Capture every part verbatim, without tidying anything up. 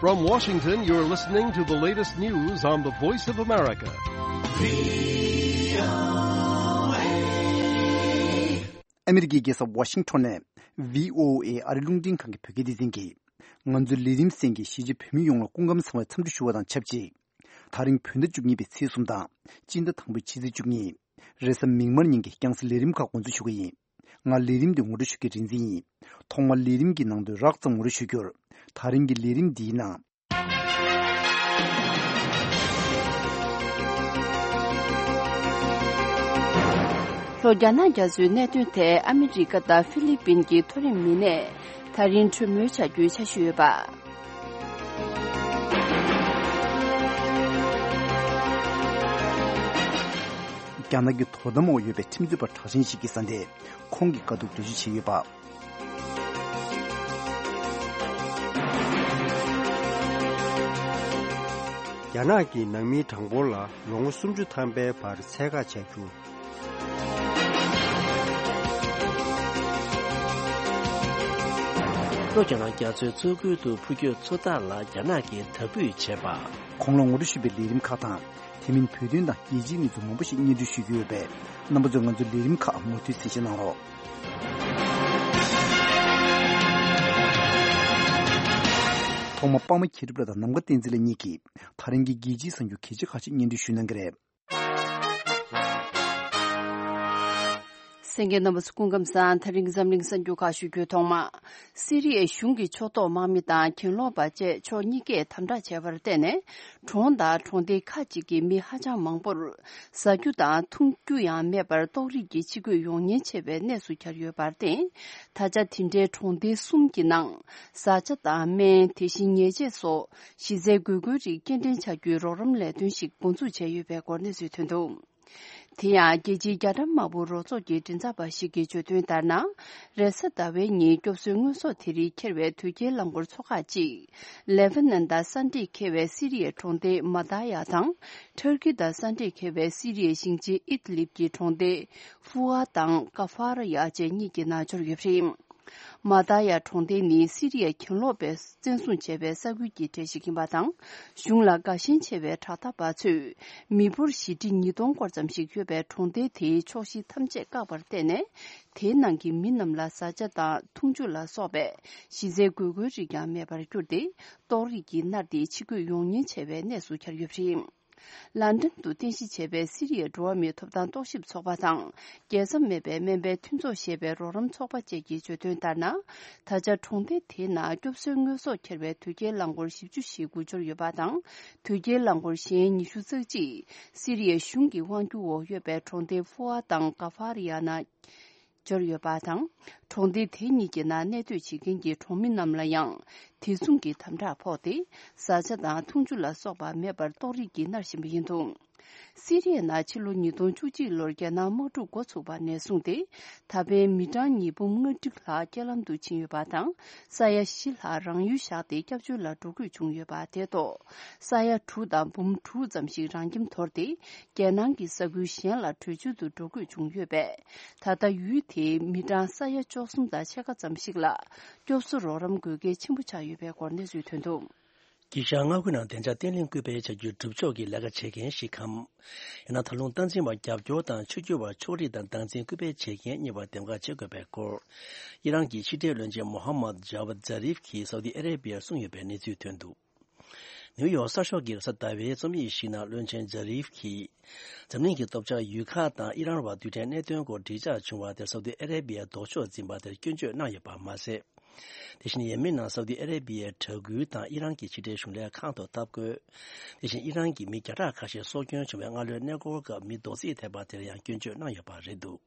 From Washington, you're listening to the latest news on the Voice of America. ཨ་མི་རི་ཀའི་རྒྱལ་ས་ཝ་ཤིང་ཊོན་ནས་བྷི་ཨོ་ཨེ་ཨ་རི་རླུང་འཕྲིན་ཁང་གི་བོད་སྐད་སྡེ་ཚན་གྱིས། ང་ཚོའི་ལས་རིམ་གསན་མཁན་གཞིས་བྱེས་བོད་མི་ཡོངས་ལ་སྐུ་ཁམས་བཟང་བའི་འཚམས་འདྲི་ཞུ་བ་དང་ཆབས་ཅིག་ད་རིང་བོད་ཟླ་བཅུ་གཉིས་པའི་ཚེས་གསུམ་དང་སྤྱི་ཟླ་དང་པོའི་ཕྱི་ཚེས་བཅུ་གཉིས། རེས་གཟའ་མིག་དམར་ཉིན་གྱི་རྒྱང་སྲིང་ལས་རིམ་ཁག་འགོ་འཛུགས་ཞུ་གི་ཡིན། ང་ལས་རིམ་འདི་ངོ་སྤྲོད་ཞུ་མཁན་རིག་འཛིན་ཡིན། ཐོག་མར་ལས་རིམ་གྱི་ནང་དོན་རགས་ཙམ་ངོ་སྤྲོད་ཞུ་རྒྱུར། ད་རིང་གི་ལས་རིམ་འདིའི་ནང་། ལྷོ་རྒྱ་ནག་རྒྱ་མཚོའི་གནད་དོན་ཐད་ཨ་མི་རི་ཀ་དང་ཧྥི་ལི་པིན་གྱི་མཐོ་རིམ་མི་སྣས་ད་རིང་གྲོས་མོལ་བྱ་རྒྱུའི་འཆར་གཞི་ཡོད་པ། རྒྱ་ནག་གི་དོ་དམ་འོག་ཡོད་པའི་ཁྲིམས་རྩོད་པ་གྲགས་ཅན་ཞིག་གི་བཟའ་ཟླས་ཁོང་གི་དཀའ་སྡུག་འགྲེལ་བརྗོད་བྱས་ཡོད་པ། རྒྱ་ནག་གིས་ནང་མིའི་གྲངས་འབོར་ལ་ལོ་ངོ་སུམ་ཅུ་ཐམ་པའི་བར་ཚད་བཀག་བྱ་རྒྱུ། ལྷོ་རྒྱ་ནག་རྒྱ་མཚོའི་མཚོ་ཁུལ་དུ་འཕུར་སྐྱོད་མཚོ་ཐར་ལ་རྒྱ་ནག་གིས་དར་སྤུས་བྱས་པ། གོང་ལ་ངོ་སྤྲོད་ཞུས་པའི་ལས་རིམ་ཁག་དང་། དེ་མིན་བོད་དོན་དང་རྒྱལ་སྤྱིའི་གནས་ཚུལ་མང་པོ་ཞིག་སྙན་སྒྲོན་ཞུ་རྒྱུ་ཡོད་པས། རྣམ་པ་ཚོས་ང་ཚོའི་ལས་རིམ་ཁག་མུ་མཐུད་གསན་བཞེས་གནང་རོགས། ཐོག་མར་པདྨ་མཁས་གྲུབ་ལགས་དང་ནམ་མཁའ་བསྟན་འཛིན་ལགས་གཉིས་ཀྱིས་ད་རིང་གི་རྒྱལ་སྤྱིའི་གསར་འགྱུར་གལ་ཆེ་ཁག་ཅིག་སྙན་སྒྲོན་ཞུ་གནང་གི་རེད། གསན་མཁན་རྣམ་པ་ཚོ་སྐུ་ཁམས་བཟང་། ད་རིང་འཛམ་གླིང་གསར་འགྱུར་ཁག་ཞུ་རྒྱུའི་ཐོག་མ། སི་རི་ཡའི་གཞུང་གི་ཕྱོགས་གཏོགས་དམག་མི་དང་གྱེན་ལོག་པ་བཅས་ཕྱོགས་གཉིས་ཀས་དམ་དྲག་བྱས་པར་བརྟེན་ནས། གྲོང་དང་གྲོང་སྡེ་ཁག་ཅིག་གི་མི་ཧ་ཅང་མང་པོར་ཟ་རྒྱུ་དང་འཐུང་རྒྱུ་ཡང་མེད་པར་ཏོག་དབྱིབས་ཀྱི་འཆི་གོད་ཡོང་ཉེན་ཆེ་བའི་གནས་སུ་གྱར་ཡོད་པར་བརྟེན། ད་ཆ་དེ་འདྲའི་གྲོང་སྡེ་གསུམ་གྱི་ནང་བཟའ་བཅའ་དང་སྨན། དེ་བཞིན་ཉལ་ཆས་སོགས་གཞི་རྩའི་དགོས་མཁོའི་རིགས་སྐྱེལ་འདྲེན་བྱ་རྒྱུའི་རོགས་རམ་ལས་དོན་ཞིག་འགོ་འཛུགས་བྱས་ཡོད་པའི་སྐོར་གནས་ཚུལ་ཐོན་འདུག་དེ་ཡང་རྒྱལ་སྤྱིའི་རྒྱ་གྲམ་དམར་པོ་རོགས་ཚོགས་ཀྱི་མགྲིན་ཚབ་པ་ཞིག་གིས་བརྗོད་དོན་ལྟར་ན། རེས་གཟའ་ཟླ་བའི་ཉིན་སྐྱོབ་གསོའི་དངོས་ཟོག་དེ་རིགས་འཁྱེར་བའི་དོས་སྐྱེལ་རླངས་འཁོར་ཚོ་ཁག་ཅིག་ལེ་བྷ་ནན་དང་ས་འདྲེས་འཁེལ་བའི་སི་རི་ཡའི་གྲོང་སྡེ་མ་ཏཱ་ཡ་དང་། ཐུར་ཀི་དང་ས་འདྲེས་འཁེལ་བའི་སི་རི་ཡའི་ཞིང་ཆེན་ཨིད་ལིབ་ཀྱི་གྲོང་སྡེ་ཧྥུ་ཨ་དང་ཀ་ཧྥ་ར་ཡ་བཅས་གཉིས་ཀྱི་ནང་འབྱོར་ཡོད་པ་རེད། མ་ཏཱ་ཡ་གྲོང་སྡེ་ནི་སི་རི་ཡའི་གྱེན་ལོག་པས་བཙན་བཟུང་བྱས་པའི་ས་ཁུལ་གྱི་གྲས་ཤིག་ཡིན་པ་དང་། གཞུང་ལ་དགའ་ཞེན་ཆེ་བའི་དྲག་འཐབ་པ་ཚོས་མི་འབོར་བཞི་ཁྲི་ཉིས་སྟོང་སྐོར་ཙམ་ཞིག་ཡོད་པའི་གྲོང་སྡེ་དེའི་ཕྱོགས་བཞི་ཐམས་ཅད་བཀག་པར་བརྟེན་ནས། དེའི་ནང་གི་མི་རྣམས་ལ་བཟའ་བཅའ་དང་འཐུང་ཆུ་ལ་སོགས་པའི་གཞི་རྩའི་དགོས་མཁོའི་རིགས་ཀྱང་མེད་པར་གྱུར་ཏེ། ཏོག་དབྱིབས་ཀྱིས་མནར་ཏེ་འཆི་གོད་ཡོང་ཉེན་ཆེ་བའི་གནས་སུ་གྱར་ཡོད་པ་རེད། ལན་ཀྲན་དུ་རྟེན་གཞི་བྱས་པའི་སི་རི་ཡའི་འགྲོ་བ་མིའི་ཐོབ་ཐང་རྟོག་ཞིབ་ཚོགས་པ་དང་། རྒྱལ་མཚམས་མེད་པའི་སྨན་པའི་མཐུན་ཚོགས་ཞེས་པའི་རོགས་རམ་ཚོགས་པ་བཅས་ཀྱིས་བརྗོད་དོན་ལྟར་ན། ད་ཆ་གྲོང་སྡེ་དེའི་ནང་སྐྱོབ་གསོའི་དངོས་ཟོག་འཁྱེར་བའི་དོས་སྐྱེལ་རླངས་འཁོར་བཞི་བཅུ་ཞེ་དགུ་འབྱོར་ཡོད་པ་དང་། དོས་སྐྱེལ་རླངས་འཁོར་གཞན་ཉི་ཤུ་རྩ་གཅིག་སི་རི་ཡའི་གཞུང་གི་དབང་སྒྱུར་འོག་ཡོད་པའི་གྲོང་སྡེ་ཧྥུ་ཨ་དང་ཀ་ཧྥ་རི་ཡ་ན། འབྱོར་ཡོད་པ་དང་། གྲོང་སྡེ་དེ་གཉིས་ཀྱི་ནང་གནས་སྡོད་བྱེད་མཁན་གྱི་གྲོང་མི་རྣམས་ལ་ཡང་དེ་མཚུངས་ཀྱི་དམ་དྲག་ཕོག་སྟེ། བཟའ་བཅའ་དང་འཐུང་ཆུ་ལ་སོགས་པ་མེད་པར་ཏོག་དབྱིབས་ཀྱིས་མནར་བཞིན་པ་ཡིན་འདུག་སི་རི་ཡའི་ནང་ཕྱི་ལོ་ཉིས་སྟོང་བཅུ་གཅིག་ལོར་རྒྱལ་ནང་དམག་འཁྲུག་འགོ་ཚུགས་པ་ནས་བཟུང་སྟེ། ད་ཕན་མི་གྲངས་ཉིས་འབུམ་ལྔ་བཅུ་ལྷག་རྐྱེན་ལམ་དུ་ཕྱིན་ཡོད་པ་དང་། ས་ཡ་བཞི་ལྷག་རང་ཡུལ་བཞག་སྟེ་སྐྱབས་བཅོལ་ལ་འགྲོ་དགོས་བྱུང་ཡོད་པ་དེ་ཐོག་ས་ཡ་དྲུག་དང་འབུམ་དྲུག་ཙམ་ཞིག་རང་ཁྱིམ་དོར་ཏེ། རྒྱལ་ནང་གི་ས་ཁུལ་གཞན་ལ་བྲོས་བྱོལ་དུ་འགྲོ་དགོས་བྱུང་ཡོད་པས། ད་ལྟ་ཡུལ་དེའི་མི་གྲངས་ས་ཡ་བཅུ་གསུམ་དང་ཕྱེད་ཀ་ཙམ་ཞིག་ལ་སྐྱོབ་གསོ་རོགས་རམ་དགོས་གལ་ཆེན་པོ་ཆགས་ཡོད་པའི་སྐོར་གནས་ཚུལ་ཐོན་འདུག་དཀྱིལ་ཤར་མངའ་ཁུལ་ནང་བདེ་འཇགས་བརྟན་ལྷིང་སྐུལ་སྤེལ་བྱ་རྒྱུའི་སྒྲུབ་ཕྱོགས་ཀྱི་ལས་ཀ་བྱེད་མཁན་ཞིག་གམ། ཡང་ན་ད་ལུང་སྟངས་འཛིན་པ་རྒྱབ་སྐྱོར་དང་ཆོས་བརྒྱུད་པ་ཕྱོགས་རིས་དང་སྟངས་འཛིན་སྐུལ་སྤེལ་བྱེད་མཁན་གཉིས་བར་འདེམས་ཀ་བྱེད་དགོས་པའི་སྐོར། ཨི་རན་གྱི་ཕྱི་འབྲེལ་བློན་ཆེན་མོ་ཧམ་མད་ཇ་ཝད་ཛ་རིབ་ཀྱིས་སའུ་ཏི་ཨ་རེ་བྷི་ཡར་གསུངས་ཡོད་པའི་གནས་ཚུལ་ཐོན་འདུག་ནིའུ་ཡོག་གསར་ཤོག་གི་རེས་གཟའ་ཟླ་བའི་རྩོམ་ཡིག་ཞིག་ནང་བློན་ཆེན་ཇ་རིབ་ཀྱིས། འཛམ་གླིང་གི་སྟོབས་ཆགས་ཡུལ་ཁག་དང་ཨི་རན་བར་རྡུལ་ཕྲན་གནད་དོན་སྐོར་འགྲིག་འཇགས་བྱུང་བ་དེར་སའུ་ཏི་ཨ་རེ་བྷི་ཡས་ལྡོག་ཕྱོགས་འཛིན་པ་དེར་སྐྱོན་བརྗོད་གནང་ཡོད་པ་མ་ཟད། དེ་བཞིན་ཡེ་མེན་ནང་སའུ་ཏི་ཨ་རེ་བྷི་ཡས་དྲག་སྐུལ་དང་ཨི་རན་གྱི་ཕྱི་འབྲེལ་གཞུང་ལས་ཁང་དུ་འཐབ་རྒོལ། དེ་བཞིན་ཨི་རན་གྱི་མི་བརྒྱ་ཕྲག་ཁ་ཤས་སྲོག་སྐྱོན་བྱུང་བའི་སྔ་ལོའི་གནས་སྐོར་སྐབས་མི་རྡོག་རྫིས་ཐེབས་པ་དེར་ཡང་སྐྱོན་བརྗོད་གནང་ཡོད་པ་རེད་འདུག་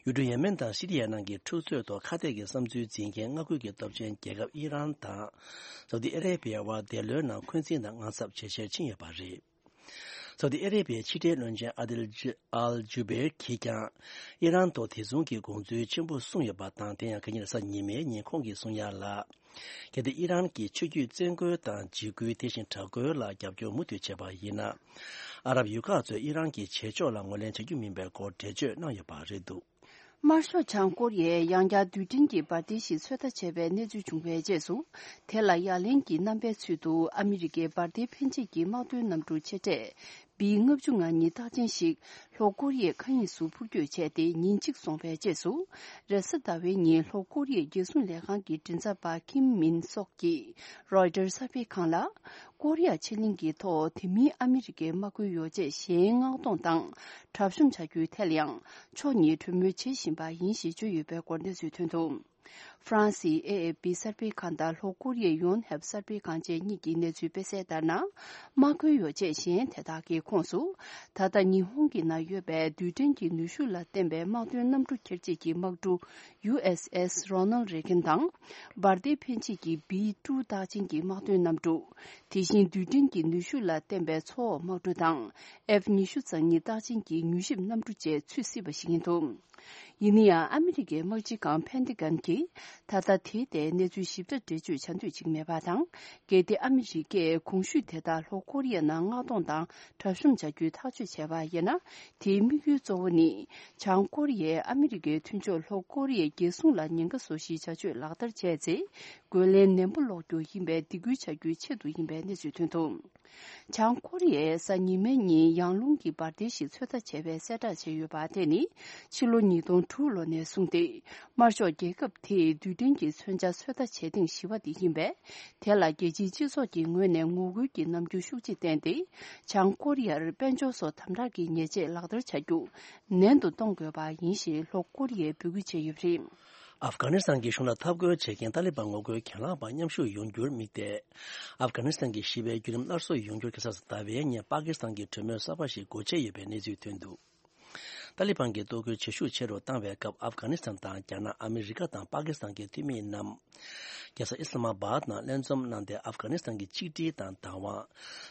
ཡུལ་གྲུ་ཡེ་མེན་དང་སི་རི་ཡ་ནང་གི་འཁྲུག་རྩོད་ཐོག་ཁ་གཏད་ཀྱི་བསམ་ཚུལ་འཛིན་མཁན་མངའ་ཁུལ་གྱི་སྟོབས་ཆེན་རྒྱལ་ཁབ་ཨི་རན་དང་། སའུ་ཏི་ཨ་རེ་བྷི་ཡ་བར་འདས་ལོའི་ནང་འཁོན་འཛིན་དང་དངངས་འཚབ་ཇེ་ཆེར་ཕྱིན་ཡོད་པ་རེད། སའུ་ཏི་ཨ་རེ་བྷི་ཡའི་ཕྱི་འབྲེལ་བློན་ཆེན་ཨ་དིལ་ཇི་ཨལ་ཇུ་བེར་གྱིས་ཀྱང་ཨི་རན་ཐོག་དེ་མཚུངས་ཀྱི་དགོངས་ཚུལ་ཆེན་པོ་གསུངས་ཡོད་པ་དང་། དེ་ཡང་ཁ་ཉིན་རེས་གཟའ་ཉི་མའི་ཉིན་ཁོང་གིས་གསུངས་ཡ་ལ། གལ་ཏེ་ཨི་རན་གྱིས་ཆོས་བརྒྱུད་བཙན་རྒོལ་དང་འཇིགས་སྐུལ། དེ་བཞིན་དྲག་རྒོལ་ལ་རྒྱབ་སྐྱོར་མུ་མཐུད་བྱས་པ་ཡིན་ན། ཨ་རབ་ཡུལ་ཁག་ཚོས་ཨི་རན་གྱི་བྱེད་ཕྱོགས་ལ་ངོས་ལེན་བྱ་རྒྱུ་མིན་པའི་སྐོར་འགྲེལ་བརྗོད་གནང་ཡོད་པ་རེད་འདུག་དམར་ཤོག་བྱང་ཀོ་རི་ཡས་ཡང་བསྐྱར་རྡུལ་ཕྲན་གྱི་འབར་མདེལ་ཞིག་ཚོད་ལྟ་བྱས་པའི་གནས་ཚུལ་བྱུང་བའི་རྗེས་སུ། དེ་ལ་ཡ་ལན་གྱི་རྣམ་པའི་ཚུལ་དུ་ཨ་མི་རི་ཀའི་འབར་མདེལ་འཕེན་བྱེད་ཀྱི་དམག་དོན་གནམ་གྲུ་ཆེ་གྲས་བི་ལྔ་བཅུ་ང་གཉིས་རྟགས་ཅན་ཞིག་ལྷོ་ཀོ་རི་ཡའི་མཁའ་དབྱིངས་སུ་འཕུར་སྐྱོད་བྱས་ཏེ་ཉིན་གཅིག་སོང་བའི་རྗེས་སུ། རེས་གཟའ་ཟླ་བའི་ཉིན་ལྷོ་ཀོ་རི་ཡའི་རྒྱལ་སྲུང་ལས་ཁང་གི་མགྲིན་ཚབ་པ་ཁིམ་མིན་སོག་གིས་རོའི་ཊར་གསར་སྤེལ་ཁང་ལ། ཀོ་རི་ཡ་ཕྱེད་གླིང་གི་ཐོག་དེ་མིན་ཨ་མི་རི་ཀའི་དམག་འཁྲུག་ཡོ་བྱད་གཞན་མངགས་གཏོང་དང་གྲབས་གཤོམ་བྱ་རྒྱུའི་ཐད་ལ་ཡང་ཕྱོགས་གཉིས་གྲོས་མོལ་བྱེད་བཞིན་པ་ཡིན་ཞེས་བརྗོད་ཡོད་པའི་སྐོར་གནས་ཚུལ་ཐོན་འདུག་ཧྥ་རན་སིའི་ཨེ་ཨེ་པི་གསར་སྤེལ་ཁང་དང་ལྷོ་ཀོ་རི་ཡའི་ཡོན་ཧེབ་གསར་སྤེལ་ཁང་བཅས་གཉིས་ཀྱིས་གནས་ཚུལ་སྤེལ་གསལ་ལྟར་ན། དམག་འཁྲུག་ཡོ་བྱད་གཞན་དེ་དག་གི་ཁོངས་སུ། ད་ལྟ་ཉི་ཧོང་གི་ནང་ཡོད་པའི་རྡུལ་ཕྲན་གྱི་ནུས་ཤུགས་ལ་བརྟེན་པའི་དམག་དོན་གནམ་གྲུ་འཁྱེར་བྱེད་ཀྱི་དམག་གྲུ་ཡུ་ཨེས་ཨེས་རོ་ནལ་རེ་གན་དང་། འབར་མདེལ་འཕེན་བྱེད་ཀྱི་བི་ཀྲུ་རྟགས་ཅན་གྱི་དམག་དོན་གནམ་གྲུ། དེ་བཞིན་རྡུལ་ཕྲན་གྱི་ནུས་ཤུགས་ལ་བརྟེན་པའི་མཚོ་འོག་དམག་གྲུ་དང་། ཨེཕ་ཉི་ཤུ་རྩ་གཉིས་རྟགས་ཅན་གྱི་མྱུལ་ཞིབ་གནམ་གྲུ་བཅས་ཚུད་སྲིད་པ་ཞིག་ཡིན་འདུག་ཡིན་ན་ཡང་ཨ་མི་རི་ཀའི་དམག་སྤྱི་ཁང་ཕན་ཏི་གན་གྱིས་ད་ལྟ་དེའི་ཐད་གནས་ཚུལ་ཞིབ་ཕྲ་འགྲེལ་བརྗོད་བྱ་འདོད་ཅིག་མེད་པ་དང་། གལ་ཏེ་ཨ་མི་རི་ཀས་གོང་ཞུས་དེ་དག་ལྷོ་ཀོ་རི་ཡའི་ནང་མངགས་གཏོང་དང་གྲབས་གཤོམ་བྱ་རྒྱུའི་ཐག་གཅོད་བྱས་པ་ཡིན་ན། དེའི་དམིགས་ཡུལ་གཙོ་བོ་ནི། བྱང་ཀོ་རི་ཡས་ཨ་མི་རི་ཀའི་མཐུན་ཕྱོགས་ལྷོ་ཀོ་རི་ཡའི་རྒྱལ་སྲུང་ལ་ཉེན་ཁ་བཟོ་གཞིའི་བྱ་སྤྱོད་ལག་བསྟར་བྱས་ཚེ། རྒོལ་ལན་ནན་པོ་སློག་རྒྱུ་ཡིན་པའི་སྡིགས་སྐུལ་བྱ་རྒྱུའི་ཆེད་དུ་ཡིན་པའི་གནས་ཚུལ་ཐོན་འདུག་བྱང་ཀོ་རི་ཡས་གཟའ་ཉི་མའི་ཉིན་ཡང་རླུང་གི་འབར་མདེལ་ཞིག་ཚོད་ལྟ་བྱས་པའི་གསལ་བསྒྲགས་བྱས་ཡོད་པ་དེ་ནི་ཕྱི་ལོ་ཉིས་སྟོང་དྲུག་ལོ་ནས་བཟུང་སྟེ། དམར་ཤོག་རྒྱལ་ཁབ་དེས་རྡུལ་ཕྲན་གྱི་མཚོན་ཆ་ཚོད་ལྟ་བྱེད་ཐེངས་བཞི་པ་དེ་ཡིན་པས། དེ་ལ་རྒྱལ་སྤྱིའི་སྤྱི་ཚོགས་ཀྱི་ངོས་ནས་ངོ་རྒོལ་གྱི་རྣམ་འགྱུར་ཤུགས་ཆེ་བསྟན་ཏེ། བྱང་ཀོ་རི་ཡར་དཔལ་འབྱོར་སོགས་དམ་དྲག་གི་ཉེས་ཆད་ལག་བསྟར་བྱ་རྒྱུ་ནན་དུ་གཏོང་དགོས་པ་ཡིན་ཞེས་ལྷོ་ཀོ་རི་ཡས་འབོད་སྐུལ་བྱས་ཡོད་པ་རེད། ཨབ་གྷ་ནི་སི་ཐན་གྱི་གཞུང་ལ་འཐབ་རྒོལ་བྱེད་མཁན་ཏཱ་ལི་བན་ངོ་རྒོལ་གྱེན་ལངས་པ་མཉམ་ཞུགས་ཡོང་རྒྱུར་དམིགས་ཏེ། ཨབ་གྷ་ནི་སི་ཐན་གྱི་ཞི་བའི་བརྒྱུད་རིམ་སླར་གསོ་ཡོང་རྒྱུར་ཁ་སང་ཟླ་བའི་ཉིན་པ་ཀི་སི་ཐན་གྱི་གྲོས་མོལ་གསར་པ་ཞིག་སྒོ་ཕྱེ་ཡོད་པའི་གནས་ཚུལ་ཐོན་འདུག་ཏཱ་ལི་བན་གྱི་གཏོར་རྒོལ་བྱེད་ཤུགས་ཆེ་རུ་བཏང་བའི་སྐབས། ཨབ་གྷ་ནི་སི་ཐན་དང་རྒྱ་ནག་ཨ་མི་རི་ཀ་དང་པ་ཀི་སི་ཐན་གྱི་འཐུས་མི་རྣམས། རྒྱལ་ས་ཨི་སི་ལ་མ་བཱད་ནང་ལྷན་འཛོམས་གནང་སྟེ། ཨབ་གྷ་ནི་སི་ཐན་གྱི་གཅིག་སྒྲིལ་དང་བདག་དབང་།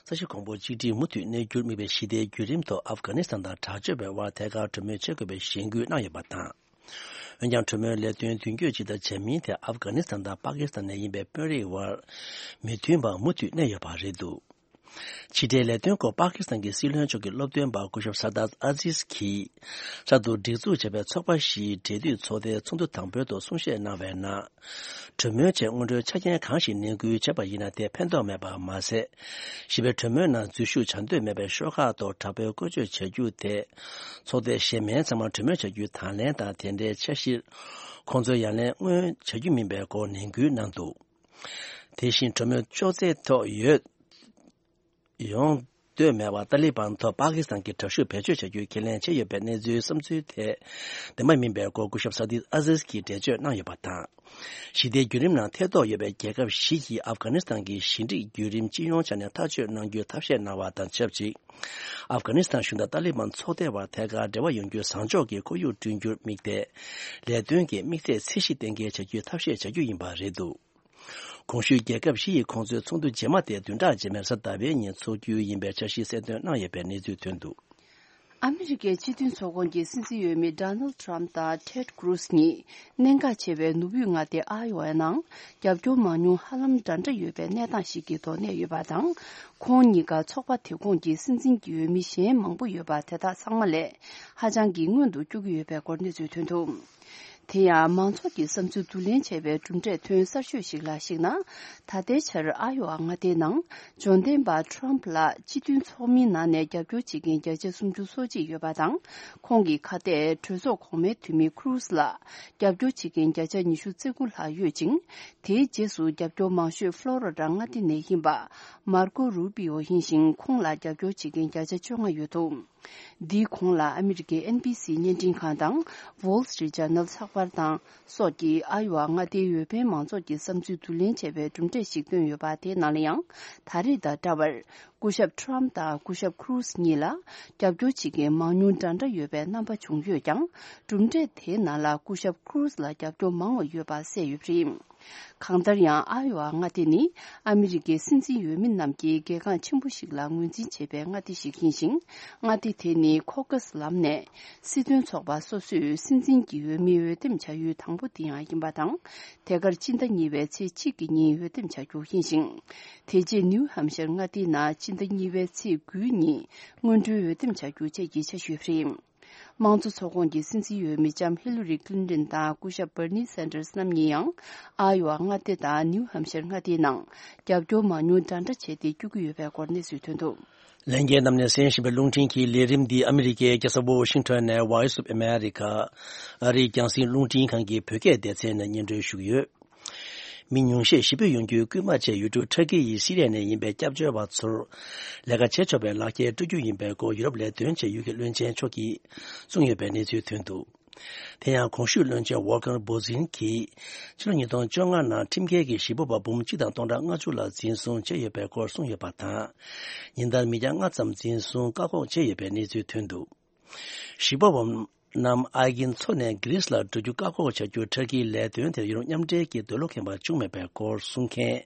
ས་གཞི་གོང་བུ་གཅིག་སྒྲིལ་མུ་མཐུད་གནས་རྒྱུར་དམིགས་པའི་ཞི་བདེའི་བརྒྱུད་རིམ་ཐོག་ཨབ་གྷ་ནི་སི་ཐན་དང་དྲག་སྤྱོད་པའི་དབར་ཐད་ཀར་གྲོས་མོལ་བྱེད་དགོས་པའི་གཞེན་སྐུལ་གནང་ཡོད་པ་དང་། འོན་ཀྱང་། གྲོས་མོལ་ལས་དོན་མདུན་སྐྱོད་ཇི་ལྟར་བྱ་མིན་ཐད། ཨབ་གྷ་ནི་སི་ཐན་དང་པ་ཀི་སི་ཐན་ནས་ཡིན་པའི་དཔོན་རིགས་དབར་མི་མཐུན་པ་མུ་མཐུད་གནས་ཡོད་པ་རེད་འདུག་ཕྱི་འབྲེལ་ལས་དོན་སྐོར་པ་ཀི་སི་ཐན་གྱི་སྲིད་བློན་མཆོག་གི་སློབ་སྟོན་པ་སྐུ་ཞབས་ས་དཱད་ཨ་ཟིས་ཀྱིས། གསར་དུ་སྒྲིག་འཛུགས་བྱས་པའི་ཚོགས་པ་བཞིའི་འབྲེལ་མཐུད་ཚོགས་སྡེའི་ཚོགས་འདུ་དང་པོའི་ཐོག་གསུང་བཤད་གནང་བའི་ནང་། གྲོས་མོལ་ཆེད་སྔོན་འགྲོའི་ཆ་རྐྱེན་གང་ཞིག་ནན་སྐུལ་བྱས་པ་ཡིན་ན་དེ་ཕན་ཐོགས་མེད་པ་མ་ཟད། ཞི་བའི་གྲོས་མོལ་ནང་འཛུལ་ཞུགས་བྱ་འདོད་མེད་པའི་ཤོག་ཁག་ཐོག་དྲག་པོའི་བཀོལ་སྤྱོད་བྱ་རྒྱུ་དེ། ཚོགས་སྡེ་གཞན་མའི་ཚང་མ་གྲོས་མོལ་བྱ་རྒྱུའི་དང་ལེན་དང་། དེ་འདྲའི་འཆར་གཞིར་ཁོང་ཚོས་ཡ་ལན་མངོན་བྱ་རྒྱུ་མིན་པའི་སྐོར་ནན་སྐུལ་གནང་འདུག་དེ་བཞིན་གྲོས་མོལ་ཅོག་ཙེ་ཐོག་ཡོད། ཡོང་འདོད་མེད་པར་ཏཱ་ལི་བན་ཐོག་པ་ཀི་སི་ཐན་གྱི་དྲག་ཤུགས་བེད་སྤྱོད་བྱ་རྒྱུའི་ཁས་ལེན་བྱས་ཡོད་པའི་གནས་ཚུལ་བསམ་ཚུལ་དེ་བདེན་པ་མིན་པའི་སྐོར་སྐུ་ཞབས་ས་དཱད་ཨ་ཟིས་ཀྱིས་འགྲེལ་བརྗོད་གནང་ཡོད་པ་དང་། ཞི་བདེའི་བརྒྱུད་རིམ་ནང་ཐེ་གཏོགས་ཡོད་པའི་རྒྱལ་ཁབ་བཞི་ཡིས་ཨབ་གྷ་ནི་སི་ཐན་གྱི་ཞི་འགྲིག་བརྒྱུད་རིམ་སྤྱི་ཡོངས་ཆ་ནས་ཐག་གཅོད་གནང་རྒྱུའི་ཐབས་ཤེས་གནང་བ་དང་ཆབས་ཅིག་ཨབ་གྷ་ནི་སི་ཐན་གཞུང་དང་ཏཱ་ལི་བན་ཚོགས་སྡེ་བར་ཐད་ཀར་འབྲེལ་བ་ཡོང་རྒྱུའི་བཟང་ཕྱོགས་ཀྱི་ཁོར་ཡུག་བསྐྲུན་རྒྱུར་དམིགས་ཏེ། ལས་དོན་གྱི་དམིགས་ཚད་ཚད་གཞི་གཏན་འཁེལ་བྱ་རྒྱུའི་ཐབས་ཤེས་བྱ་རྒྱུ་ཡིན་པ་རེད་འདུག་གོང་ཞུས་རྒྱལ་ཁབ་བཞི་ཡི་ཁོང་ཚོའི་ཚོགས་འདུ་རྗེས་མ་དེ་བདུན་ཕྲག་རྗེས་མའི་གཟའ་ཟླ་བའི་ཉིན་འཚོགས་རྒྱུ་ཡིན་པའི་འཆར་གཞི་གསལ་སྟོན་གནང་ཡོད་པའི་གནས་ཚུལ་ཐོན་འདུག་ཨ་མི་རི་ཀའི་སྤྱི་མཐུན་ཚོགས་ཁོངས་ཀྱི་སྲིད་འཛིན་འོས་མི་ཌོ་ནལ་ཌི་ཊརམ་དང་ཊེཌ་ཀྲུ་ཛི་གཉིས་གནད་འགག་ཆེ་བའི་ནུབ་དབུས་མངའ་སྡེ་ཨ་ཡོ་ཝའི་ནང་རྒྱབ་སྐྱོར་མང་ཉུང་ཧ་ལམ་འདྲ་འདྲ་ཡོད་པའི་གནས་སྟངས་ཤིག་གི་ཐོག་གནས་ཡོད་པ་དང་། ཁོང་གཉིས་ཀ་ཚོགས་པ་དེ་ཁོངས་ཀྱི་སྲིད་འཛིན་གྱི་འོས་མི་གཞན་མང་པོ་ཡོད་པ་དེ་དག་ཚང་མ་ལས་ཧ་ཅང་གི་སྔོན་དུ་བསྐྱོད་ཀྱི་ཡོད་པའི་སྐོར་གནས་ཚུལ་ཐོན་འདུག་དེ་ཡང་མང་ཚོགས་ཀྱི་བསམ་ཚུལ་བསྡུ་ལེན་བྱས་པའི་གྲུབ་འབྲས་ཐོན་གསར་ཤོས་ཤིག་ལ་གཞིགས་ན། ད་ལྟའི་ཆར་ཨ་ཡོ་ཝ་མངའ་སྡེའི་ནང་འབྱོར་ལྡན་པ་ཊརམ་ཕ་ལ་སྤྱི་མཐུན་ཚོགས་མིའི་ནང་ནས་རྒྱབ་སྐྱོར་བྱེད་མཁན་བརྒྱ་ཆ་སུམ་ཅུ་སོ་གཅིག་ཡོད་པ་དང་། ཁོང་གི་ཁ་གཏད་གྲོས་ཚོགས་གོང་མའི་འཐུས་མི་ཁུ་རུ་ཛི་ལ་རྒྱབ་སྐྱོར་བྱེད་མཁན་བརྒྱ་ཆ་ཉི་ཤུ་རྩ་དགུ་ལྷག་ཡོད་ཅིང་། དེའི་རྗེས་སུ་རྒྱབ་སྐྱོར་མང་ཤོས་ཕློ་རི་ཌ་མངའ་སྡེ་ནས་ཡིན་པ་མར་ཀོ་རུ་པི་ཨོ་ཡིན་ཞིང་། ཁོང་ལ་རྒྱབ་སྐྱོར་བྱེད་མཁན་བརྒྱ་ཆ་བཅོ་ལྔ་ཡོད་འདུག་འདིའི་གོང་ལ་ཨ་མི་རི་ཀའི་ཨེན་བྷི་སི་བརྙན་འཕྲིན་ཁང་དང་Wall Street Journal་ཚགས་པར་དང་སོགས་ཀྱིས་ཨ་ཡོ་ཝ་མངའ་སྡེའི་འོས་འཕེན་མང་ཚོགས་ཀྱི་བསམ་ཚུལ་བསྡུ་ལེན་བྱས་པའི་གྲུབ་འབྲས་ཤིག་བཏོན་ཡོད་པ། དེའི་ནང་ལ་ཡང་ད་རེས་དང་འདྲ་བར་སྐུ་ཞབས་ཊརམ་དང་སྐུ་ཞབས་ཁུ་རུ་ཛི་གཉིས་ལ་རྒྱབ་སྐྱོར་བྱེད་མཁན་མང་ཉུང་འདྲ་འདྲ་ཡོད་པའི་རྣམ་པ་བྱུང་ཡོད་ཀྱང་། གྲུབ་འབྲས་དེའི་ནང་ལ་སྐུ་ཞབས་ཁུ་རུ་ཛི་ལ་རྒྱབ་སྐྱོར་མང་བ་ཡོད་པ་གསལ་ཡོད་པ་རེད། གང་ལྟར་ཡང་ཨ་ཡོ་ཝ་མངའ་སྡེ་ནི་ཨ་མི་རི་ཀའི་སྲིད་འཛིན་འོས་མི་རྣམས་ཀྱི་གལ་འགངས་ཆེན་པོ་ཞིག་ལ་ངོས་འཛིན་བྱེད་པའི་མངའ་སྡེ་ཞིག་ཡིན་ཞིང་། མངའ་སྡེ་དེ་ནི་ཁོ་ཀ་སི་ལམ་ནས་སྲིད་དོན་ཚོགས་པ་སོ་སོས་སྲིད་འཛིན་གྱི་འོས་མི་འོས་འདེམས་བྱ་ཡུལ་དང་པོ་དེ་ཡང་ཡིན་པ་དང་། དེ་གར་སྤྱི་ཟླ་གཉིས་པའི་ཚེས་གཅིག་གི་ཉིན་འོས་འདེམས་བྱ་རྒྱུ་ཡིན་ཞིང་། དེ་རྗེས་ནིའུ་ཧམ་ཤར་མངའ་སྡེའི་ནང་སྤྱི་ཟླ་གཉིས་པའི་ཚེས་དགུའི་ཉིན་སྔོན་འགྲོའི་འོས་འདེམས་བྱ་རྒྱུ་བཅས་ཀྱི་འཆར་གཞི་ཡོད་པ་རེད། དམངས་གཙོ་ཚོགས་ཁོངས་ཀྱི་སྲིད་འཛིན་འོས་མི་ལྕམ་ཧི་ལ་རི་ཀླིན་ཏོན་དང་སྐུ་ཞབས་བར་ནི་སན་ཏར་སི་རྣམ་གཉིས་ཡང་ཨ་ཡོ་ཝ་མངའ་སྡེ་དང་ནིའུ་ཧམ་ཤར་མངའ་སྡེའི་ནང་རྒྱབ་སྐྱོར་མང་ཉུང་འདྲ་འདྲ་བྱས་ཏེ་བསྐྱོད་ཀྱི་ཡོད་པའི་སྐོར་གནས་ཚུལ་ཐོན་འདུག། ལྷན་རྒྱས་རྣམས་ནས་གསན་བཞིན་པའི་རླུང་འཕྲིན་གྱི་ལས་རིམ་འདི་ཨ་མི་རི་ཀའི་རྒྱལ་ས་ཝོ་ཤིང་ཊོན་ནས་Voice of America ཨ་རིའི་རྒྱང་སྲིང་རླུང་འཕྲིན་ཁང་གི་བོད་སྐད་སྡེ་ཚན་ནས་སྙན་སྒྲོན་ཞུ་གི་ཡོད། མི་ཉུང་ཤས་ཞི་བདེ་ཡོང་རྒྱུའི་སྐུལ་མ་བྱས་ཡོད་དུས་ཁྲ་ཀི་ཡིས་སི་རི་ཡ་ནས་ཡིན་པའི་སྐྱབས་བཅོལ་བ་ཚོར་ལས་ཀ་བྱེད་ཆོག་པའི་ལག་འཁྱེར་སྤྲོད་རྒྱུ་ཡིན་པའི་སྐོར་ཡུ་རོབ་ལས་དོན་བྱེད་ཡུལ་གྱི་བློན་ཆེན་མཆོག་གིས་གསུངས་ཡོད་པའི་གནས་ཚུལ་ཐོན་འདུག། དེ་ཡང་གོང་ཞུས་བློན་ཆེན་ཝོལ་ཀར་བོ་ཛིན་གྱིས་ཕྱི་ལོ་ཉིས་སྟོང་བཅོ་ལྔ་ནང་ཁྲིམས་འགལ་གྱིས་ཞེ་ཕོག་པ་འབུམ་གཅིག་དང་སྟོང་ཕྲག་ལྔ་བཅུ་ལ་འཛིན་བཟུང་བྱས་ཡོད་པའི་སྐོར་གསུངས་ཡོད་པ་དང་། ཉིན་ལྟར་མི་བརྒྱ་ལྔ་ཙམ་འཛིན་བཟུང་བཀག་འགོག་བྱས་ཡོད་པའི་གནས་ཚུལ་ཐོན་འདུག། ཞེ་ཕོག་པ་རྣམས་ཨའི་གྷིན་མཚོ་ནས་གྷི་རིས་ལ་འགྲོ་རྒྱུ་བཀག་འགོག་བྱ་རྒྱུ་ཁྲ་ཀིའི་ལས་དོན་དེར་ཡུ་རོབ་མཉམ་འབྲེལ་གྱིས་འདོད་བློ་ཁེངས་པ་བྱུང་མེད་པའི་སྐོར་གསུང་མཁན།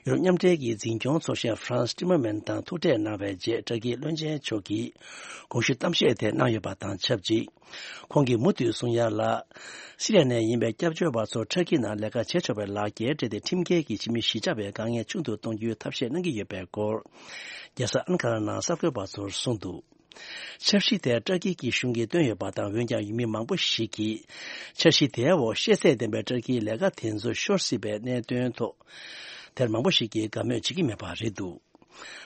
ཡུ་རོབ་མཉམ་འབྲེལ་གྱི་འཛིན་སྐྱོང་ཚོགས་གཞོན་ཧྥ་རན་སི་ཊི་མར་མན་དང་ཐུག་འཕྲད་གནང་བའི་རྗེས་ཁྲ་ཀིའི་བློན་ཆེན་མཆོག་གིས་གོང་ཞུས་གཏམ་བཤད་དེ་གནང་ཡོད་པ་དང་ཆབས་ཅིག། ཁོང་གིས་མུ་མཐུད་གསུང་ཡ་ལ། སི་རི་ཡ་ནས་ཡིན་པའི་སྐྱབས་བཅོལ་བ་ཚོར་ཁྲ་ཀི་ནང་ལས་ཀ་བྱེད་ཆོག་པའི་ལག་འཁྱེར་སྤྲད་དེ་ཁྲིམས་འགལ་གྱིས་ཕྱི་མི་གཞིས་ཆགས་པའི་དཀའ་ངལ་ཆུང་དུ་གཏོང་རྒྱུའི་ཐབས་ཤེས་གནང་གི་ཡོད་པའི་སྐོར། རྒྱལ་ས་ཨན་ཀ་ར་ནང་གསར་འགོད་པ་ཚོར་གསུངས་འདུག། འཆར་གཞི་དེ་ཏྲ་ཀི་གི་གཞུང་གིས་བཏོན་ཡོད་པ་དང་། འོན་ཀྱང་ཡུལ་མི་མང་པོ་ཞིག་གིས་འཆར་གཞི་དེའི་འོག་ཤེས་ཚད་ལྡན་པའི་ཏྲ་ཀིའི་ལས་ཀ་དེ་ཚོ་ཤོར་སྲིད་པའི་གནད་དོན་ཐོག་དེར་མང་པོ་ཞིག་གིས་དགའ་མོས་བྱེད་ཀྱི་མེད་པ་རེད་འདུག།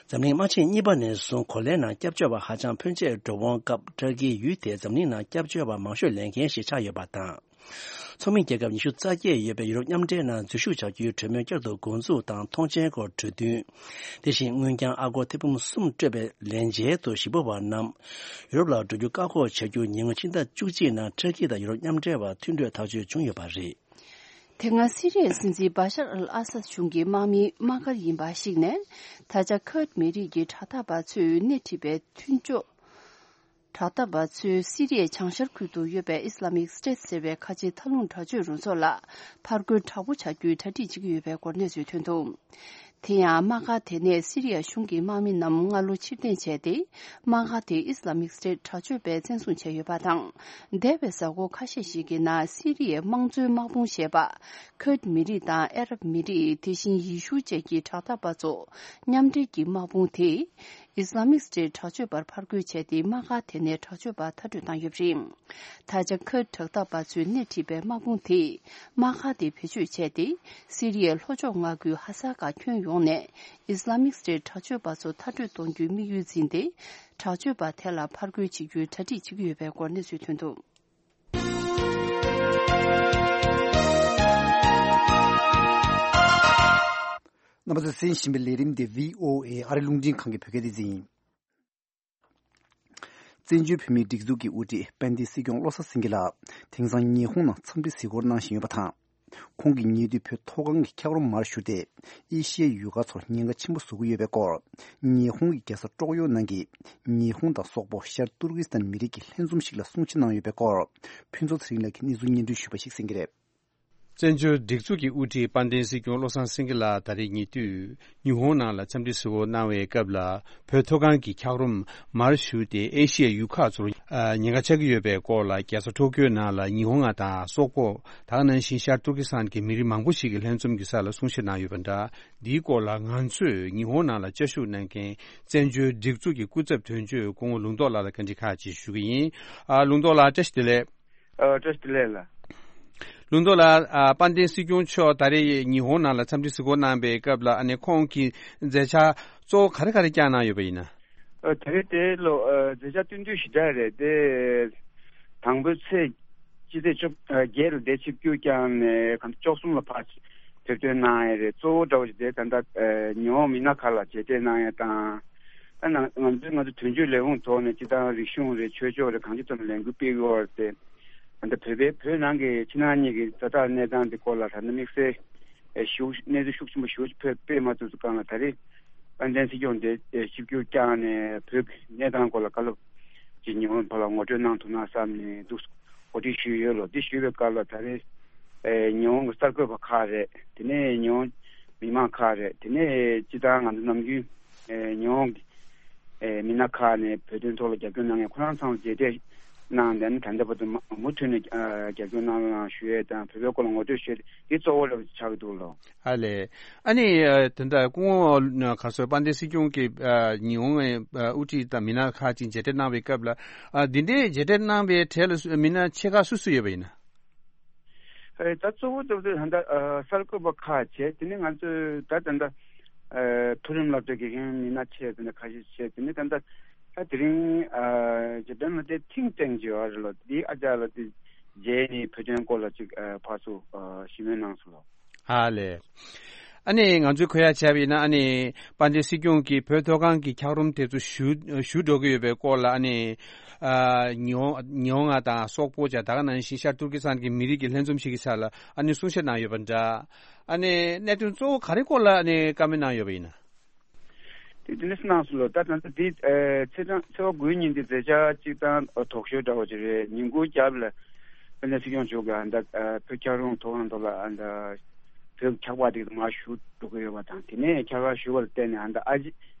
འཛམ་གླིང་དམག་ཆེན་གཉིས་པ་ནས་བཟུང་གོ་ལའི་ནང་སྐྱབས་བཅོལ་བ་ཧ་ཅང་ཕོན་ཆེ་འགྲོ་འོང་སྐབས། ཏྲ་ཀིའི་ཡུལ་དེ་འཛམ་གླིང་ནང་སྐྱབས་བཅོལ་བ་མང་ཤོས་ལེན་མཁན་ཞིག་ཆགས་ཡོད་པ་དང་། ཚོགས་མི་རྒྱལ་ཁབ་ཉི་ཤུ་རྩ་བརྒྱད་ཡོད་པའི་ཡུ་རོབ་མཉམ་འབྲེལ་ནང་འཛུལ་ཞུགས་བྱ་རྒྱུའི་གྲོས་མོལ་བསྐྱར་དུ་འགོ་འཛུགས་དང་མཐོང་མཆན་སྐོར་གྲོས་མཐུན། དེ་བཞིན་དངུལ་རྐྱང་ཨ་སྒོར་ཐེར་འབུམ་གསུམ་སྤྲོད་པའི་ལན་འཇལ་དུ་ཞེ་ཕོག་པ་རྣམས་ཡུ་རོབ་ལ་འགྲོ་རྒྱུ་བཀག་འགོག་བྱ་རྒྱུ་ཉེ་སྔོན་ཕྱི་ཟླ་བཅུ་གཅིག་ནང་ཏྲ་ཀི་དང་ཡུ་རོབ་མཉམ་འབྲེལ་བར་མཐུན་གྲོས་ཐག་གཅོད་བྱུང་ཡོད་པ་རེད། དེ་སྔ་སི་རི་ཡའི་སྲིད་འཛིན་བ་ཤར་ཨལ་ཨ་སད་གཞུང་གི་དམག་མི་དམག་སྒར་ཡིན་པ་ཞིག་ནས། ད་ཆ་ཁུར་མི་རིགས་ཀྱི་དྲག་འཐབ་པ་ཚོས་སྣེ་ཁྲིད་པའི་མཐུན་ཕྱོགས། དྲག་འཐབ་པ་ཚོས་སི་རི་ཡའི་བྱང་ཤར་ཁུལ་དུ་ཡོད་པའི་ཨི་སི་ལ་མིག་སི་ཊེ་ཊི་ཟེར་བའི་ཁ་ཆེའི་མཐའ་ལྷུང་དྲག་སྤྱོད་རུ་ཚོགས་ལ་ཕར་རྒོལ་དྲག་པོ་བྱ་རྒྱུའི་གྲ་སྒྲིག་བྱེད་ཀྱི་ཡོད་པའི་སྐོར་གནས་ཚུལ་ཐོན་འདུག། དེ་ཡང་དམག་སྒར་དེ་ནས་སི་རི་ཡ་གཞུང་གི་དམག་མི་རྣམས་སྔ་ལོ་ཕྱིར་འཐེན་བྱས་ཏེ། དམག་སྒར་དེ་ཨི་སི་ལ་མིག་སི་ཊེ་ཊི་དྲག་སྤྱོད་པས་བཙན་བཟུང་བྱས་ཡོད་པ་དང་། འདས་པའི་གཟའ་འཁོར་ཁ་ཤས་ཤིག་གི་ནང་སི་རི་ཡའི་དམངས་གཙོའི་དམག་དཔུང་ཞེས་པ། ཁུར་མི་རིགས་དང་ཨ་རབ་མི་རིགས། དེ་བཞིན་ཡེ་ཤུ་བཅས་ཀྱི་དྲག་འཐབ་པ་ཚོ་མཉམ་འབྲེལ་གྱི་དམག་དཔུང་དེས་ཨི་སི་ལ་མིག་སི་ཊེ་ཊི་དྲག་སྤྱོད་པར་ཕར་རྒོལ་བྱས་ཏེ། དམག་སྒར་དེ་ནས་དྲག་སྤྱོད་པ་མཐར་སྐྲོད་བཏང་ཡོད་པ་རེད། ད་ཆ་ཁུར་དྲག་འཐབ་པ་ཚོས་སྣེ་ཁྲིད་པའི་དམག་དཔུང་དེས་དམག་སྒར་དེ་བེད་སྤྱོད་བྱས་ཏེ། སི་རི་ཡའི་ལྷོ་ཕྱོགས་མངའ་ཁུལ་ཧ་ས་ཀ་ཁྱོན་ཡོངས་ནས་ཨི་སི་ལ་མིག་སི་ཊེ་ཊི་དྲག་སྤྱོད་པ་ཚོ་མཐར་སྐྲོད་གཏོང་རྒྱུའི་དམིགས་ཡུལ་འཛིན་ཏེ། དྲག་སྤྱོད་པ་དེ་ལ་ཕར་རྒོལ་བྱེད་རྒྱུའི་གྲ་སྒྲིག་བྱེད་ཀྱི་ཡོད་པའི་སྐོར་གནས་ཚུལ་ཐོན་འདུག། རྣམ་པ་ཚོས་གསན་བཞིན་པའི་ལས་རིམ་འདི་བྷི་ཨོ་ཨེ་ཨ་རི་རླུང་འཕྲིན་ཁང་གི་བོད་སྐད་སྡེ་ཚན་ཡིན། བཙན་བྱོལ་བོད་མིའི་སྒྲིག་འཛུགས་ཀྱི་དབུ་ཁྲིད་དཔལ་ལྡན་སྲིད་སྐྱོང་བློ་བཟང་སེང་གེ་ལགས་དེང་སང་ཉི་ཧོང་ནང་འཚམས་འདྲི་གཟིགས་སྐོར་གནང་བཞིན་ཡོད་པ་དང་། ཁོང་གིས་ཉེ་དུས་བོད་མཐོ་སྒང་གི་འཁྱགས་རོམ་མར་བཞུར་ཏེ་ཨེ་ཤི་ཡའི་ཡུལ་ཁག་ཚོར་ཉེན་ཁ་ཆེན་པོ་བཟོ་གི་ཡོད་པའི་སྐོར། ཉི་ཧོང་གི་རྒྱལ་ས་ཀྲོག་ཡོ་ནང་གི་ཉི་ཧོང་དང་སོག་པོ་ཤར་ཏུར་ཀི་སི་ཐན་མི་རིགས་ཀྱི་ལྷན་འཛོམས་ཤིག་ལ་གསུང་བཤད་གནང་ཡོད་པའི་སྐོར། ཕུན་ཚོགས་ཚེ་རིང་ལགས་ཀྱིས་གནས་ཚུལ་སྙན་སྒྲོན་ཞུས་པ་ཞིག་གསན་གྱི་རེད། བཙན་བྱོལ་སྒྲིག་འཛུགས་ཀྱི་དབུ་ཁྲིད་དཔལ་ལྡན་སྲིད་སྐྱོང་བློ་བཟང་སེང་གེ་ལགས་ད་རེས་ཉེ་དུས་ཉི་ཧོང་ནང་ལ་འཚམས་འདྲི་གཟིགས་སྐོར་གནང་བའི་སྐབས་ལ། བོད་མཐོ་སྒང་གི་འཁྱགས་རོམ་མར་བཞུར་ཏེ་ཨེ་ཤི་ཡའི་ཡུལ་ཁག་ཚོར་ཉེན་ཁ་ཆགས་ཀྱི་ཡོད་པའི་སྐོར་ལ། རྒྱལ་ས་ཊོ་ཀྱོའི་ནང་ལ་ཉི་ཧོང་དང་སོག་པོ། ད་ག་ནང་བཞིན་ཤར་ཏུར་ཀི་སི་ཐན་གྱི་མི་རིགས་མང་པོ་ཞིག་གི་ལྷན་འཛོམས་ཀྱི་ས་ལ་གསུང་བཤད་གནང་ཡོད་པ་འདྲ། འདིའི་སྐོར་ལ་ང་ཚོས་ཉི་ཧོང་ནང་ལ་བཅའ་བཞུགས་གནང་མཁན་བཙན་བྱོལ་སྒྲིག་འཛུགས་ཀྱི་སྐུ་ཚབ་དོན་གཅོད་སྐུ་ངོ་ལུང་རྟོགས་ལགས་ལ་བཀའ་འདྲི་ཁག་ཅིག་ཞུ་གི་ཡིན། ཨ། ལུང་རྟོགས་ལགས་བཀྲ་ཤིས་བདེ་ལེགས། ཨ། བཀྲ་ཤིས་བདེ་ལེགས་ལགས། ལུང་རྟོགས་ལགས། ཨ། དཔལ་ལྡན་སྲིད་སྐྱོང་མཆོག་ད་རེས་ཉི་ཧོང་ནང་ལ་འཚམས་འདྲི་གཟིགས་སྐོར་གནང་བའི་སྐབས་ལ། ཨ་ནི་ཁོང་གིས་མཛད་འཆར་གཙོ་བོ་ག་རེ་ག་རེ་བསྐྱངས་གནང་ཡོད་པ་ཡིན་ན། ཨ། ད་རེས་དེ་ལོ། ཨ། མཛད་འཆར་སྟོན་དུས་ཞེ་དྲག་རེད་དེ། དང་པོའི་ཚེས་སྤྱི་ཚེས་བཅོ་ཨ་བརྒྱད་ལ་དེ་ཆིབས་བསྒྱུར་བསྐྱངས་ནས་གང་བཅུ་གསུམ་ལ་ཕར་ཕེབས་ཐོན་གནང་ཡས་རེད། གཙོ་བོ་འདྲ་བོ་ཞིག་དེ་ད་ལྟ་ཨ་ཉི་ཧོང་མི་སྣ་ཁག་ལ་མཇལ་འཕྲད་གནང་ཡས་དང་། ཨ་ན་ང་ཚོའི་ང་ཚོ་དོན་གཅོད་ལས་ཁུངས་ཐོག་ནས་སྤྱི་བཏང་རིག་གཞུང་རེད། ཆོས་ཕྱོགས་རེད། གང་ཅི་ཙམ་ལས་འགུལ་སྤེལ་གྱི་ཡོད་རེད་དེ། ད་ལྟ་བོད་པའི་བོད་ནང་གི་ཕྱི་ནང་གཉིས་ཀྱི་ཛ་དྲག་གནས་སྟངས་དེ་སྐོར་ལ་ད་ལྟ་དམིགས་བསལ་ཨེ་ཞུ་གནས་ཚུལ་ཤུགས་ཆེན་པོ་ཞུ་ཕེབས་སྤེལ་མ་ཐུབ་ཙམ་སྒང་ལ། ད་རེས་དཔལ་ལྡན་སྲིད་སྐྱོང་དེ་ཨེ་ཆིབས་བསྒྱུར་བསྐྱངས་ནས་བོད་ཀྱི་གནས་སྟངས་སྐོར་ལ་བཀའ་སློབ་ཅིག་ཉི་ཧོང་ཕར་ལ་ངོ་སྤྲོད་གནང་ཐུབ་ན་བསམ་ནས་འདུག། གོ་སྒྲིག་ཞུས་ཡོད་ལོ། འདི་ཞུས་པའི་སྐབས་ལ་ད་རེས་ཨེ་ཉི་ཧོང་གི་གསར་འགོད་པ་ཁག་རེད། དེ་ནས་ཉི་ཧོང་མི་མང་ཁག་རེད། དེ་ནས་སྤྱི་བཏང་ང་ཚོ་ནམ་རྒྱུན་ཨེ་ཉི་ཧོང་གི་ཨེ་མི་སྣ་ཁག་ནས་བོད་དོན་ཐོག་ལ་རྒྱབ་སྐྱོར་གནང་མཁན་ཁོ་རང་ཚང་མ་མཇལ་འཕྲད་ གནང་། དེ་ནི་ད་ལྟ་བར་དུ་མ་མུ་མཐུད་ནས་ཨ་རྒྱབ་སྐྱོར་གནང་རོགས་གནང་ཞུ་ཡས་དང་། བོད་པའི་སྐོར་ལ་ངོ་སྤྲོད་ཞུ་ཡས་དེ་གཙོ་བོ་རེད་ཆགས་ཀྱི་འདུག་ལོ། ཨ་ལས། ཨ་ནི་ཨ་དེ་འདྲ་སྐུ་ངོ་ཨ་ག་སོ་དཔལ་ལྡན་སྲིད་སྐྱོང་གི་ཨ་ཉི་ཧོང་ཨ་དབུ་ཁྲིད་དང་མི་སྣ་ཁག་ཅིག་མཇལ་འཕྲད་གནང་བའི་སྐབས་ལ། ཨ་འདི་འདྲའི་མཇལ་འཕྲད་གནང་བའི་གྲས་ལ་སུ་མི་སྣ་ཆེ་ཁག་སུ་སུ་ཡོད་པ་ཡིན་ན། ཨེ་ད་གཙོ་བོ་གཙོ་བོ་དེ་ད་ལྟ་ཨ་གསར་འགོད་པ་ཁག་བྱས། དེ་ནས་ང་ཚོས་ད་ད་ལྟ་ཨ་མཐོ་རིམ་སློབ་གྲྭའི་དགེ་རྒན་མི་སྣ་བྱས། དེ་ནས་ཁ་ཤས་བྱས། དེ་ནས་ད་ལྟ་ད་དེ་རིང་ཨ་ཇེ་པན་ལ་དེ་ཐིང་ཊེང་ཅིག་ཡོད་རེད་ལོ། དེའི་ཨ་ཅག་ལ་དེ་མཇལ་ནས་བོད་དོན་སྐོར་ལ་ཅིག་ཨ་ཕར་ཚུར་ཨ་ཞུ་མོལ་གནང་སོང་ལོ། ཨ་ལས། ཨ་ནི་ང་ཚོས་གོ་ཡ་བྱས་པ་ཡིན་ན། ཨ་ནི་དཔལ་ལྡན་སྲིད་སྐྱོང་གིས་བོད་མཐོ་སྒང་གི་འཁྱགས་རོམ་དེ་ཚོ་ཞུ་ཞུ་འགྲོ་གི་ཡོད་པའི་སྐོར་ལ། ཨ་ནི་ཨ་ཉི་ཧོང་ཉི་ཧོང་ང་དང་སོག་པོ་ཅག་ད་ག་ནང་བཞིན་ཤར་ཏུར་ཀི་སི་ཐན་གྱི་མི་རིགས་ཀྱི་ལྷན་འཛོམས་ཤིག་གི་ཆ་ལ་ཨ་ནི་གསུང་བཤད་གནང་ཡོད་པ་འདྲ། ཨ་ནི་གནད་དོན་གཙོ་བོ་ག་རེ་སྐོར་ལ་ཨ་ནི་བཀའ་མོལ་གནང་ཡོད་པ་ཡིན་ན། དེ་དེ་འདྲ་གནང་སོང་ལོ། ད་ད་ལྟ་འདི་ཨེ་ཚེས་གྲངས་ཚེས་པ་དགུའི་ཉིན་འདི་མཛད་འཆར་གཅིག་དང་ཐོག་ཤོས་འདྲ་བོ་ཅིག་རེད། ཉིན་གུང་རྒྱབ་ལ་དཔལ་ལྡན་སྲིད་སྐྱོང་མཆོག་གིས་ཨ་ད་ཨ་བོད་འཁྱགས་རོམ་མཐོ་སྒང་ཐོག་ལ་ཨ་ད་བོད་འཁྱགས་པ་དེ་མར་ཞུ་འགྲོ་གི་ཡོད་པ་དང་། དེ་ནས་འཁྱགས་པ་ཞུ་བར་བརྟེན་ནས་ཨ་ད་ཨ་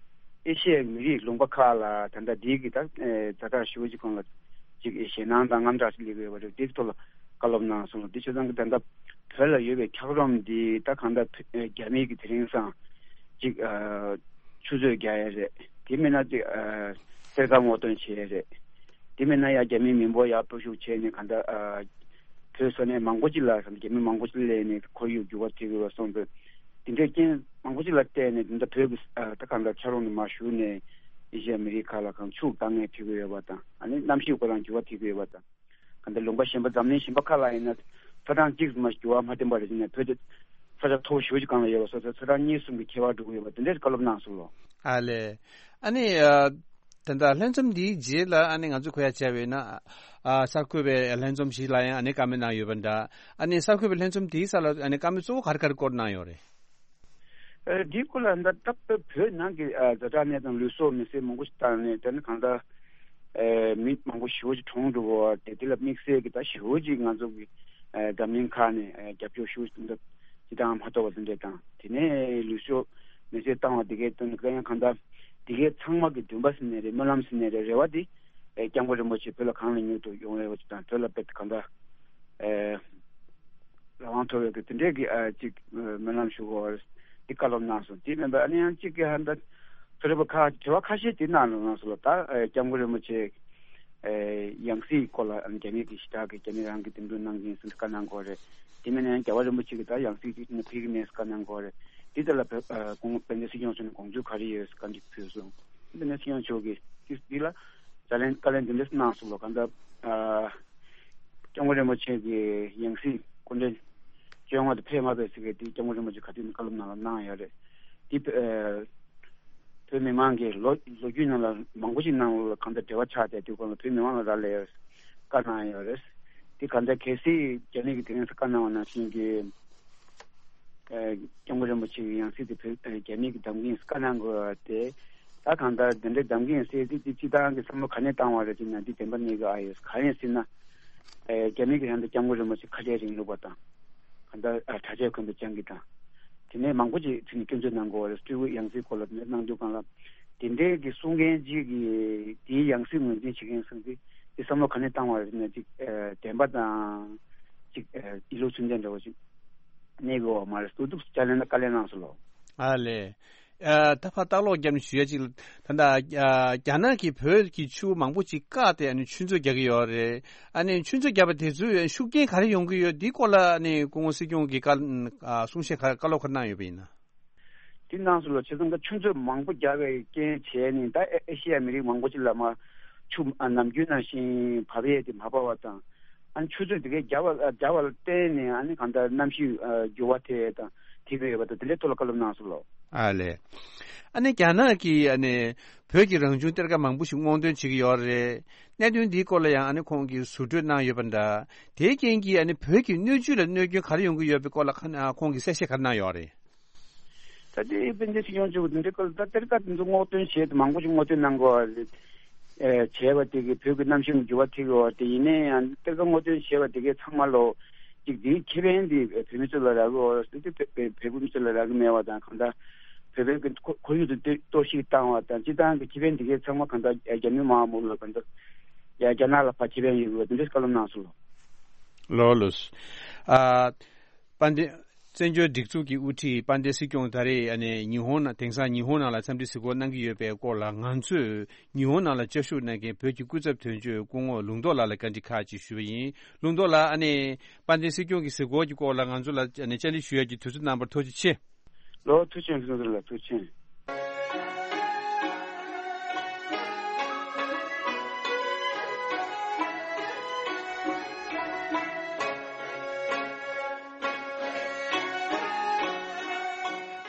ཨེ་ཤི་ཡའི་མི་རིགས་ལུང་པ་ཁག་ལ་ད་ལྟ་འདི་གི་ད་ཨེ་ཛ་དྲག་ཞུ་བ་ཅིག་གང་ལ་ཅིག་ཞེད་སྣང་དང་དངངས་སྐྲག་ཅིག་སླེབས་ཡོད་པ་རེད། དེའི་ཐོག་ལ་བཀའ་སློབ་གནང་སོང་ལོ། དེ་བྱས་ཙང་གི་ད་ལྟ་བོད་ལ་ཡོད་པའི་འཁྱགས་རོམ་འདི་ད་གང་ལྟར་བོད་རྒྱ་མི་གིས་དེ་རིང་སང་ཅིག་ཨ་ཆུ་མཛོད་རྒྱག་ཡས་རེད། དེ་མིན་ན་ཅིག་ཨ་གཏེར་ཁ་སྔོག་འདོན་བྱེད་ཡས་རེད། དེ་མིན་ན་ཡ་རྒྱ་མིའི་མི་འབོར་ཡར་སྤོ་བཤུག་བྱས་ནས་གང་ལྟར་ཨ་བོད་ས་གནས་མང་པོ་ཅིག་ལ་རྒྱ་མི་མང་པོ་ཅིག་སླེབས་ནས་ཁོར་ཡུག་འགྱུར་བ་ཐེབས་ཡོད་པ་སོང་ཙང་། དེ་འདྲའི་རྐྱེན་མང་པོ་ཅིག་ལ་བརྟེན་ནས་དེ་འདྲ་བོད་ཀྱི་ཨ་ད་གང་ལྟར་འཁྱགས་རོམ་ནས་མར་ཞུགས་ནས་ཨེ་ཤི་ཡ་མི་རིགས་ཁག་ལ་གང་ཕྱུགས་དཀའ་ངལ་འཕྲད་ཀྱི་ཡོད་པ་དང་། ཨ་ནི་གནམ་གཤིས་ཁོ་རང་འགྱུར་བ་ཐེབས་ཀྱི་ཡོད་པ་དང་། གང་ལྟར་ལུང་པ་གཞན་པ་འཛམ་གླིང་གཞན་པ་ཁག་ལ་ཡིན་ན་ཚ་གྲང་གཅིག་མ་འགྱུར་བ་མ་བསྟན་པ་རེད་ཟེར་ནས། བོད་དེ་ས་ཆ་མཐོ་པོ་ཞེ་པོ་ཅིག་སྒང་ལ་ཡོད་པ་སོང་ཙང་ཚ་གྲང་གཉིས་གསུམ་གྱི་ཁྱད་པར་འགྲོ་གི་ཡོད་པ་དེ་འདྲའི་བཀའ་སློབ་གནང་སོང་ལོ། ཨ་ལས། ཨ་ནི་ཨ་ད་ལྟ་ལྷན་འཛོམས་འདིའི་རྗེས་ལ་ཨ་ནི་ང་ཚོ་གོ་ཡ་བྱས་པ་ཡིན་ན། ཨ་གསར་འགོད་པའི་ལྷན་འཛོམས་ཤིག་ལ་ཡང་ཨ་ནི་བཀའ་མོལ་གནང་ཡོད་པ་འདྲ། ཨ་ནི་གསར་འགོད་པའི་ལྷན་འཛོམས་དེའི་སྐབས་ལ་ཨ་ནི་བཀའ་མོལ་གཙོ་བོ་ག་རེ་ག་རེ་སྐོར་གནང་ཡོད་རེད། ཨ་འདིའི་སྐོར་ལ་ད་ལྟ་བོད་ནང་གི་ཨ་ཛ་དྲག་གནས་སྟངས་ལུས་སྲོག་མེ་སྲེག་མང་པོ་ཞིག་བཏང་ནས། དེ་ནི་གང་ལྟར་ཨ་མི་མང་པོ་ཞེ་པོ་ཅིག་གྲོངས་འགྲོ་གི་ཡོད་རེད། དེ་ལ་དམིགས་བསལ་གྱི་ད་ཞེ་པོ་ཅིག་ང་ཚོ་གི་ཨ་འཛམ་གླིང་ཁག་ནས་ཨ་རྒྱབ་སྐྱོར་ཞེ་པོ་ཅིག་འདུག་ཅི་དང་མ་གཏོགས་པ་དེ་འདྲས་དང་། དེ་ནས་ལུས་སྲོག་མེ་སྲེག་བཏང་བ་དེ་གའི་དོན་དུ་ཡང་གང་ལྟར་དེ་གའི་ཚང་མ་གི་འདུན་པ་ཟེར་ནའི་རེད། སྨོན་ལམ་ཟེར་ནའི་རེད། རེ་བ་དེ་ཨ་སྐྱབས་མགོན་རིན་པོ་ཆེ་བོད་ལ་གང་ལ་མྱུར་དུ་ཡོང་བའི་བ་ཅིག་དང་། བོད་ལ་དཔེ་གང་ལྟར་ཨ་རང་དབང་ཐོབ་ཡོད་ཀྱི་དེ་འདྲས་ཀྱི་ཨ་ཅིག་སྨོན་ལམ་ཞུ་དགོས་པ་འདི་བཀའ་སློབ་གནང་སོང་། དེ་མིན་པ་ཨ་ནི་ཡང་གཅིག་གི་ཧ་འདྲ་མཐོ་རིམ་པ་ཁག་དྲི་བ་ཁ་ཤས་དེ་གནང་གནང་སོང་ལ། ད་ཨ་སྐྱབས་མགོན་རིན་པོ་ཆེ་ཨ་ཡང་སྲིད་སྐོར་ལ་ཨ་ནི་རྒྱ་མི་གི་ཞི་དྲག་གི་རྒྱ་མི་རང་གི་འདེམས་སྒྲུག་གནང་གི་ཡིན་ཟེར་བཀའ་གནང་དགོས་རེད། དེ་མིན་ན་ཡང་རྒྱལ་བ་རིན་པོ་ཆེ་གི་ད་ཡང་སྲིད་ཅིག་ནས་ཕེབས་ཀྱི་མེད་ཟེར་བཀའ་གནང་དགོས་རེད། དེ་ལྟར་ལ་བོད་ཨ་ཁོང་དཔལ་ལྡན་སྲིད་སྐྱོང་མཆོག་ནས་དགོངས་ཚུལ་ག་རེ་ཡོད་ཟེར་བཀའ་འདྲི་ཕུལ་སོང་། དཔལ་ལྡན་སྲིད་སྐྱོང་མཆོག་གིས་དེ་འདི་ལ་བརྗོད་ལན་བཀའ་ལན་འདི་འདྲ་གནང་སོང་ལ། གང་ལྟར་ཨ་སྐྱབས་མགོན་རིན་པོ་ཆེ་གི་ཡང་སྲིད་སྐུ་ཕྲེང་བཅོ་ལྔ་དེ་ཕེབས་མ་ཕེབས་ཟེར་གི་དེ་སྐྱབས་མགོན་རིན་པོ་ཆེ་ག་དུས་ནས་བཀའ་སློབ་ནང་ལ་གནང་ཡོད་རེད། དེ་ཨ་བོད་མི་མང་གིས་ལོ་ལོ་རྒྱུས་ནང་ལ་མང་པོ་ཞིག་ནང་ལ་གང་ལྟར་འབྲེལ་བ་ཆགས་བསྡད་དུས་སྒང་ལ་བོད་མི་མང་ལ་རག་ལས་ཡོད་བཀའ་གནང་ཡོད་རེད། དེ་གང་ལྟར་གལ་སྲིད་རྒྱ་མི་གིས་དེ་རིང་བཀའ་གནང་བ་ནང་བཞིན་གྱི་ཨ་སྐྱབས་མགོན་རིན་པོ་ཆེ་གི་ཡང་སྲིད་དེ་བོད་ཨ་རྒྱ་མི་གིས་འདེམས་ཀྱི་ཡིན་བཀའ་གནང་དགོས་པ་དེ། ད་གང་ལྟར་དེ་འདྲའི་འདེམས་ཀྱི་ཡིན་ཟེར་དུས་དེ་སྤྱིར་བཏང་གི་བསམ་བློ་ག་ནས་བཏང་བ་རེད་ཅེ་ན། འདི་བདེན་པ་གནས་ཀྱི་ཨ་ཡོད། གང་ཡིན་ཟེར་ན་ཨ་རྒྱ་མི་གིས་ད་ལྟ་སྐྱབས་མགོན་རིན་པོ་ཆེ་ཁ་བྲལ་རིང་ལུགས་པ་དང་། གང་ལྟར་ཨ་གྲྭ་ཆས་གོན་པ་རྐྱང་གི་དང་། དེ་ནས་མང་པོ་ཅིག་ཚུར་ནས་སྐྱོན་བརྗོད་གནང་དགོས་པ་རེད། སྤྲུལ་སྐུ་ཡང་སྲིད་སྐོར་ལ་དེ་འདྲ་གནང་དུས་སྒང་ལ། དེ་འདྲའི་གི་གསུང་མཁན་ཅིག་གིས་དེའི་ཡང་སྲིད་ངོས་འཛིན་བྱེད་མཁན་སོང་ཙང་དེ་བསམ་བློ་ག་ནས་བཏང་བ་རེད་ཟེར་ན། ཅིག་ཨ་བདེན་པ་དང་ཅིག་ཨ་ཡིད་བློ་ཚུལ་ལྡན་འདྲ་བོ་ཅིག་གནས་དགོས་པ་མ་རེད། སྡུག་སྡུག་ཅིག་ལན་བཀའ་ལན་གནང་སོང་ལོ། ཨ་ལས། ཨ་ད་ཕར་ལྟ་ཀློག་བརྒྱབ་ནས་ཞུ་ཡ་ཅིག་ལ། ད་ལྟ་ཨ་རྒྱ་ནག་གིས་བོད་ཀྱི་ཆུ་བོ་མང་པོ་ཅིག་བཀག་སྟེ་ཨ་ནི་ཆུ་མཛོད་རྒྱག་གི་ཡོད་རེད། ཨ་ནི་ཆུ་མཛོད་བརྒྱབ་པ་དེ་ཚོས་ཤུགས་རྐྱེན་ག་རེ་ཡོང་གི་ཡོད། འདིའི་སྐོར་ལ་ཨ་ནི་སྐུ་ངོ་སྲིད་སྐྱོང་གིས་བཀའ་ཨ་གསུང་བཤད་ག་བཀའ་སློབ་ག་རེ་གནང་ཡོད་པ་ཡིན་ན། དེ་གནང་སོང་ལ། བྱས་ཙང་ད་ཆུ་མཛོད་མང་པོ་རྒྱག་པའི་རྐྱེན་བྱས་ནས་ད་ཨེ་ཨེ་ཤི་ཡ་མི་རིགས་མང་པོ་ཅིག་ལ་མར་ཆུ་ཨ་ནམ་རྒྱུན་ནང་བཞིན་བབས་ཡས་དེ་མ་བབས་པ་དང་། ཨ་ནི་ཆུ་མཛོད་དེ་གའི་རྒྱབ་པ་རྒྱབ་པ་ལ་བརྟེན་ནས་ཨ་ནི་གང་ལྟར་གནམ་གཤིས་ཨ་འགྱུར་བ་དེ་དང་དེ་བས་ཡོད་པ་དང་དེ་འདྲའི་ཐོག་ལ་བཀའ་སློབ་གནང་སོང་ལོ། ཨ་ལས། ཨ་ནི་རྒྱ་ནག་གིས་ཨ་ནི་བོད་ཀྱི་རང་བྱུང་གཏེར་ཁ་མང་པོ་ཞིག་སྔོག་འདོན་བྱེད་ཀྱི་ཡོད་རེད། གནད་དོན་འདིའི་སྐོར་ལ་ཡང་ཨ་ནི་ཁོང་གིས་ཟུར་གྲོས་གནང་ཡོད་པ་འདྲ། དེའི་རྐྱེན་གྱིས་ཨ་ནི་བོད་ཀྱི་སྣོད་བཅུད་ལ་གནོད་སྐྱོན་ག་རེ་ཡོང་གི་ཡོད་པའི་སྐོར་ལ་ཁ་ཨ་ཁོང་གིས་གསལ་བཤད་ག་རེ་གནང་ཡོད་རེད། ད་ལྟའི་དཔལ་ལྡན་སྲིད་སྐྱོང་མཆོག་གིས་འདི་འདྲའི་སྐོར་ལ་ད་གཏེར་ཁ་དེ་ཚོ་སྔོག་འདོན་བྱས་ཏེ་མང་པོ་ཞིག་སྔོག་འདོན་གནང་དགོས་པ་རེད། ཨེ་བྱས་པ་དེ་གིས་བོད་ཀྱི་གནམ་གཤིས་འགྱུར་བ་ཐེབས་ཡོད་པ་དེ་ཡིན་ནའི་ཡང་གཏེར་ཁ་སྔོག་འདོན་བྱས་པ་དེ་གའི་ཚང་མ་ལོ་ཅིག་དེའི་ཁེ་ཕན་དེ་བོད་མི་ཚོ་ལ་རག་གི་ཡོད་རེད་དེ། བོད་བོད་མི་ཚོ་ལ་རག་གི་མེད་པ་དང་། གང་ལྟར་བོད་པའི་གི་ཁོར་ཁོར་ཡུག་དེ་གཏོར་བཤིག་བཏང་བ་དང་སྤྱིར་བཏང་གི་ཁེ་ཕན་དེ་གའི་ཚང་མ་གང་ལྟར་རྒྱ་མི་དམག་མོ་ལ་གང་ལྟར། ཡ་རྒྱ་ནག་ལ་ཕར་ཁེ་ཕན་ཡོད་པ་དེ་འདྲའི་བཀའ་སློབ་གནང་སོང་། ལགས་ལགས། ཨ། དཔལ་ལྡན། བཙན་བྱོལ་སྒྲིག་འཛུགས་ཀྱི་དབུ་ཁྲིད་དཔལ་ལྡན་སྲིད་སྐྱོང་ད་རེས་ཨ་ནི་ཉི་ཧོང་ནང་དེང་སང་ཉི་ཧོང་ནང་ལ་འཚམས་འདྲི་གཟིགས་སྐོར་གནང་གི་ཡོད་པའི་སྐོར་ལ། ང་ཚོས་ཉི་ཧོང་ནང་ལ་བཅའ་བཞུགས་གནང་མཁན་བོད་ཀྱི་སྐུ་ཚབ་དོན་གཅོད་སྐུ་ངོ་ལུང་རྟོགས་ལགས་ལ་བཀའ་འདྲི་ཁག་ཅིག་ཞུས་པ་ཡིན། ལུང་རྟོགས་ལགས། ཨ་ནི་དཔལ་ལྡན་སྲིད་སྐྱོང་གི་གཟིགས་སྐོར་གྱི་སྐོར་ལ་ང་ཚོ་ལ་ཨ་ནི་བཅར་འདྲི་ཞུ་ཡག་གི་དུས་ཚོད་གནང་བར་ཐུགས་རྗེ་ཆེ། ལོ། ཐུགས་རྗེ་ཆེ། ལྷན་རྒྱས་ལ་ཐུགས་རྗེ་ཆེ།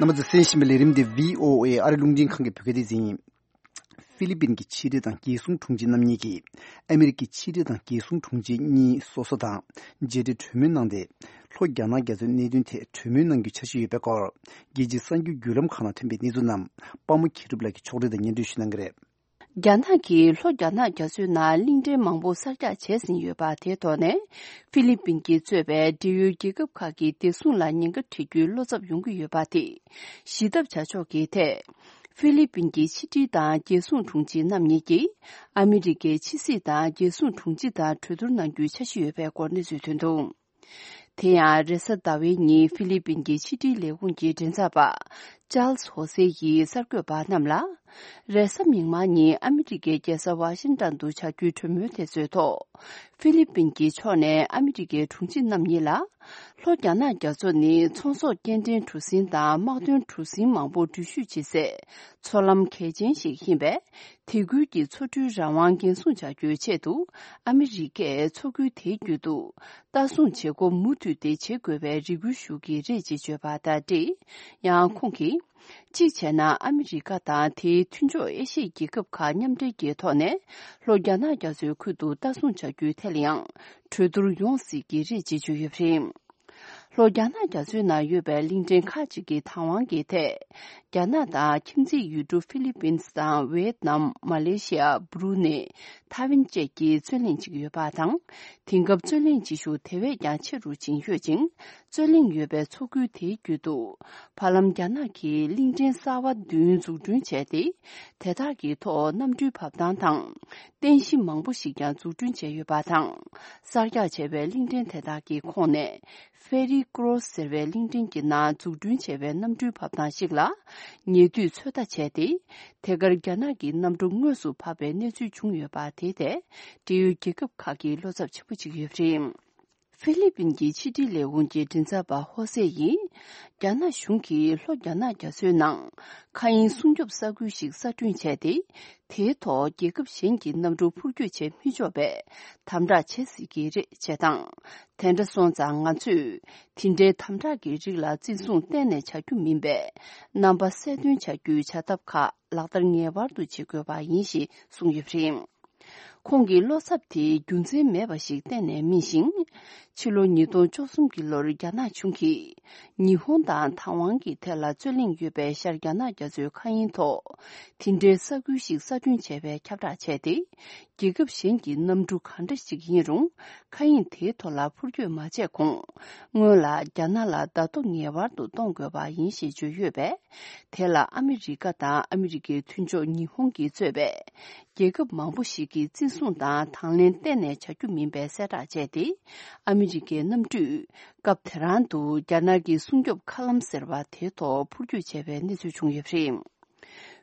རྣམ་པ་ཚོས་གསན་བཞིན་པའི་ལས་རིམ་འདི་བྷི་ཨོ་ཨེ་ཨ་རི་རླུང་འཕྲིན་ཁང་གི་བོད་སྐད་སྡེ་ཚན་ཡིན། ཧྥི་ལི་པིན་གྱི་ཕྱི་དྲིལ་དང་རྒྱལ་སྲུང་དྲུང་ཆེ་རྣམ་གཉིས་ཀྱིས་ཨ་མི་རི་ཀའི་ཕྱི་དྲིལ་དང་རྒྱལ་སྲུང་དྲུང་ཆེ་གཉིས་སོ་སོ་དང་མཇལ་འཕྲད་གྲོས་མོལ་གནང་སྟེ། ལྷོ་རྒྱ་ནག་རྒྱ་མཚོའི་གནད་དོན་ཐད་གྲོས་མོལ་གནང་རྒྱུའི་འཆར་གཞི་ཡོད་པའི་སྐོར། རྒྱལ་སྤྱིའི་གསར་འགྱུར་བརྒྱུད་ལམ་ཁག་ནང་ཐོན་པའི་གནས་ཚུལ་རྣམས་པདྨ་མཁྱེན་གྲུབ་ལགས་ཀྱིས་ཕྱོགས་སྒྲིག་དང་སྙན་སྒྲོན་ཞུ་གནང་གི་རེད། རྒྱ་ནག་གིས་ལྷོ་རྒྱ་ནག་རྒྱ་མཚོའི་ནང་གླིང་ཕྲན་མང་པོ་གསར་རྒྱག་བྱས་ཟིན་ཡོད་པ། དེའི་ཐོག་ནས་ཧྥི་ལི་པིན་གྱིས་གཙོས་པའི་འབྲེལ་ཡོད་རྒྱལ་ཁབ་ཁག་གིས་བདེ་སྲུང་ལ་ཉེན་ཁ་འཕྲད་རྒྱུའི་བློ་འཚབ་ཡོང་གི་ཡོད་པ་དེ་ཞི་ཐབས་བྱ་ཕྱོགས་ཀྱི་ཐད། ཧྥི་ལི་པིན་གྱི་ཕྱི་དྲིལ་དང་རྒྱལ་སྲུང་དྲུང་ཆེ་རྣམ་གཉིས་ཀྱིས་ཨ་མི་རི་ཀའི་ཕྱི་སྲིད་དང་རྒྱལ་སྲུང་དྲུང་ཆེ་དང་གྲོས་བསྡུར་གནང་རྒྱུའི་འཆར་གཞི་ཡོད་པའི་སྐོར་གནས་ཚུལ་ཐོན་འདུག། དེ་ཡང་རེས་གཟའ་ཟླ་བའི་ཉིན་ཧྥི་ལི་པིན་གྱི་ཕྱི་དྲིལ་ལས་ཁུངས་ཀྱི་མགྲིན་ཚབ་པ་ཅཱལ་སི་ཧོ་སེ་ཡིས་གསར་འགོད་པ་རྣམས་ལ། རེས་གཟའ་མིག་དམར་ཉིན་ཨ་མི་རི་ཀའི་རྒྱལ་ས་ཝ་ཤིང་ཏན་དུ་བྱ་རྒྱུའི་གྲོས་མོལ་དེ་ཚོའི་ཐོག། ཧྥི་ལི་པིན་གྱི་ཕྱོགས་ནས་ཨ་མི་རི་ཀའི་དྲུང་ཆེ་རྣམ་གཉིས་ལ། ལྷོ་རྒྱ་ནག་རྒྱ་མཚོ་ནི་ཚོང་ཟོག་སྐྱེལ་འདྲེན་གྲུ་གཟིངས་དང་དམག་དོན་གྲུ་གཟིངས་མང་པོ་འགྲུལ་བཞུད་བྱེད་སའི་མཚོ་ལམ་གལ་ཆེན་ཞིག་ཡིན་པས། དེ་ཁུལ་གྱི་མཚོ་གྲུའི་རང་དབང་འགན་སྲུང་བྱ་རྒྱུའི་ཆེད་དུ། ཨ་མི་རི་ཀས་མཚོ་ཁུལ་དེའི་རྒྱུད་དུ་ལྟ་སྲུང་བྱེད་སྒོ་མུ་མཐུད་དེ་བྱེད་དགོས་པའི་རེ་སྐུལ་ཞུ་གི་རེད་ཅེས་བརྗོད་པ་དང་འབྲེལ། ཡང་ཁོང་གིས། གཅིག་བྱས་ན་ཨ་མི་རི་ཀ་དང་དེའི་མཐུན་ཕྱོགས་ཨེ་ཤི་ཡའི་རྒྱལ་ཁབ་ཁག་མཉམ་འབྲེལ་གྱི་ཐོག་ནས་ལྷོ་རྒྱ་ནག་རྒྱ་མཚོའི་ཁུལ་དུ་ལྟ་སྲུང་བྱ་རྒྱུའི་ཐད་ལ་ཡང་གྲོས་བསྡུར་ཡོང་སྲིད་ཀྱི་རེད་ཅེས་བརྗོད་ཡོད་པ་རེད། ལྷོ་རྒྱ་ནག་རྒྱ་མཚོའི་ནང་ཡོད་པའི་གླིང་ཕྲན་ཁག་ཅིག་གི་བདག་དབང་གི་ཐད། རྒྱ་ནག་དང་ཁྱིམ་མཚེས་ཡུལ་གྲུ་ཧྥི་ལི་པིན་དང་ཝེ་ཏི་ནམ། མ་ལེ་ཤི་ཡ། སྦ་རུ་ནེ། ཐའེ་ཝན་བཅས་ཀྱི་རྩོད་གླེང་བྱེད་ཀྱི་ཡོད་པ་དང་། དེང་སྐབས་རྩོད་གླེང་བྱེད་ཤུགས་དེ་བས་ཀྱང་ཆེ་རུ་ཕྱིན་ཡོད་ཅིང་། རྩོད་གླེང་ཡོད་པའི་མཚོ་ཁུལ་དེའི་རྒྱུད་དུ། བར་ལམ་རྒྱ་ནག་གིས་གླིང་ཕྲན་གསར་པ་བདུན་འཛུགས་སྐྲུན་བྱས་ཏེ། དེ་དག་གི་ཐོག་གནམ་གྲུའི་བབས་ཐང་དང་། རྟེན་གཞི་མང་པོ་ཞིག་ཀྱང་འཛུགས་སྐྲུན་བྱས་ཡོད་པ་དང་། གསར་རྒྱག་བྱས་པའི་གླིང་ཕྲན་དེ་དག་གི་ཁོངས་ནས། ཧྥེ་རི་ཀོ་རོ་སི་ཟེར་བའི་གླིང་ཕྲན་གྱི་ནང་འཛུགས་སྐྲུན་བྱས་པའི་གནམ་གྲུའི་བབས་ཐང་ཞིག་ལ། ཉེ་དུས་ཚོད་ལྟ་བྱས་ཏེ། དེ་གར་རྒྱ་ནག་གི་གནམ་གྲུ་དངོས་སུ་བབས་པའི་གནས་ཚུལ་བྱུང་ཡོད་པ་དེ་ཐད། འབྲེལ་ཡོད་རྒྱལ་ཁབ་ཁག་གིས་བློ་འཚབ་ཆེན་པོ་བྱེད་ཀྱི་ཡོད་པ་རེད། ཧྥི་ལི་པིན་གྱི་ཕྱི་དྲིལ་ལས་ཁུངས་ཀྱི་མགྲིན་ཚབ་པ་ཧོ་སེ་ཡིས། རྒྱ་ནག་གཞུང་གིས་ལྷོ་རྒྱ་ནག་རྒྱ་མཚོའི་ནང་མཁའ་དབྱིངས་སྲུང་སྐྱོབ་ས་ཁུལ་ཞིག་གསར་སྐྲུན་བྱས་ཏེ། དེའི་ཐོག་རྒྱལ་ཁབ་གཞན་གྱི་གནམ་གྲུ་འཕུར་སྐྱོད་བྱེད་མི་ཆོག་པའི་དམ་དྲག་བྱེད་སྲིད་ཀྱི་རེད་ཅེས་དང་། དེ་འདྲ་སོང་ཙང་ང་ཚོས་དེ་འདྲའི་དམ་དྲག་གི་རིགས་ལ་བརྩི་སྲུང་གཏན་ནས་བྱ་རྒྱུ་མིན་པས། རྣམ་པ་གསལ་སྟོན་བྱ་རྒྱུའི་བྱ་ཐབས་ཁག་ལག་བསྟར་ངེས་པར་དུ་བྱེད་དགོས་པ་ཡིན་ཞེས་གསུངས་ཡོད་པ་རེད། ཁོང་གི་བློ་འཚབ་དེ་རྒྱུ་མཚན་མེད་པ་ཞིག་གཏན་ནས་མིན་ཞིང་། ཕྱི་ལོ་ཉིས་སྟོང་བཅུ་གསུམ་གྱི་ལོར་རྒྱ་ནག་གཞུང་གིས་ཉི་ཧོང་དང་ཐའེ་ཝན་གྱི་ཐད་ལ་རྩོད་གླེང་ཡོད་པའི་ཤར་རྒྱ་ནག་རྒྱ་མཚོའི་མཁའ་དབྱིངས་ཐོག་དེ་འདྲའི་ས་ཁུལ་ཞིག་གསར་སྐྲུན་བྱས་པའི་ཁྱབ་བསྒྲགས་བྱས་ཏེ། རྒྱལ་ཁབ་གཞན་གྱི་གནམ་གྲུ་གང་འདྲ་ཞིག་ཡིན་རུང་། མཁའ་དབྱིངས་དེའི་ཐོག་ལ་འཕུར་སྐྱོད་མ་བྱས་གོང་། སྔོན་ལ་རྒྱ་ནག་ལ་བརྡ་ཐོ་ངེས་པར་དུ་གཏོང་དགོས་པ་ཡིན་ཞེས་བརྗོད་ཡོད་པས། དེ་ལ་ཨ་མི་རི་ཀ་དང་ཨ་མི་རི་ཀའི་མཐུན་ཕྱོགས་ཉི་ཧོང་གིས་གཙོས་པའི་རྒྱལ་ཁབ་མང་པོ་ཞིག་གིས་བརྩི་སྲུང་དང་དང་ལེན་གཏན་ནས་བྱ་རྒྱུ་མིན་པའི་གསལ་བསྒྲགས་བྱས་ཏེ། ཨ་མི་རི་ཀའི་གནམ་གྲུས་སྐབས་དེ་རང་དུ་རྒྱ་ནག་གི་སྲུང་སྐྱོབ་མཁའ་ལམ་ཟེར་བ་དེའི་ཐོག་འཕུར་སྐྱོད་བྱས་པའི་གནས་ཚུལ་བྱུང་ཡོད་པ་རེད།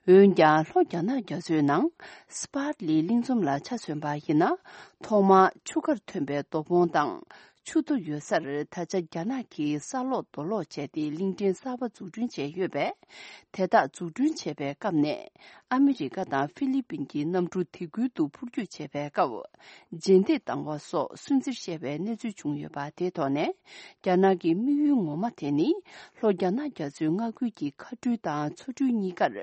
འོན་ཀྱང་། ལྷོ་རྒྱ་ནག་རྒྱ་མཚོའི་ནང་སི་པཱར་ལི་གླིང་ཚོམ་ལ་ཆ་མཚོན་པ་ཡིན་ན། ཐོག་མར་ཆུ་ཁར་ཐོན་པའི་རྡོ་སྦོང་དང་། ཆུ་རྡོ་ཡོད་སར་ད་ཆ་རྒྱ་ནག་གིས་ས་སློག་རྡོ་སློག་བྱས་ཏེ་གླིང་ཕྲན་གསར་པ་འཛུགས་སྐྲུན་བྱས་ཡོད་པས། དེ་དག་འཛུགས་སྐྲུན་བྱས་པའི་སྐབས་ནས། ཨ་མི་རི་ཀ་དང་ཧྥི་ལི་པིན་གྱི་གནམ་གྲུ་དེ་ཁུལ་དུ་འཕུར་སྐྱོད་བྱས་པའི་སྐབས། རྗེས་འདེད་བཏང་བ་སོགས་སུན་གཙེར་བཤད་པའི་གནས་ཚུལ་བྱུང་ཡོད་པ་དེའི་ཐོག་ནས། རྒྱ་ནག་གི་དམིགས་ཡུལ་ངོ་མ་དེ་ནི། ལྷོ་རྒྱ་ནག་རྒྱ་མཚོའི་མངའ་ཁུལ་གྱི་མཁའ་འགྲུལ་དང་མཚོ་འགྲུལ་གཉིས་ཀར་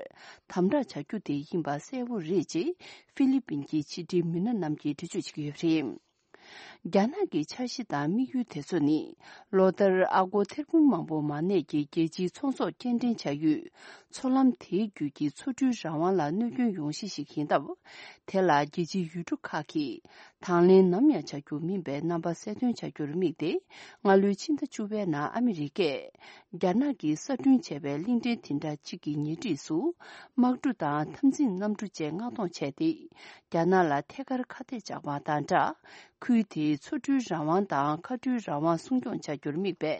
དམ་དྲག་བྱ་རྒྱུ་དེ་ཡིན་པ་གསལ་བོ་རེད་ཅེས་ཧྥི་ལི་པིན་གྱི་ཕྱི་དྲིལ་མི་སྣ་རྣམས་ཀྱིས་འགྲེལ་བརྗོད་བྱེད་ཀྱི་ཡོད་པ་རེད། རྒྱ་ནག་གི་འཆར་གཞི་དང་དམིགས་ཡུལ་དེ་ཚོ་ནི། ལོ་ལྟར་ཨ་སྒོར་ཐེར་འབུམ་མང་པོ་མ་གནས་ཀྱི་རྒྱལ་སྤྱིའི་ཚོང་ཟོག་སྐྱེལ་འདྲེན་བྱ་ཡུལ། མཚོ་ལམ་དེའི་བརྒྱུད་ཀྱི་མཚོ་གྲུའི་རང་དབང་ལ་གནོད་སྐྱོན་ཡོང་གཞི་ཞིག་ཡིན་སྟབས། དེ་ལ་རྒྱལ་སྤྱིའི་ཡུལ་གྲུ་ཁག་གིས་དང་ལེན་ནམ་ཡང་བྱ་རྒྱུ་མིན་པའི་རྣམ་པ་གསལ་སྟོན་བྱ་རྒྱུར་དམིགས་ཏེ། སྔ་ལོའི་ཕྱི་ཟླ་བཅུ་པའི་ནང་ཨ་མི་རི་ཀས་རྒྱ་ནག་གིས་གསར་སྐྲུན་བྱས་པའི་གླིང་ཕྲན་དེ་འདྲ་གཅིག་གི་ཉེ་འཁྲིས་སུ། དམག་གྲུ་དང་འཐབ་འཛིང་གནམ་གྲུ་བཅས་མངགས་གཏོང་བྱས་ཏེ། རྒྱ་ནག་ལ་ཐད་ཀར་ཁ་གཏད་བཅག་པ་དང་སྦྲགས། ཁུལ་དེའི་མཚོ་གྲུའི་རང་དབང་དང་མཁའ་འགྲུལ་རང་དབང་སྲུང་སྐྱོང་བྱ་རྒྱུར་དམིགས་པའི་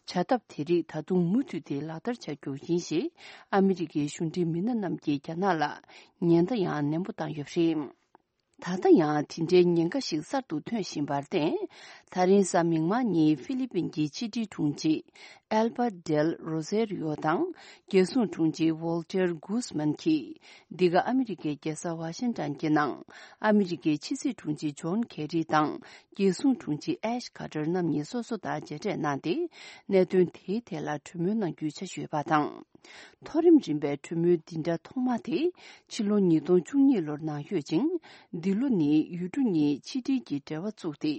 བྱ་ཐབས་དེ་རིགས་ད་དུང་མུ་མཐུད་དེ་ལག་བསྟར་བྱ་རྒྱུ་ཡིན་ཞེས་ཨ་མི་རི་ཀའི་གཞུང་འབྲེལ་མི་སྣ་རྣམས་ཀྱིས་རྒྱ་ནག་ལ་ཉེན་བརྡ་ཡང་ནན་པོ་བཏང་ཡོད་པ་རེད། ད་ལྟ་ཡང་དེ་འདྲའི་ཉེན་ཁ་ཞིག་གསར་དུ་ཐོན་བཞིན་པར་བརྟེན། ད་རིང་གཟའ་མིག་དམར་ཉིན་ཧྥི་ལི་པིན་གྱི་ཕྱི་དྲིལ་དྲུང་ཆེ་ཨེལ་བྷར་ཏ་ཌེལ་རོ་ཟེ་རི་ཡོ་དང་རྒྱལ་སྲུང་དྲུང་ཆེ་ཝོལ་ཏེར་གུས་མན་གྱིས། འདི་ག་ཨ་མི་རི་ཀའི་རྒྱལ་ས་ཝ་ཤིང་ཏན་གྱི་ནང་ཨ་མི་རི་ཀའི་ཕྱི་སྲིད་དྲུང་ཆེ་ཇོན་ཁེ་རི་དང་རྒྱལ་སྲུང་དྲུང་ཆེ་ཨེཤ་ཁ་ཏར་རྣམ་གཉིས་སོ་སོ་དང་མཇལ་འཕྲད་གནང་སྟེ། གནད་དོན་དེའི་ཐད་ལ་གྲོས་མོལ་གནང་རྒྱུའི་འཆར་གཞི་ཡོད་པ་དང་། མཐོ་རིམ་རིམ་པའི་གྲོས་མོལ་འདི་འདྲ་ཐོག་མ་དེ་ཕྱི་ལོ་ཉིས་སྟོང་བཅུ་གཉིས་ལོར་གནང་ཡོད་ཅིང་། འདི་ལོ་ནི་ཡུལ་གྲུ་གཉིས་ཕྱི་འབྲེལ་གྱི་འབྲེལ་བ་བཙུགས་ཏེ་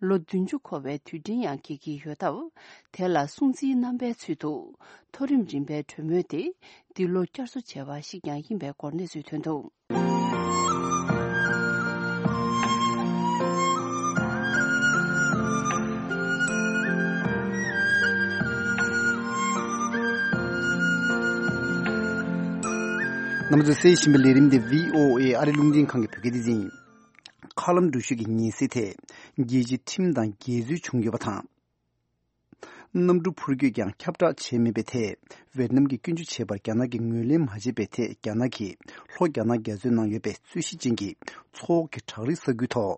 ལོ་བདུན་ཅུ་འཁོར་བའི་དུས་དྲན་ཡང་འཁེལ་གྱི་ཡོད་སྟབས། དེ་ལ་སྲུང་བརྩིའི་རྣམ་པའི་ཚུལ་དུ་མཐོ་རིམ་རིམ་པའི་གྲོས་མོལ་དེ་འདི་ལོ་བསྐྱར་གསོ་བྱས་པ་ཞིག་ཀྱང་ཡིན་པའི་སྐོར་གནས་ཚུལ་ཐོན་འདུག། རྣམ་པ་ཚོས་གསན་བཞིན་པའི་ལས་རིམ་འདི་བྷི་ཨོ་ཨེ་ཨ་རི་རླུང་འཕྲིན་ཁང་གི་བོད་སྐད་སྡེ་ཚན་ཡིན། མཁའ་ལམ་འགྲུལ་བཞུད་ཀྱི་ཉེན་སེལ་ཐད་རྒྱལ་སྤྱིའི་ཁྲིམས་དང་འགལ་འཛོལ་བྱུང་ཡོད་པ་དང་། གནམ་གྲུ་འཕུར་སྐྱོད་ཀྱང་ཁྱབ་བསྒྲགས་བྱས་མེད་པའི་ཐད། ཝེ་ཏི་ནམ་གྱིས་སྐྱོན་བརྗོད་བྱས་པར་རྒྱ་ནག་གིས་ངོས་ལེན་མ་བྱས་པའི་ཐད། རྒྱ་ནག་གིས་ལྷོ་རྒྱ་ནག་རྒྱ་མཚོའི་ནང་ཡོད་པའི་རྩོད་གཞི་ཅན་གྱི་མཚོ་འོག་གི་བྲག་རིའི་ས་ཁུལ་ཐོག་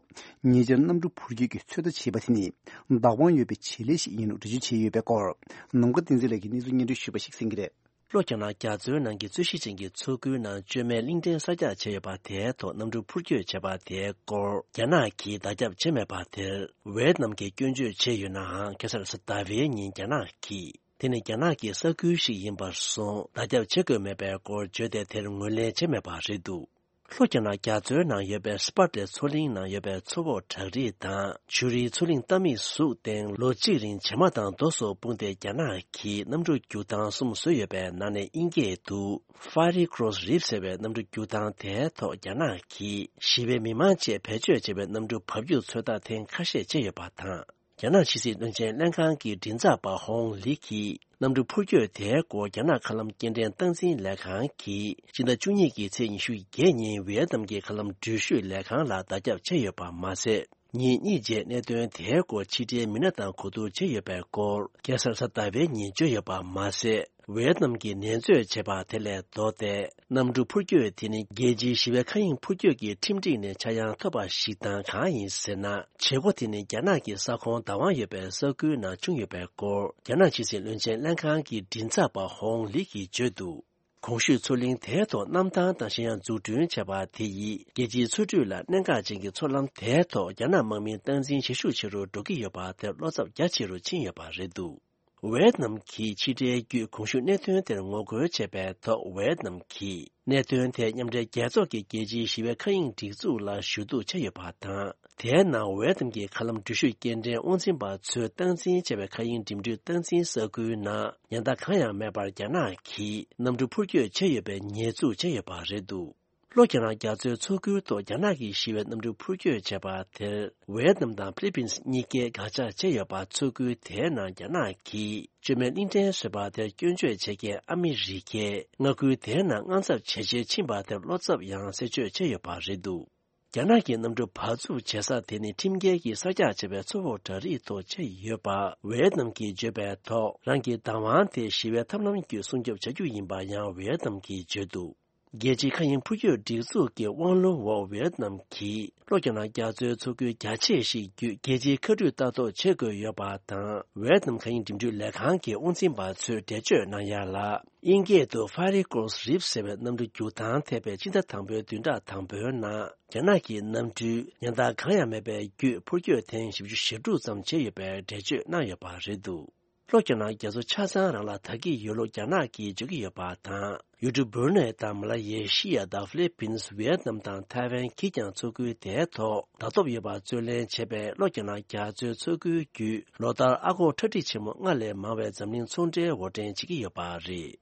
ཉེ་ཆར་གནམ་གྲུ་འཕུར་སྐྱོད་ཀྱི་ཚོད་ལྟ་བྱས་པ་དེ་ནི་བདག་དབང་ཡོད་པའི་བྱེད་ལས་ཤིག་ཡིན་ལུགས་འགྲེལ་བརྗོད་བྱས་ཡོད་པའི་སྐོར། ནམ་མཁའ་བསྟན་འཛིན་ལགས་ཀྱིས་གནས་ཚུལ་སྙན་སྒྲོན་ཞུས་པ་ཞིག་གསན་གྱི་རེད། ལྷོ་རྒྱ་ནག་རྒྱ་མཚོའི་ནང་གི་རྩོད་གཞི་ཅན་གྱི་མཚོ་ཁུལ་ནང་བཅོས་མའི་གླིང་ཕྲན་གསར་རྒྱག་བྱས་ཡོད་པ་དེའི་ཐོག་གནམ་གྲུ་འཕུར་སྐྱོད་བྱས་པ་དེའི་སྐོར་རྒྱ་ནག་གིས་བརྡ་ཁྱབ་བྱས་མེད་པ་དེར། ཝེ་ཏི་ནམ་གྱིས་སྐྱོན་བརྗོད་བྱས་ཡོད་ནའང་། ཁ་སང་གཟའ་ཟླ་བའི་ཉིན་རྒྱ་ནག་གིས་དེ་ནི་རྒྱ་ནག་གི་ས་ཁུལ་ཞིག་ཡིན་པར་སོང་བརྡ་ཁྱབ་བྱེད་དགོས་མེད་པའི་སྐོར་བརྗོད་དེ། དེར་ངོས་ལེན་བྱས་མེད་པ་རེད་འདུག། ལྷོ་རྒྱ་ནག་རྒྱ་མཚོའི་ནང་ཡོད་པའི་སི་པ་ཏྲེ་མཚོ་གླིང་ནང་ཡོད་པའི་མཚོ་འོག་བྲག་རི་དང་ཆུ་རིའི་མཚོ་གླིང་རྟ་མིག་གཟུགས་སྟེང་ལོ་གཅིག་རིང་བྱེ་མ་དང་རྡོ་སོགས་སྤུངས་ཏེ། རྒྱ་ནག་གིས་གནམ་གྲུ་རྒྱུག་ཐང་གསུམ་བཟོས་ཡོད་པའི་ནང་ནས་དབྱིན་སྐད་དུ་Fiery Cross Reef ཟེར་བའི་གནམ་གྲུ་རྒྱུག་ཐང་དེའི་ཐོག་རྒྱ་ནག་གིས་ཞི་བའི་མི་མང་བཅས་བེད་སྤྱོད་བྱས་པའི་གནམ་གྲུ་འབབ་རྒྱུག་ཚོད་ལྟ་ཐེངས་ཁ་ཤས་བྱས་ཡོད་པ་དང་། རྒྱ་ནག་ཕྱི་སྲིད་བློན་ཆེན་ལྷན་ཁང་གི་མགྲིན་ཚབ་པ་ཧོང་ལི་གིས། གནམ་གྲུ་འཕུར་སྐྱོད་དེའི་སྐོར་རྒྱ་ནག་མཁའ་ལམ་སྐྱེལ་འདྲེན་སྟངས་འཛིན་ལས་ཁང་གིས་ཕྱི་ཟླ་བཅུ་གཉིས་ཀྱི་ཚེས་ཉི་ཤུ་བརྒྱད་ཉིན་ཝེ་ཏི་ནམ་གྱི་མཁའ་ལམ་འགྲུལ་བཞུད་ལས་ཁང་ལ་བརྡ་ཁྱབ་བྱས་ཡོད་པ་མ་ཟད། ཉིན་གཉིས་རྗེས་གནད་དོན་དེའི་སྐོར་ཕྱི་འབྲེལ་མི་སྣ་དང་གོ་བསྡུར་བྱས་ཡོད་པའི་སྐོར། ཁ་སང་གཟའ་ཟླ་བའི་ཉིན་བརྗོད་ཡོད་པ་མ་ཟད། ཝེ་ཏི་ནམ་གྱིས་ནན་བརྗོད་བྱས་པ་དེ་ལས་ལྡོག་སྟེ། གནམ་གྲུ་འཕུར་སྐྱོད་དེ་ནི་རྒྱལ་སྤྱིའི་ཞི་བའི་མཁའ་དབྱིངས་འཕུར་སྐྱོད་ཀྱི་ཁྲིམས་སྒྲིག་ནས་ཆག་ཡང་ཐོབ་པ་ཞིག་དང་། གང་ཡིན་ཟེར་ན། བྱེད་སྒོ་དེ་ནི་རྒྱ་ནག་གི་ས་ཁོངས་བདག་དབང་ཡོད་པའི་ས་ཁུལ་ནང་བྱུང་ཡོད་པའི་སྐོར། རྒྱ་ནག་ཕྱི་སྲིད་བློན་ཆེན་ལྷན་ཁང་གི་མགྲིན་ཚབ་པ་ཧོང་ལི་གིས་བརྗོད་འདུག། གོང་ཞུས་མཚོ་གླིང་དེའི་ཐོག་གནམ་ཐང་དང་གཞན་ཡང་འཛུགས་སྐྲུན་བྱས་པ་དེ་ཡིས་རྒྱལ་སྤྱིའི་མཚོ་ཁྲོད་ལ་གནད་འགག་ཅན་གྱི་མཚོ་ལམ་དེའི་ཐོག་རྒྱ་ནག་དམག་མིའི་སྟངས་འཛིན་ཞེ་ཤུགས་ཆེ་རུ་འགྲོ་གི་ཡོད་པ་དེར་བློ་འཚབ་རྒྱ་ཆེ་རུ་ཕྱིན་ཡོད་པ་རེད་འདུག། ཝེ་ཏི་ནམ་གྱིས་ཕྱི་འབྲེལ་བརྒྱུད་གོང་ཞུས་གནད་དོན་དེར་ངོ་རྒོལ་བྱས་པའི་ཐོག། ཝེ་ཏི་ནམ་གྱིས་གནད་དོན་དེ་མཉམ་འབྲེལ་རྒྱལ་ཚོགས་ཀྱི་རྒྱལ་སྤྱིའི་ཞི་བའི་མཁའ་དབྱིངས་སྒྲིག་འཛུགས་ལ་ཞུ་གཏུག་བྱས་ཡོད་པ་དང་། དེའི་ནང་ཝེ་ཏི་ནམ་གྱི་མཁའ་ལམ་འགྲུལ་བཞུད་སྐྱེལ་འདྲེན་དབང་འཛིན་པ་ཚོས་སྟངས་འཛིན་བྱས་པའི་མཁའ་དབྱིངས་འགྲིམ་འགྲུལ་སྟངས་འཛིན་ས་ཁུལ་ནང་ཉེན་བརྡ་གང་ཡང་མེད་པར་རྒྱ་ནག་གིས་གནམ་གྲུ་འཕུར་སྐྱོད་བྱས་ཡོད་པའི་ཉེས་འཛུགས་བྱས་ཡོད་པ་རེད་འདུག། ལྷོ་རྒྱ་ནག་རྒྱ་མཚོའི་མཚོ་ཁུལ་ཐོག་རྒྱ་ནག་གི་ཞི་བའི་གནམ་གྲུ་འཕུར་སྐྱོད་བྱས་པ་དེར། ཝེ་ཏི་ནམ་དང་ཧྥི་ལི་པིན་གཉིས་ཀས་དགག་བྱ་བྱས་ཡོད་པ། མཚོ་ཁུལ་དེའི་ནང་རྒྱ་ནག་གིས་བཅོས་མའི་གླིང་ཕྲན་བཟོས་པ་དེར་སྐྱོན་བརྗོད་བྱེད་མཁན་ཨ་མི་རི་ཀས་མངའ་ཁུལ་དེའི་ནང་དངངས་འཚབ་ཇེ་ཆེར་ཕྱིན་པ་དེར་བློ་འཚབ་ཡང་གསལ་བརྗོད་བྱས་ཡོད་པ་རེད་འདུག། རྒྱ་ནག་གི་གནམ་གྲུ་བབས་ཚུགས་བྱེད་ས་དེ་ནི་ཁྲིམས་འགལ་གྱིས་གསར་རྒྱག་བྱས་པའི་མཚོ་འོག་བྲག་རིའི་ཐོག་ཆགས་ཡོད་པ། ཝེ་ཏི་ནམ་གྱིས་བརྗོད་པའི་ཐོག། རང་གི་བདག་དབང་དེ་ཞི་བའི་ཐབས་ལམ་བརྒྱུད་སྲུང་སྐྱོབ་བྱ་རྒྱུ་ཡིན་པ་ཡང་ཝེ་ཏི་ནམ་གྱིས་བརྗོད་འདུག། རྒྱལ་སྤྱིའི་མཁའ་དབྱིངས་འཕུར་སྐྱོད་སྒྲིག་འཛུགས་ཀྱི་དབང་ལུང་འོག་ཝེ་ཏི་ནམ་གྱིས་ལྷོ་རྒྱ་ནག་རྒྱ་མཚོའི་མཚོ་ཁུལ་རྒྱ་ཆེ་ཞིག་བརྒྱུད་རྒྱལ་སྤྱིའི་མཁའ་འགྲུལ་ལྟ་རྟོག་བྱེད་དགོས་ཡོད་པ་དང་། ཝེ་ཏི་ནམ་མཁའ་དབྱིངས་འགྲིམ་འགྲུལ་ལས་ཁང་གི་དབང་འཛིན་པ་ཚོས་འགྲེལ་བརྗོད་གནང་ཡ་ལ། དབྱིན་སྐད་དུ་Fiery Cross Reef ཟེར་བའི་གནམ་གྲུ་རྒྱུག་ཐང་ཐེ་བའི་སྤྱི་ཟླ་དང་པོའི་བདུན་ཕྲག་དང་པོའི་ནང་། རྒྱ་ནག་གི་གནམ་གྲུས་ཉེན་བརྡ་གང་ཡང་མེད་པའི་བརྒྱུད་འཕུར་སྐྱོད་ཐེངས་བཞི་བཅུ་ཞེ་དྲུག་ཙམ་བྱས་ཡོད་པའི་འགྲེལ་བརྗོད་གནང་ཡོད་པ་རེད་འདུག། ལྷོ་རྒྱ་ནག་རྒྱ་མཚོ་ཆ་ཚང་རང་ལ་དར་གྱི་ཡོད་ལུགས་རྒྱ་ནག་གིས་བརྗོད་ཀྱི་ཡོད་པ་དང་། ཡུལ་གྲུ་སྦུར་ནེ་དང་མ་ལ་ཡེ་ཤི་ཡ་དང་ཧྥི་ལི་པིན། ཝེ་ཏི་ནམ་དང་ཐའེ་ཝན་གྱིས་ཀྱང་མཚོ་ཁུལ་དེའི་ཐོག་ལྟ་རྟོག་ཡོད་པ་རྩོད་ལེན་བྱས་པའི་ལྷོ་རྒྱ་ནག་རྒྱ་མཚོའི་མཚོ་ཁུལ་བརྒྱུད་ལོ་ལྟར་ཨ་སྒོར་ཁྲལ་ཁྲིག་ཆེན་མོ་ལྔ་ལས་མང་བའི་འཛམ་གླིང་ཚོང་འབྲེལ་དབོར་འདྲེན་བྱེད་ཀྱི་ཡོད་པ་རེད།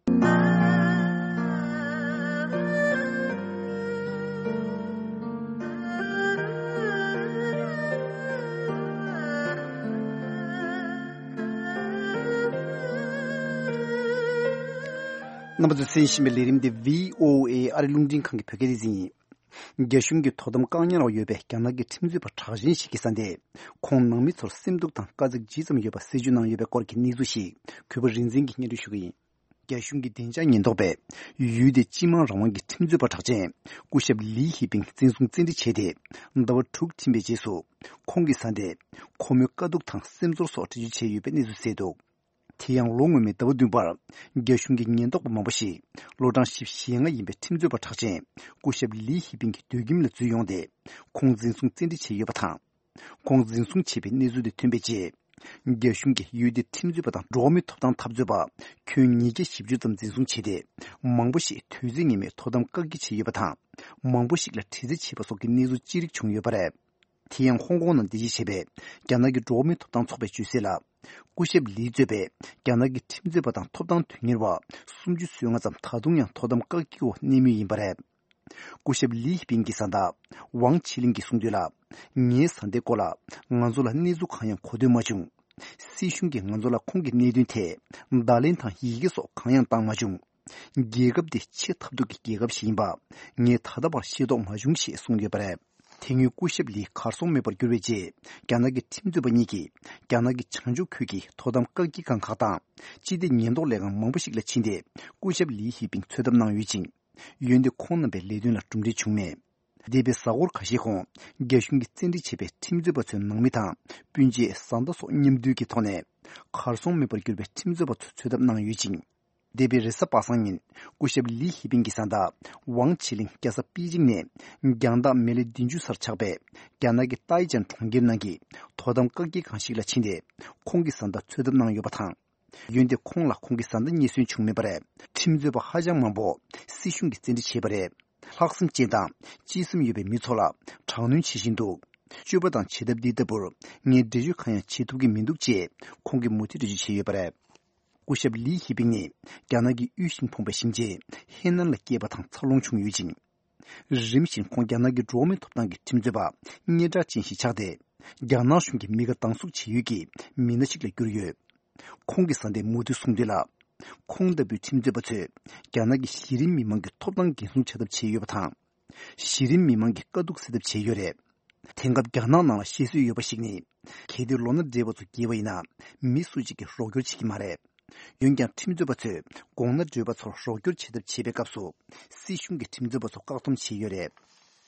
རྣམ་པ་ཚོས་གསན་བཞིན་པའི་ལས་རིམ་འདི་བྷི་ཨོ་ཨེ་ཨ་རི་རླུང་འཕྲིན་ཁང་གི་བོད་སྐད་སྡེ་ཚན་ཡིན། རྒྱ་གཞུང་གིས་དོ་དམ་བཀག་ཉར་འོག་ཡོད་པའི་རྒྱ་ནག་གི་ཁྲིམས་རྩོད་པ་གྲགས་ཅན་ཞིག་གི་བཟའ་ཟླས། ཁོང་ནང་མི་ཚོར་སེམས་སྡུག་དང་དཀའ་ཚེགས་ཇི་ཙམ་ཡོད་པ་གསལ་བརྗོད་གནང་ཡོད་པའི་སྐོར་གྱི་གནས་ཚུལ་ཞིག་གུས་པ་རིག་འཛིན་གྱིས་སྙན་སྒྲོན་ཞུ་གི་ཡིན། རྒྱ་གཞུང་གི་བདེ་འཇགས་ཉེན་རྟོག་པས་ཡུལ་དེའི་སྤྱི་དམངས་རང་དབང་གི་ཁྲིམས་རྩོད་པ་གྲགས་ཅན་སྐུ་ཞབས་ལི་ཧི་པིང་འཛིན་བཟུང་བཙན་ཁྲིད་བྱས་ཏེ། ཟླ་བ་དྲུག་ཕྱིན་པའི་རྗེས་སུ། ཁོང་གི་བཟའ་ཟླས་ཁོ་མོའི་དཀའ་སྡུག་དང་སེམས་ཚོར་སོགས་འགྲེལ་བརྗོད་བྱས་ཡོད་པའི་གནས་ཚུལ་གསལ་འདུག་དེ་ཡང་ལོ་སྔོན་མའི་ཟླ་བ་བདུན་པར། རྒྱ་གཞུང་གི་ཉེན་རྟོག་པ་མང་པོ་ཞིག་ལོ་གྲངས་བཞི་བཅུ་ཞེ་ལྔ་ཡིན་པའི་ཁྲིམས་རྩོད་པ་གྲགས་ཅན་སྐུ་ཞབས་ལི་ཧི་པིང་གི་སྡོད་ཁྱིམ་ལ་འཛུལ་ཡོང་སྟེ། ཁོང་འཛིན་བཟུང་བཙན་ཁྲིད་བྱས་ཡོད་པ་དང་། ཁོང་འཛིན་བཟུང་བྱས་པའི་གནས་ཚུལ་དེ་ཐོན་པའི་རྗེས། རྒྱ་གཞུང་གིས་ཡུལ་དེའི་ཁྲིམས་རྩོད་པ་དང་འགྲོ་བ་མིའི་ཐོབ་ཐང་འཐབ་རྩོད་པ་ཁྱོན་ཉིས་བརྒྱ་བཞི་བཅུ་ཙམ་འཛིན་བཟུང་བྱས་ཏེ། མང་པོ་ཞིག་དུས་ཚོད་ངེས་མེད་དོ་དམ་བཀག་སྐྱིལ་བྱས་ཡོད་པ་དང་། མང་པོ་ཞིག་ལ་དྲི་རྩད་བྱས་པ་སོགས་ཀྱི་གནས་ཚུལ་ཅི་རིགས་བྱུང་ཡོད་པ་རེད། དེ་ཡང་ཧོང་ཀོང་ནང་རྟེན་གཞི་བྱས་པའི་རྒྱ་ནག་གི་འགྲོ་བ་མིའི་ཐོབ་ཐང་ཚོགས་པས་བརྗོད་གསལ་ལ། སྐུ་ཞབས་ལི་གཙོས་པའི་རྒྱ་ནག་གི་ཁྲིམས་རྩོད་པ་དང་ཐོབ་ཐང་དོན་གཉེར་བ་སུམ་ཅུ་སོ་ལྔ་ཙམ་ད་དུང་ཡང་དོ་དམ་བཀག་སྐྱིལ་འོག་གནས་མུས་ཡིན་པ་རེད། སྐུ་ཞབས་ལི་ཧི་པིང་གི་བཟའ་ཟླ་ཝང་ཆི་ལིང་གིས་གསུངས་དོན་ལ། ངའི་བཟའ་ཟླའི་སྐོར་ལ་ང་ཚོ་ལ་གནས་ཚུལ་གང་ཡང་གོ་ཐོས་མ་བྱུང་། སྲིད་གཞུང་གིས་ང་ཚོ་ལ་ཁོང་གི་གནད་དོན་ཐད་བརྡ་ལན་དང་ཡི་གེ་སོགས་གང་ཡང་བཏང་མ་བྱུང་། རྒྱལ་ཁབ་འདི་ཆེས་ཐབས་སྡུག་གི་རྒྱལ་ཁབ་ཞིག་ཡིན་པ་ངས་ད་ལྟ་བར་ཤེས་རྟོགས་མ་བྱུང་ཞེས་གསུངས་ཡོད་པ་རེད། དེ་སྔོན་སྐུ་ཞབས་ལི་གར་སོང་མེད་པར་གྱུར་བའི་རྗེས། རྒྱ་ནག་གི་ཁྲིམས་རྩོད་པ་གཉིས་ཀྱིས་རྒྱ་ནག་གི་བྱང་ཕྱོགས་ཁུལ་གྱི་དོ་དམ་བཀག་སྐྱིལ་ཁང་ཁག་དང་སྤྱི་བདེ་ཉེན་རྟོག་ལས་ཁང་མང་པོ་ཞིག་ལ་ཕྱིན་ཏེ། སྐུ་ཞབས་ལི་ཧི་པིང་འཚོལ་ཐབས་གནང་ཡོད་ཅིང་། འོན་ཏེ་ཁོང་རྣམ་པའི་ལས་དོན་ལ་གྲུབ་འབྲས་བྱུང་མེད། འདས་པའི་གཟའ་འཁོར་ཁ་ཤས་གོང་རྒྱ་གཞུང་གིས་བཙན་ཁྲིད་བྱས་པའི་ཁྲིམས་རྩོད་པ་ཚོའི་ནང་མི་དང་སྤུན་མཆེད་བཟའ་ཟླ་སོགས་མཉམ་འདུས་ཀྱི་ཐོག་ནས་གར་སོང་མེད་པར་གྱུར་པའི་ཁྲིམས་རྩོད་པ་ཚོ་འཚོལ་ཐབས་གནང་ཡོད་ཅིང་། འདས་པའི་རེས་གཟའ་པ་སངས་ཉིན་སྐུ་ཞབས་ལི་ཧི་པིང་གི་བཟའ་ཟླ་ཝང་ཆི་ལིང་རྒྱལ་ས་པེ་ཅིང་ནས་རྒྱང་ཐག་མེ་ལེ་བདུན་ཅུ་སར་ཆགས་པའི་རྒྱ་ནག་གི་ཏའི་ཅན་གྲོང་ཁྱེར་ནང་གི་དོ་དམ་བཀག་སྐྱིལ་ཁང་ཞིག་ལ་ཕྱིན་ཏེ། ཁོང་གི་བཟའ་ཟླ་འཚོལ་ཐབས་གནང་ཡོད་པ་དང་། འོན་ཏེ་ཁོང་ལ་ཁོང་གི་བཟའ་ཟླ་རྙེད་སོན་བྱུང་མེད་པ་རེད། ཁྲིམས་རྩོད་པ་ཧ་ཅང་མང་པོ་སྲིད་གཞུང་གིས་བཙན་ཁྲིད་བྱས་པ་རེད། ལྷག་བསམ་ཅན་དང་གཅེས་སེམས་ཡོད་པའི་མི་ཚོ་ལ་དྲག་གནོན་བྱེད་བཞིན་འདུག་སྤྱོད་པ་དང་བྱེད་ཐབས་འདི་ལྟ་བུར་ངས་འགྲེལ་བརྗོད་གང་ཡང་བྱེད་ཐུབ་ཀྱི་མི་འདུག་ཅེས་ཁོང་གིས་མུ་མཐུད་འགྲེལ་བརྗོད་བྱས་ཡོད་པ་རེད། སྐུ་ཞབས་ལི་ཧི་པིང་ནི་རྒྱ་ནག་གི་དབུལ་ཞིང་ཕོངས་པའི་ཞིང་ཆེན་ཧེ་ནན་ལ་སྐྱེས་པ་དང་འཚར་ལོངས་བྱུང་ཡོད་ཅིང་། རིམ་བཞིན་ཁོང་རྒྱ་ནག་གི་འགྲོ་བ་མིའི་ཐོབ་ཐང་གི་ཁྲིམས་རྩོད་པ་སྙན་གྲགས་ཅན་ཞིག་ཆགས་ཏེ། རྒྱ་ནག་གཞུང་གིས་མི་དགའ་སྡང་ཟུག་བྱེད་ཡུལ་གྱི་མི་སྣ་ཞིག་ལ་གྱུར་ཡོད། ཁོང་གི་བཟའ་ཟླས་མུ་མཐུད་གསུངས་དོན་ལ། ཁོང་ལྟ་བུའི་ཁྲིམས་རྩོད་པ་ཚོས་རྒྱ་ནག་གི་གཞི་རིམ་མི་མང་གི་ཐོབ་ཐང་འགན་སྲུང་བྱ་ཐབས་བྱས་ཡོད་པ་དང་། གཞི་རིམ་མི་མང་གི་དཀའ་སྡུག་སེལ་ཐབས་བྱས་ཡོད་རེད། དེང་སྐབས་རྒྱ་ནག་ནང་ལ་བཤད་སྲོལ་ཡོད་པ་ཞིག་ནི། གལ་ཏེ་ལོ་ན་བགྲེས་པ་ཚོ་རྒས་པ་ཡིན་ན། མི་སུ་གཅིག་གིས་རོགས་སྐྱོར་བྱེད་ཀྱི་མ་རེད། འོན་ཀྱང་ཁྲིམས་རྩོད་པ་ཚོས་དགོང་ན་བགྲེས་པ་ཚོར་རོགས་སྐྱོར་བྱེད་ཐབས་བྱེད་པའི་སྐབས་སུ། སྲིད་གཞུང་གིས་ཁྲིམས་རྩོད་པ་ཚོ་བཀག་སྡོམ་བྱས་ཡོད་རེད།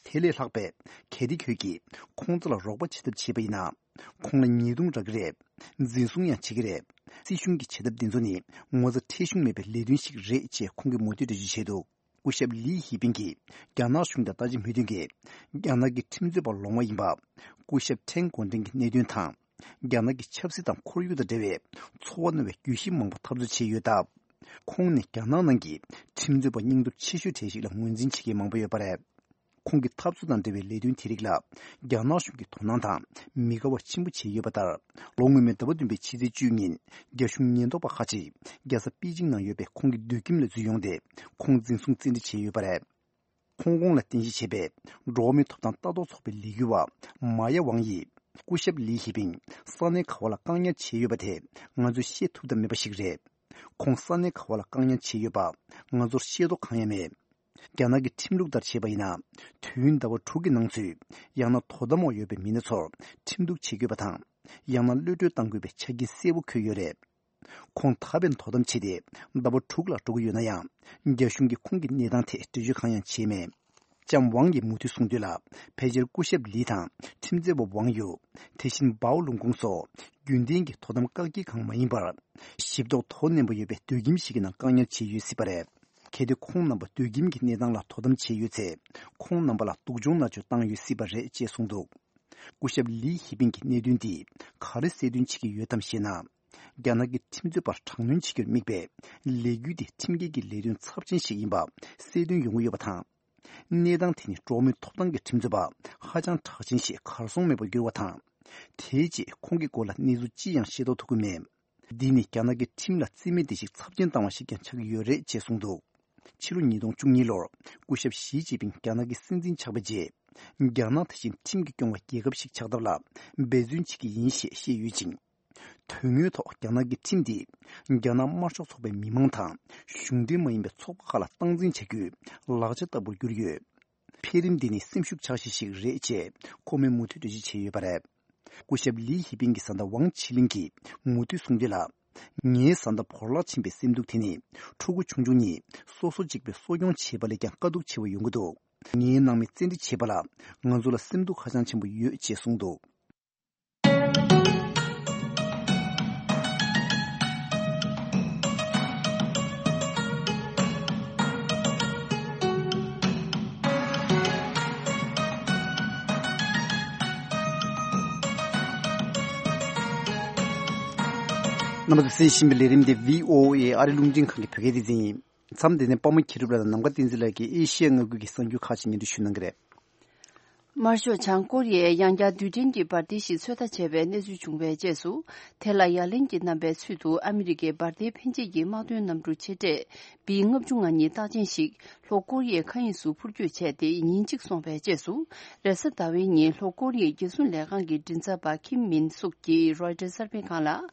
དེ་ལས་ལྷག་པའི་གལ་ཏེ་ཁྱོད་ཀྱིས་ཁོང་ཚོ་ལ་རོགས་པ་བྱེད་ཐབས་བྱས་པ་ཡིན་ན། ཁོང་ལ་ཉེས་རྡུང་རག་གི་རེད། འཛིན་བཟུང་ཡང་བྱེད་ཀྱི་རེད། སྲིད་གཞུང་གིས་བྱེད་ཐབས་འདི་ཚོ་ནི་ངོ་ཚ་ཁྲེལ་གཞུང་མེད་པའི་ལས་དོན་ཞིག་རེད་ཅེས་ཁོང་གིས་མུ་མཐུད་འགྲེལ་བརྗོད་བྱས་འདུག་སྐུ་ཞབས་ལི་ཧི་པིན་གྱིས་རྒྱ་ནག་གཞུང་དང་ལྟ་ཅི་མོལ་དོན་གྱིས། རྒྱ་ནག་གི་ཁྲིམས་རྩོད་པ་ལོང་བ་ཡིན་པ། སྐུ་ཞབས་ཁྲེན་གོ་ཀྲིན་གྱི་གནད་དོན་དང་། རྒྱ་ནག་གི་ཆབ་སྲིད་དང་ཁོར་ཡུག་དང་འབྲེལ་བའི་ཚོར་བ་རྣོ་བའི་བརྗོད་གཞི་མང་པོ་འཐབ་རྩོད་བྱས་ཡོད་སྟབས། ཁོང་ནི་རྒྱ་ནག་ནང་གི་ཁྲིམས་རྩོད་པ་སྙིང་སྟོབས་ཆེ་ཤོས་གྲས་ཤིག་ལ་ངོས་འཛིན་བྱེད་མཁན་མང་པོ་ཡོད་པ་རེད། ཁོང་གི་འཐབ་རྩོད་དང་འབྲེལ་བའི་ལས་དོན་དེ་རིགས་ལ་རྒྱ་ནག་གཞུང་གིས་དོ་སྣང་དང་མི་དགའ་བ་ཆེན་པོ་བྱས་ཡོད་པ་ལྟར། ལོ་སྔོན་མའི་ཟླ་བ་བདུན་པའི་ཕྱི་ཚེས་བཅུ་ཉིན་རྒྱ་གཞུང་ཉེན་རྟོག་པ་ཁག་ཅིག་རྒྱལ་ས་པེ་ཅིང་ནང་ཡོད་པའི་ཁོང་གི་སྡོད་ཁྱིམ་ལ་འཛུལ་ཡོང་སྟེ་ཁོང་འཛིན་བཟུང་བཙན་ཁྲིད་བྱས་ཡོད་པ་རེད། ཧོང་ཀོང་ལ་རྟེན་གཞི་བྱས་པའི་འགྲོ་བ་མིའི་ཐོབ་ཐང་ལྟ་རྟོག་ཚོགས་པའི་ལས་འགུལ་བ་མ་ཡ་ཝང་ཡིས་སྐུ་ཞབས་ལི་ཧི་པིན་ས་གནས་ག་བ་ལ་བཀག་ཉར་བྱས་ཡོད་པ་དེ་ང་ཚོས་ཤེས་ཐུབ་ཐབས་མེད་པ་ཞིག་རེད། ཁོང་ས་གནས་ག་བ་ལ་བཀག་ཉར་བྱས་ཡོད་པ་ང་ཚོར་ཤེས་རྟོགས་གང་ཡང་མེད། རྒྱ་ནག་གི་ཁྲིམས་ལུགས་ལྟར་བྱས་པ་ཡིན་ན། དུས་ཡུན་ཟླ་བ་དྲུག་གི་ནང་ཚུད། ཡང་ན་དོ་དམ་འོག་ཡོད་པའི་མི་སྣ་ཚོར་ཁྲིམས་གཏུག་བྱེད་དགོས་པ་དང་། ཡང་ན་གློད་གྲོལ་གཏང་དགོས་པའི་ཆ་རྐྱེན་གསལ་པོ་འཁོད་ཡོད་རེད། ཁོང་ད་ཕན་དོ་དམ་བྱས་ཏེ་ཟླ་བ་དྲུག་ལ་འགྲོ་གི་ཡོད་ན་ཡང་། རྒྱ་གཞུང་གིས་ཁོང་གི་གནས་སྟངས་ཐད་འགྲེལ་བརྗོད་གང་ཡང་བྱས་མེད། ལྕམ་ཝང་གིས་མུ་མཐུད་གསུངས་དོན་ལ། ཕལ་ཆེར་སྐུ་ཞབས་ལི་དང་ཁྲིམས་རྩོད་པ་ཝང་ཡུ། དེ་བཞིན་པའོ་ལུང་ཀུང་སོགས་རྒྱུན་ལྡན་གྱི་དོ་དམ་བཀག་སྐྱིལ་ཁང་མ་ཡིན་པར། ཞིབ་རྟོག་དོ་ནན་པོ་ཡོད་པའི་སྡོད་ཁྱིམ་ཞིག་གི་ནང་བཀག་ཉར་བྱས་ཡོད་སྲིད་པ་རེད། གལ་ཏེ་ཁོང་རྣམ་པ་སྡོད་ཁྱིམ་གྱི་གནས་སྟངས་ལ་དོ་དམ་བྱས་ཡོད་ཚེ། ཁོང་རྣམ་པ་ལ་སྡུག་སྦྱོང་མནར་གཅོད་བཏང་ཡོད་སྲིད་པ་རེད་ཅེས་གསུངས་འདུག་སྐུ་ཞབས་ལི་ཧི་པིན་གྱི་གནད་དོན་འདིས་ག་རེ་གསལ་སྟོན་བྱེད་ཀྱི་ཡོད་དམ་ཞེ་ན། རྒྱ་ནག་གི་ཁྲིམས་རྩོད་པར་དྲག་གནོན་བྱེད་རྒྱུར་དམིགས་པའི་ལས་འགུལ་འདི་ཁྲིམས་འགལ་གྱི་ལས་དོན་ཚབས་ཆེན་ཞིག་ཡིན་པ་གསལ་སྟོན་ཡོང་གི་ཡོད་པ་དང་། གནས་སྟངས་དེ་ནི་འགྲོ་བ་མིའི་ཐོབ་ཐང་གི་ཁྲིམས་རྩོད་པ་ཧ་ཅང་གྲགས་ཅན་ཞིག་གར་སོང་མེད་པར་གྱུར་བ་དང་། དེའི་རྗེས་ཁོང་གི་སྐོར་ལ་གནས་ཚུལ་ཅི་ཡང་ཤེས་རྟོགས་ཐུབ་ཀྱི་མེད། འདི་ནི་རྒྱ་ནག་གི་ཁྲིམས་ལ་རྩིས་མེད་བདེ་སྐྱིད་ཚབས་ཆེན་བཏང་བ་ཞིག་ཀྱང་ཆགས་ཀྱི་ཡོད་རེད་ཅེས་གསུངས་འདུག་ཕྱི་ལོ་ཉིས་སྟོང་བཅུ་གཉིས་ལོར་སྐུ་ཞབས་ཞི་ཅིན་ཕིང་རྒྱ་ནག་གི་སྲིད་འཛིན་ཆགས་པའི་རྗེས། རྒྱ་ནག་དེ་བཞིན་ཁྲིམས་ཀྱིས་སྐྱོང་བའི་རྒྱལ་ཁབ་ཞིག་ཆགས་ཐབས་ལ་འབད་བརྩོན་བྱེད་ཀྱི་ཡིན་ཞེས་བཤད་ཡོད་ཅིང་། དོན་དངོས་ཐོག་རྒྱ་ནག་གི་ཁྲིམས་དེ་རྒྱ་ནག་དམར་ཤོག་ཚོགས་པའི་མི་མང་དང་གཞུང་འབྲེལ་མ་ཡིན་པའི་ཚོགས་པ་ཁག་ལ་སྟངས་འཛིན་བྱ་རྒྱུའི་ལག་ཆ་ལྟ་བུར་གྱུར་ཡོད། འཕེལ་རིམ་འདི་ནི་སེམས་ཤུགས་ཆག་ཤིག་ཞིག་རེད་ཅེས་ཁོ་མོས་མུ་མཐུད་འགྲེལ་བརྗོད་བྱས་ཡོད་པ་རེད། སྐུ་ཞབས་ལི་ཧི་པིན་གྱི་བཟའ་ཟླ་ཝང་ཆི་ལིན་གྱིས་མུ་མཐུད་གསུངས་དོན་ལ། ངའི་བཟའ་ཟླ་བོར་བརླག་ཕྱིན་པའི་སེམས་སྡུག་དེ་ནི་ཕྲུ་གུ་ཆུང་ཆུང་གཉིས་སོ་སོ་གཅིག་པུས་གསོ་སྐྱོང་བྱེད་པ་ལས་ཀྱང་དཀའ་སྡུག་ཆེ་བ་ཡོང་གི་འདུག། ངའི་ནང་མི་བཙན་ཁྲིད་བྱས་པ་ལ་ང་ཚོ་ལ་སེམས་སྡུག་ཧ་ཅང་ཆེན་པོ་ཡོད་ཅེས་གསུངས་འདུག། རྣམ་པ་ཚོས་གསན་བཞིན་པའི་ལས་རིམ་དེ་བྷི་ཨོ་ཨེ་ཨ་རི་རླུང་འཕྲིན་ཁང་གི་བོད་སྐད་སྡེ་ཚན་ཡིན། མཚམས་འདི་ནས་པདྨ་མཁྱེན་གྲུབ་ལགས་དང་ནམ་མཁའ་བསྟན་འཛིན་ལགས་ཀྱིས་ཨེ་ཤི་ཡ་མངའ་ཁུལ་གྱི་གསར་འགྱུར་ཁག་ཅིག་སྙན་སྒྲོན་ཞུ་གནང་གི་རེད། དམར་ཤོག་བྱང་ཀོ་རི་ཡས་ཡང་བསྐྱར་རྡུལ་ཕྲན་གྱི་འབར་མདེལ་ཞིག་ཚོད་ལྟ་བྱས་པའི་གནས་ཚུལ་བྱུང་བའི་རྗེས་སུ། དེ་ལ་ཡ་ལན་གྱི་རྣམ་པའི་ཚུལ་དུ་ཨ་མི་རི་ཀའི་འབར་མདེལ་འཕེན་བྱེད་ཀྱི་དམག་དོན་གནམ་གྲུ་ཆེ་གྲས་བི་ལྔ་བཅུ་ང་གཉིས་རྟགས་ཅན་ཞིག་ལྷོ་ཀོ་རི་ཡའི་མཁའ་དབྱིངས་སུ་འཕུར་སྐྱོད་བྱས་ཏེ་ཉིན་གཅིག་སོང་བའི་རྗེས་སུ། རེས་གཟའ་ཟླ་བའི་ཉིན་ལྷོ་ཀོ་རི་ཡའི་རྒྱལ་སྲུང་ལས་ཁང་གི་མགྲིན་ཚབ་པ་ཁིམ་མིན་སུག་གིས་རོའི་ཊར་གསར་སྤེལ་ཁང་ལ།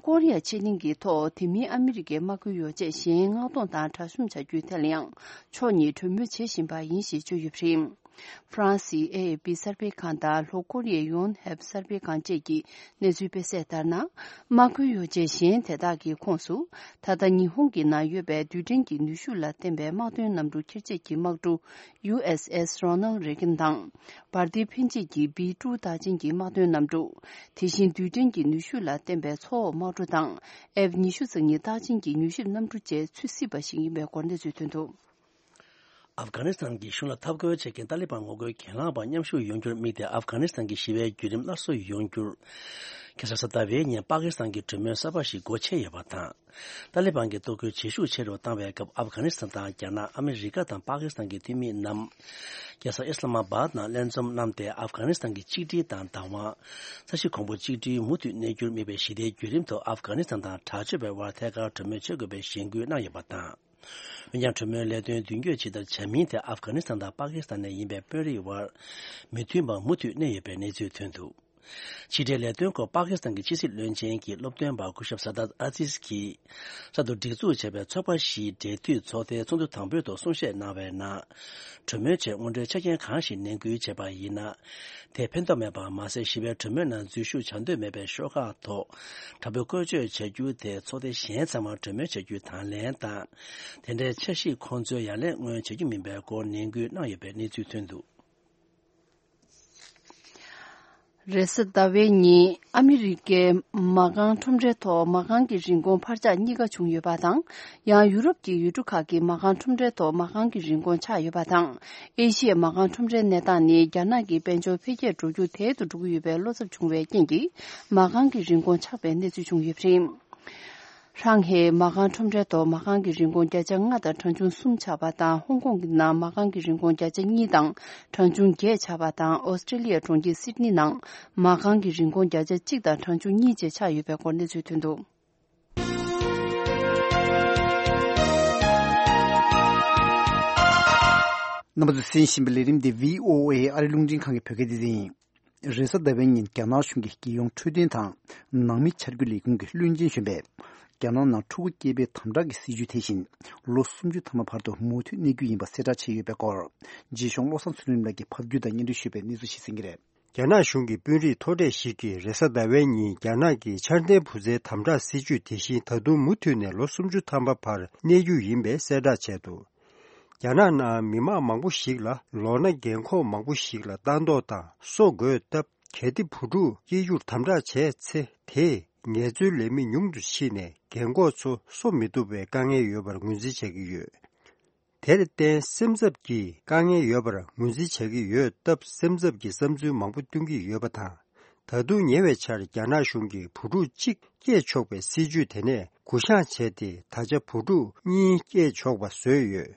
ཀོ་རི་ཡ་ཕྱེད་གླིང་གི་ཐོག་དེ་མིན་ཨ་མི་རི་ཀའི་དམག་ཁུལ་ཡོ་བྱད་གཞན་མངགས་གཏོང་དང་གྲ་ཤུམ་བྱ་རྒྱུའི་ཐད་ལ་ཡང་ཕྱོགས་གཉིས་གྲོས་མོལ་བྱེད་བཞིན་པ་ཡིན་ཞེས་བརྗོད་ཡོད་པ་རེད། ཧྥ་རན་སིའི་ཨེ་ཨེ་པི་གསར་སྤེལ་ཁང་དང་ལྷོ་ཀོ་རི་ཡའི་ཡོན་ཧེབ་གསར་སྤེལ་ཁང་བཅས་ཀྱིས་གནས་ཚུལ་སྤེལ་གསལ་ལྟར་ན། དམག་ཁུལ་ཡོ་བྱད་གཞན་དེ་དག་གི་ཁོངས་སུ། ད་ལྟ་ཉི་ཧོང་གི་ནང་ཡོད་པའི་རྡུལ་ཕྲན་གྱི་ནུས་ཤུགས་ལ་བརྟེན་པའི་དམག་དོན་གནམ་གྲུ་འཁྱེར་བྱེད་ཀྱི་དམག་གྲུ་ཡུ་ཨེས་ཨེས་རོ་ནལ་རེ་གན་དང་། འབར་མདེལ་འཕེན་བྱེད་ཀྱི་བི་ཀྲུའུ་རྟགས་ཅན་གྱི་དམག་དོན་གནམ་གྲུ། དེ་བཞིན་རྡུལ་ཕྲན་གྱི་ནུས་ཤུགས་ལ་བརྟེན་པའི་མཚོ་འོག་དམག་གྲུ་དང་ཨེཕ་ཉི་ཤུ་རྩ་གཉིས་རྟགས་ཅན་གྱི་མྱུལ་ཞིབ་གནམ་གྲུ་བཅས་ཚུད་སྲིད་པ་ཞིག་ཡིན་པའི་སྐོར་གནས་ཚུལ་ཐོན་འདུག། ཨབ་གྷ་ནི་སི་ཐན་གྱི་གཞུང་ལ་འཐབ་རྒོལ་བྱེད་མཁན་ཏཱ་ལི་བན་ངོ་རྒོལ་གྱེན་ལངས་པ་མཉམ་ཞུགས་ཡོང་རྒྱུར་དམིགས་ཏེ་ཨབ་གྷ་ནི་སི་ཐན་གྱི་ཞི་བའི་བརྒྱུད་རིམ་སླར་གསོ་ཡོང་རྒྱུར། ཁ་སང་རེས་གཟའ་ཟླ་བའི་ཉིན་པ་ཀི་སི་ཐན་གྱི་གྲོས་མོལ་གསར་པ་ཞིག་སྒོ་ཕྱེ་ཡོད་པ་དང་། ཏཱ་ལི་བན་གྱི་གཏོར་རྒོལ་བྱེད་ཤུགས་ཆེ་རུ་བཏང་བའི་སྐབས་ཨབ་གྷ་ནི་སི་ཐན་དང་རྒྱ་ནག་ཨ་མི་རི་ཀ་དང་པ་ཀི་སི་ཐན་གྱི་འཐུས་མི་རྣམས། རྒྱལ་ས་ཨི་སི་ལ་མ་བཱད་ནང་ལྷན་འཛོམས་གནང་སྟེ་ཨབ་གྷ་ནི་སི་ཐན་གྱི་གཅིག་སྒྲིལ་དང་བདག་དབང་། ས་གཞི་གོང་བུ་གཅིག་སྒྲིལ་མུ་མཐུད་གནས་རྒྱུར་དམིགས་པའི་ཞི་བདེའི་བརྒྱུད་རིམ་ཐོག་ཨབ་གྷ་ནི་སི་ཐན་དང་དྲག་སྤྱོད་པའི་དབར་ཐད་ཀར་གྲོས་མོལ་བྱེད་དགོས་པའི་གཞེན་སྐུལ་གནང་ཡོད་པ་དང་། འོན་ཀྱང་གྲོས་མོལ་ལས་དོན་མདུན་སྐྱོད་ཇི་ལྟར་བྱ་མིན་དེ་ཨབ་གྷ་ནི་སི་ཐན་དང་པ་ཀི་སི་ཐན་ནས་ཡིན་པའི་དཔོན་རིགས་དབར་མི་མཐུན་པ་མུ་མཐུད་གནས་ཡོད་པའི་གནས་ཚུལ་ཐོན་འདུག། ཕྱི་འབྲེལ་ལས་དོན་སྐོར་པ་ཀི་སི་ཐན་གྱི་ཕྱི་སྲིད་བློན་ཆེན་གྱི་སློབ་སྟོན་པ་སྐུ་ཞབས་ས་དཱད་ཨ་ཛིས་ཀྱིས་གསར་དུ་སྒྲིག་འཛུགས་བྱས་པའི་ཚོགས་པ་བཞིའི་འབྲེལ་མཐུད་ཚོགས་ཐེངས་ཚོགས་འདུ་དང་པོའི་ཐོག་གསུང་བཤད་གནང་བའི་ནང་། གྲོས་མོལ་ཆེད་སྔོན་འགྲོའི་ཆ་རྐྱེན་གང་ཞིག་ནན་སྐུལ་བྱས་པ་ཡིན་ན། དེས་ཕན་ཐོགས་མེད་པ་མ་ཟད་ཞི་བའི་གྲོས་མོལ་ནང་འཛུལ་ཞུགས་བྱ་འདོད་མེད་པའི་ཤོག་ཁག་ཐོག་དྲག་པོའི་བཀོལ་སྤྱོད་བྱ་རྒྱུ་དེ་ཚོགས་སྡེ་གཞན་ཚང་མར་གྲོས་མོལ་བྱ་རྒྱུའི་དང་ལེན་དང་། དེ་འདྲའི་འཆར་གཞིས་ཁོང་ཚོའི་ཡ་ལན་སྔོན་བྱེད་རྒྱུ་མིན་པའི་སྐོར་ནན་སྐུལ་གནང་ཡོད་པའི་གནས་ཚུལ་ཐོན་འདུག། རེས་གཟའ་ཟླ་བའི་ཉིན་ཨ་མི་རི་ཀའི་མ་རྐང་ཁྲོམ་རའི་ཐོག་མ་རྐང་གི་རིན་གོང་འཕར་ཆག་གཉིས་ཀ་བྱུང་ཡོད་པ་དང་། ཡང་ཡུ་རོབ་ཀྱི་ཡུལ་གྲུ་ཁག་གི་མ་རྐང་ཁྲོམ་རའི་ཐོག་མ་རྐང་གི་རིན་གོང་ཆག་ཡོད་པ་དང་། ཨེ་ཤི་ཡའི་མ་རྐང་ཁྲོམ་རའི་གནས་སྟངས་ནི་རྒྱ་ནག་གི་དཔལ་འབྱོར་འཕེལ་རྒྱས་འགྲོ་རྒྱུ་དལ་དུ་འགྲོ་གི་ཡོད་པའི་བློ་འཚབ་བྱུང་བའི་རྐྱེན་གྱིས་མ་རྐང་གི་རིན་གོང་ཆག་པའི་གནས་ཚུལ་བྱུང་ཡོད་པ་རེད། ཧྲང་ཧེའི་མ་རྐང་ཁྲོམ་རའི་ཐོག་མ་རྐང་གི་རིན་གོང་བརྒྱ་ཆ་ལྔ་དང་གྲངས་ཆུང་གསུམ་ཆག་པ་དང་། ཧོང་ཀོང་གི་ནང་མ་རྐང་གི་རིན་གོང་བརྒྱ་ཆ་གཉིས་དང་གྲངས་ཆུང་བརྒྱད་ཆག་པ་དང་། ཨོ་སི་ཀྲི་ལི་ཡའི་གྲོང་ཁྱེར་སིད་ནི་ནང་མ་རྐང་གི་རིན་གོང་བརྒྱ་ཆ་གཅིག་དང་གྲངས་ཆུང་གཉིས་བཅས་ཆག་ཡོད་པའི་སྐོར་གནས་ཚུལ་ཐོན་འདུག། རྣམ་པ་ཚོས་གསན་བཞིན་པའི་ལས་རིམ་འདི་བྷི་ཨོ་ཨེ་ཨ་རིའི་རླུང་འཕྲིན་ཁང་གི་བོད་སྐད་སྡེ་ཚན་ཡིན། རེས་གཟའ་ཟླ་བའི་ཉིན་རྒྱ་ནག་གཞུང་གི་རྒྱལ་ཡོངས་འཕྲོད་བསྟེན་དང་ནང་མི་འཆར་འགོད་ལས་ཁུངས་ཀྱི་བློན་ཆེན་གཞོན་པས་རྒྱ་ནག་ནང་ཕྲུ་གུ་སྐྱེ་འཕེལ་དམ་དྲག་གི་སྲིད་བྱུས་དེ་བཞིན་ལོ་སུམ་ཅུ་ཐམ་པ་བར་དུ་མུ་མཐུད་གནས་རྒྱུ་ཡིན་པ་གསལ་བསྒྲགས་བྱས་ཡོད་པའི་སྐོར། རྗེས་ཕྱོགས་བློ་བཟང་ཚུལ་ཁྲིམས་ལགས་ཀྱིས་ཕབ་སྒྱུར་དང་སྙན་སྒྲོན་ཞུས་པའི་གནས་ཚུལ་ཞིག་གསན་གྱི་རེད། རྒྱ་ནག་གཞུང་གི་དཔོན་རིགས་མཐོ་གྲས་ཤིག་གིས་རེས་གཟའ་ཟླ་བའི་ཉིན་རྒྱ་ནག་གི་འཆར་ལྡན་བུ་བཙའི་དམ་དྲག་སྲིད་བྱུས་དེ་བཞིན་ད་དུང་མུ་མཐུད་ནས་ལོ་སུམ་ཅུ་ཐམ་པ་བར་གནས་རྒྱུ་ཡིན་པའི་གསལ་བསྒྲགས་བྱས་འདུག། རྒྱ་ནག་ནང་མི་མང་མང་པོ་ཞིག་ལ་ལོ་ན་རྒན་འཁོགས་མང་པོ་ཞིག་ལ་ལྟ་མདོག་དང་སོ་བགོས་སྟབས། གལ་ཏེ་བུ་ཕྲུག་སྐྱེ་རྒྱུར་དམ་དྲག་བྱས་ཚེ། དེས་ངལ་རྩོལ་ལས་མི་ཉུང་དུ་ཕྱིན་ནས་རྒན་འཁོགས་ཚོ་གསོ་མི་ཐུབ་པའི་དཀའ་ངལ་ཡོད་པར་ངོས་འཛིན་བྱ་གི་ཡོད། དེར་བརྟེན་སེམས་འཚབ་ཀྱི་དཀའ་ངལ་ཡོད་པར་ངོས་འཛིན་བྱ་གི་ཡོད་སྟབས། སེམས་འཚབ་ཀྱི་བསམ་ཚུལ་མང་པོ་བཏོན་གྱི་ཡོད་པ་དང་། ད་དུང་ཉེ་བའི་ཆར་རྒྱ་ནག་གཞུང་གིས་བུ་ཕྲུག་གཅིག་སྐྱེས་ཆོག་པའི་སྲིད་བྱུས་དེ་ནས་འགོ་བཤངས་བྱས་ཏེ། ད་ཆ་བུ་ཕྲུག་གཉིས་སྐྱེས་ཆོག་པ་བཟོས་ཡོད།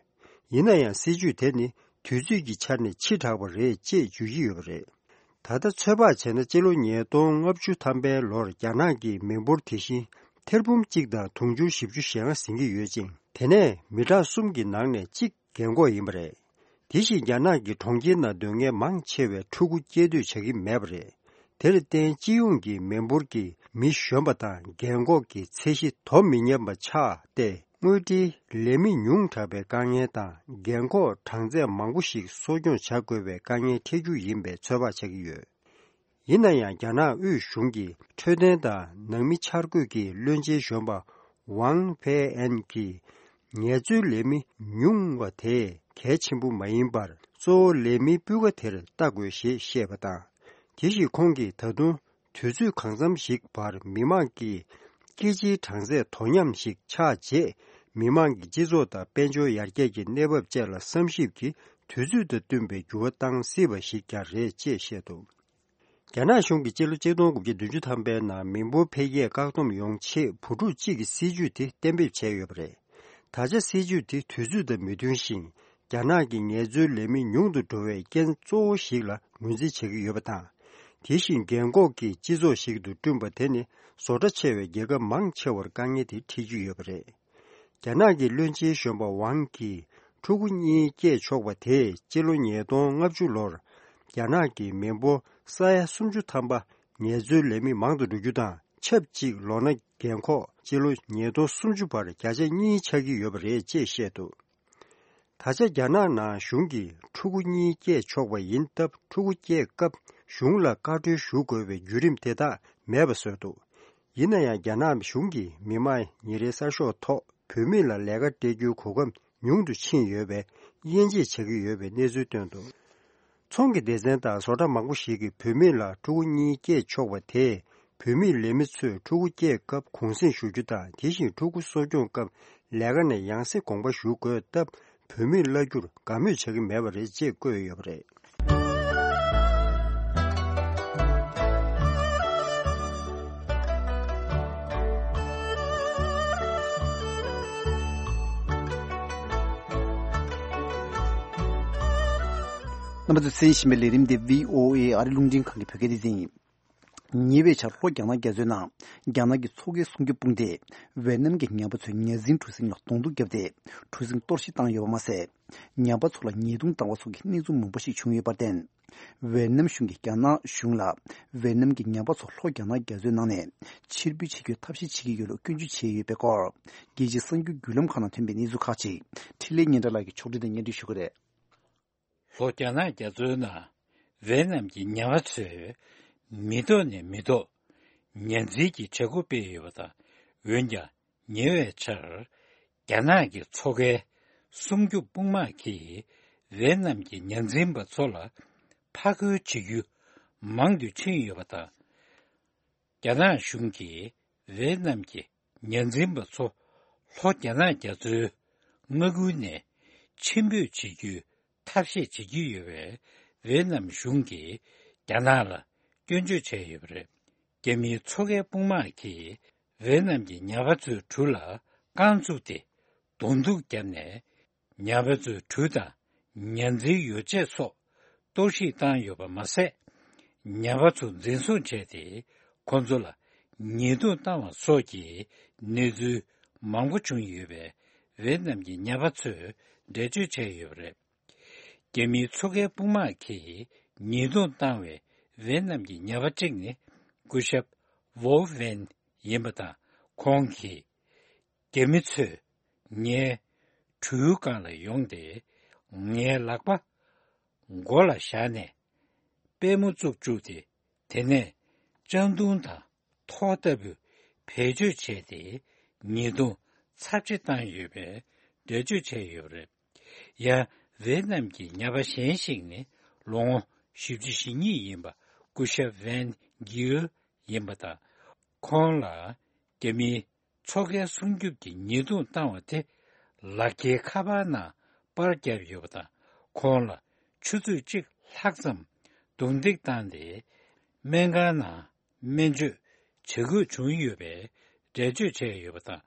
ཡིན་ན་ཡང་སྲིད་བྱུས་དེ་ནི་དུས་ཚོད་ཀྱི་ཆ་ནས་ཕྱི་དྲགས་པ་རེད་ཅེས་བརྗོད་ཀྱི་ཡོད་པ་རེད། ད་ལྟ་ཚོད་དཔག་བྱས་ན་སྤྱི་ལོ་ཉིས་སྟོང་ལྔ་བཅུ་ཐམ་པའི་ལོར་རྒྱ་ནག་གི་མི་འབོར་དེ་བཞིན་ཐེར་འབུམ་གཅིག་དང་དུང་ཕྱུར་བཞི་བཅུ་ཞེ་ལྔ་ཟིན་གྱི་ཡོད་ཅིང་། དེ་ནས་མི་གྲངས་གསུམ་གྱི་ནང་ནས་གཅིག་རྒན་འཁོགས་ཡིན་པ་རེད། དེ་བཞིན་རྒྱ་ནག་གི་གྲོང་ཁྱེར་ནང་སྡོད་མཁན་མང་ཆེ་བས་ཕྲུ་གུ་སྐྱེ་སྡོད་བྱ་གི་མེད་པ་རེད། དེར་བརྟེན་སྤྱི་ཡོངས་ཀྱི་མི་འབོར་གྱི་ མི་གཞོན་པ་དང་རྒན་འཁོགས་ཀྱི་ཚད་གཞི་དོ་མི་མཉམ་པ་ཆགས་ཏེ། དངུལ་འབྲེལ་ལས་མི་ཉུང་དྲགས་པའི་དཀའ་ངལ་དང་། རྒན་འཁོགས་གྲངས་ཚད་མང་པོ་ཞིག་གསོ་སྐྱོང་བྱ་དགོས་པའི་དཀའ་ངལ་འཕྲད་རྒྱུ་ཡིན་པའི་ཚོད་དཔག་བྱ་གི་ཡོད། ཡིན་ན་ཡང་། རྒྱ་ནག་དབུས་གཞུང་གི་འཕྲོད་བསྟེན་དང་ནང་མི་འཆར་འགོད་ཀྱི་བློན་ཆེན་གཞོན་པ་ཝང་ཕེ་ཨན་གྱིས། ངལ་རྩོལ་ལས་མི་ཉུང་བ་དེ་གལ་ཆེན་པོ་མ་ཡིན་པར། གཙོ་བོ་ལས་མིའི་སྤུས་ཀ་དེར་ལྟ་དགོས་ཞེས་བཤད་པ་དང་། དེ་བཞིན་ཁོང་གིས། ད་དུང་དུས་ཚོད་གང་འཚམ་ཞིག་བར་མི་མང་གི་སྐྱེད་ཆའི་གྲངས་ཚད་དོ་མཉམ་ཞིག་ཆགས་རྗེས། མི་མང་གི་སྤྱི་ཚོགས་དང་དཔལ་འབྱོར་ཡར་རྒྱས་ཀྱི་གནས་བབ་བཅས་ལ་བསམ་ཞིབ་ཀྱིས་དུས་ཚོད་དང་བསྟུན་པའི་འགྱུར་བ་བཏང་སྲིད་པ་ཞིག་ཀྱང་རེད་ཅེས་བཤད་འདུག། རྒྱ་ནག་གཞུང་གིས་སྤྱི་ལོ་ཆིག་སྟོང་དགུ་བརྒྱ་བདུན་ཅུ་ཐམ་པའི་ནང་མི་འབོར་འཕེལ་རྒྱས་བཀག་སྡོམ་ཡོང་ཆེད་བུ་ཕྲུག་གཅིག་གི་སྲིད་ཇུས་དེ་གཏན་འབེབས་བྱས་ཡོད་པ་རེད། ད་ཆ་སྲིད་ཇུས་དེ་དུས་ཚོད་དང་མི་མཐུན་ཞིང་། རྒྱ་ནག་གི་ངལ་རྩོལ་ལས་མི་ཉུང་དུ་འགྲོ་བའི་རྐྱེན་གཙོ་བོ་ཞིག་ལ་ངོས་འཛིན་བྱེད་ཀྱི་ཡོད་པ་དང་། དེ་བཞིན་རྒན་འཁོགས་ཀྱི་སྤྱི་ཚོགས་ཤིག་ཏུ་བསྐྲུན་པ་དེ་ནི་བཟོ་གྲྭ་ཆེ་བའི་རྒྱལ་ཁབ་མང་ཆེ་བར་དཀའ་ངལ་དེ་འཕྲད་ཀྱི་ཡོད་པ་རེད། རྒྱ་ནག་གི་བློན་ཆེན་གཞོན་པ་ཝང་གིས་ཕྲུ་གུ་གཉིས་སྐྱེས་ཆོག་པ་དེས་སྤྱི་ལོ་ཉིས་སྟོང་ལྔ་བཅུ་ལོར་རྒྱ་ནག་གི་མི་འབོར་ས་ཡ་སུམ་ཅུ་ཐམ་པ་ངལ་རྩོལ་ལས་མི་མང་དུ་འགྲོ་རྒྱུ་དང་ཆབས་ཅིག་ལོ་ན་རྒན་འཁོགས་སྤྱི་ལོ་ཉིས་སྟོང་སུམ་ཅུ་བར་བརྒྱ་ཆ་གཉིས་ཆགས་ཀྱི་ཡོད་པ་རེད་ཅེས་བཤད་འདུག། ད་ཆ་རྒྱ་ནག་ནང་གཞུང་གིས་ཕྲུ་གུ་གཉིས་སྐྱེས་ཆོག་པ་ཡིན་སྟབས། ཕྲུ་གུ་སྐྱེས་སྐབས་གཞུང་ལ་བཀའ་འཁྲོལ་ཞུ་དགོས་པའི་བརྒྱུད་རིམ་དེ་དག་མེད་པ་བཟོས་འདུག། ཡིན་ན་ཡང་། རྒྱ་ནག་གཞུང་གིས་མི་དམངས་ཉིན་རེའི་གསར་ཤོག་ཐོག་བུད་མེད་ལ་ལས་ཀ་སྤྲད་རྒྱུའི་གོ་སྐབས་ཉུང་དུ་ཕྱིན་ཡོད་པའི་དབྱེ་འབྱེད་བྱ་གི་ཡོད་པའི་གནས་ཚུལ་བཏོན་འདུག། ཚོང་གི་སྡེ་ཚན་དང་བཟོ་གྲྭ་མང་པོ་ཞིག་གིས་བུད་མེད་ལ་ཕྲུ་གུ་གཉིས་སྐྱེས་ཆོག་པ་དེས། བུད་མེད་ལས་མི་ཚོས་ཕྲུ་གུ་སྐྱེས་སྐབས་གུང་གསེང་ཞུ་རྒྱུ་དང་། དེ་བཞིན་ཕྲུ་གུ་གསོ་སྐྱོང་སྐབས་ལས་ཀ་ནས་ཡང་སེ་དགོངས་པ་ཞུ་དགོས་སྟབས། བུད་མེད་གླ་རྒྱུར་དགའ་མོས་བྱ་གི་མེད་པ་རེད་ཅེས་བཀོད་ཡོད་པ་རེད། རྣམ་པ་ཚོས་གསན་བཞིན་པའི་ལས་རིམ་དེ་བྷི་ཨོ་ཨེ་ཨ་རི་རླུང་འཕྲིན་ཁང་གི་བོད་སྐད་སྡེ་ཚན་ཡིན། ཉེ་བའི་ཆར་ལྷོ་རྒྱ་ནག་རྒྱ་མཚོའི་ནང་རྒྱ་ནག་གི་མཚོ་ཁའི་སྲུང་སྐྱོབ་དཔུང་སྡེས་ཝེ་ནམ་གྱི་ཉ་པ་ཚོའི་ཉ་འཛིན་གྲུ་གཟིངས་ལ་གདོང་ཐུག་བརྒྱབ་སྟེ་གྲུ་གཟིངས་གཏོར་བཤིག་བཏང་ཡོད་པ་མ་ཟད། ཉ་པ་ཚོ་ལ་ཉེས་རྡུང་བཏང་བ་སོགས་ཀྱི་གནས་ཚུལ་མང་པོ་ཞིག་བྱུང་ཡོད་པར་བརྟེན། ཝེ་ནམ་གཞུང་གིས་རྒྱ་ནག་གཞུང་ལ་ཝེ་ནམ་གྱི་ཉ་པ་ཚོ་ལྷོ་རྒྱ་ནག་རྒྱ་མཚོའི་ནང་ནས་ཕྱིར་འབུད་བྱེད་རྒྱུའི་ཐབས་ཤེས་བྱེད་ཀྱི་ཡོད་ལུགས་སྐྱོན་བརྗོད་བྱས་ཡོད་པའི་སྐོར། རྒྱལ་སྤྱིའི་གསར་འགྱུར་བརྒྱུད་ལམ་ཁག་ནང་ཐོན་པའི་གནས་ཚུལ་ཁག་ཅིག་འཕྲིན་ལས་སྙན་གྲགས་ལགས་ཀྱིས་ཕྱོགས་སྒྲིག་དང་སྙན་སྒྲོན་ཞུ་གི་རེད། ལྷོ་རྒྱ་ནག་རྒྱ་མཚོའི་ནང་ཝེ་ནམ་གྱི་ཉ་པ་ཚོས་མི་ཐོག་ནས་མི་ཐོག་ཉ་འཛིན་གྱི་བྱེད་སྒོ་སྤེལ་ཡོད་པ་དང་། འོན་ཀྱང་། ཉེ་བའི་ཆར། རྒྱ་ནག་གི་མཚོ་ཁའི་སྲུང་སྐྱོབ་དཔུང་དམག་གིས་ཝེ་ནམ་གྱི་ཉ་འཛིན་པ་ཚོ་ལ་ཕར་རྒོལ་བྱེད་རྒྱུ་མང་དུ་ཕྱིན་ཡོད་པ་དང་། རྒྱ་ནག་གཞུང་གིས་ཝེ་ནམ་གྱི་ཉ་འཛིན་པ་ཚོ་ལྷོ་རྒྱ་ནག་རྒྱ་མཚོའི་མངའ་ཁུལ་ནས་ཕྱིར་འབུད་བྱེད་རྒྱུའི་ཐབས་ཤེས་བྱེད་ཀྱི་ཡོད་པས། ཝེ་ནམ་གཞུང་གིས་རྒྱ་ནག་ལ་སྐྱོན་བརྗོད་བྱས་ཡོད་པ་རེད། རྒྱ་མིའི་མཚོ་ཁའི་དཔུང་དམག་གིས་ཝེ་ནམ་གྱི་ཉ་པ་ཚོའི་གྲུ་ལ་རྐང་བཙུགས་ཏེ་གདོང་ཐུག་བརྒྱབ་ནས། ཉ་པ་ཚོའི་གྲུ་དང་ཉ་འཛིན་ཡོ་བྱད་སོགས་གཏོར་བཤིག་བཏང་ཡོད་པ་མ་ཟད། ཉ་པ་ཚོ་འཛིན་བཟུང་བྱས་ཏེ། ཁོ་ཚོ་ལ་ཉེས་རྡུང་བཏང་བ་སོགས་ཀྱི་གནས་ཚུལ་མང་པོ་བྱུང་ཡོད་པས། ཝེ་ནམ་གྱི་ཉ་པ་ཚོས་འགྲེལ་བརྗོད་བྱས་ཡོད་པ་རེད། རྒྱ་མིའི་མཚོ་ཁའི་དཔུང་དམག་གིས་ཉེས་རྡུང་བཏང་བའི་ཝེ་ནམ་གྱི་ཉ་པ་གཅིག་ནི་སྐུ་ཞབས་ཝོ་ཝེན་ཡིན་པ་དང་། ཁོང་གིས། རྒྱ་མི་ཚོས་ངའི་གྲུའི་སྒང་ལ་ཡོང་སྟེ། ངའི་ལག་པ་མགོ་ལ་བཞག་ནས་པུས་མོ་བཙུགས་བཅུག་སྟེ། དེ་ནས་ལྕགས་མདུང་དང་ཐོག་ལྟ་བུའི་བེད་སྤྱོད་བྱས་ཏེ། ཉེས་རྡུང་ཚབས་ཆེ་བཏང་ཡོད་པའི་འགྲེལ་བརྗོད་བྱས་ཡོད་པ་རེད། ཡང་ཝེ་ནམ་གྱི་ཉ་པ་གཞན་ཞིག་ནི་ལོ་ངོ་བཞི་བཅུ་ཞེ་གཉིས་ཡིན་པ་སྐུ་ཞབས་ཝན་གིའུ་ཡིན་པ་དང་། ཁོང་ལ་རྒྱ་མིའི་མཚོ་ཁའི་སྲུང་སྐྱོབ་ཀྱི་ཉེས་རྡུང་བཏང་བ་དེ་ལག་འཁྱེར་ཁ་པར་ནང་པར་བརྒྱབ་ཡོད་པ་དང་། ཁོང་ལ་ཆུ་ཚོད་གཅིག་ལྷག་ཙམ་རྡུང་རྡེག་བཏང་སྟེ། སྨན་ཁང་ནང་སྨན་བཅོས་བྱེད་དགོས་བྱུང་ཡོད་པའི་འགྲེལ་བརྗོད་བྱས་ཡོད་པ་དང་།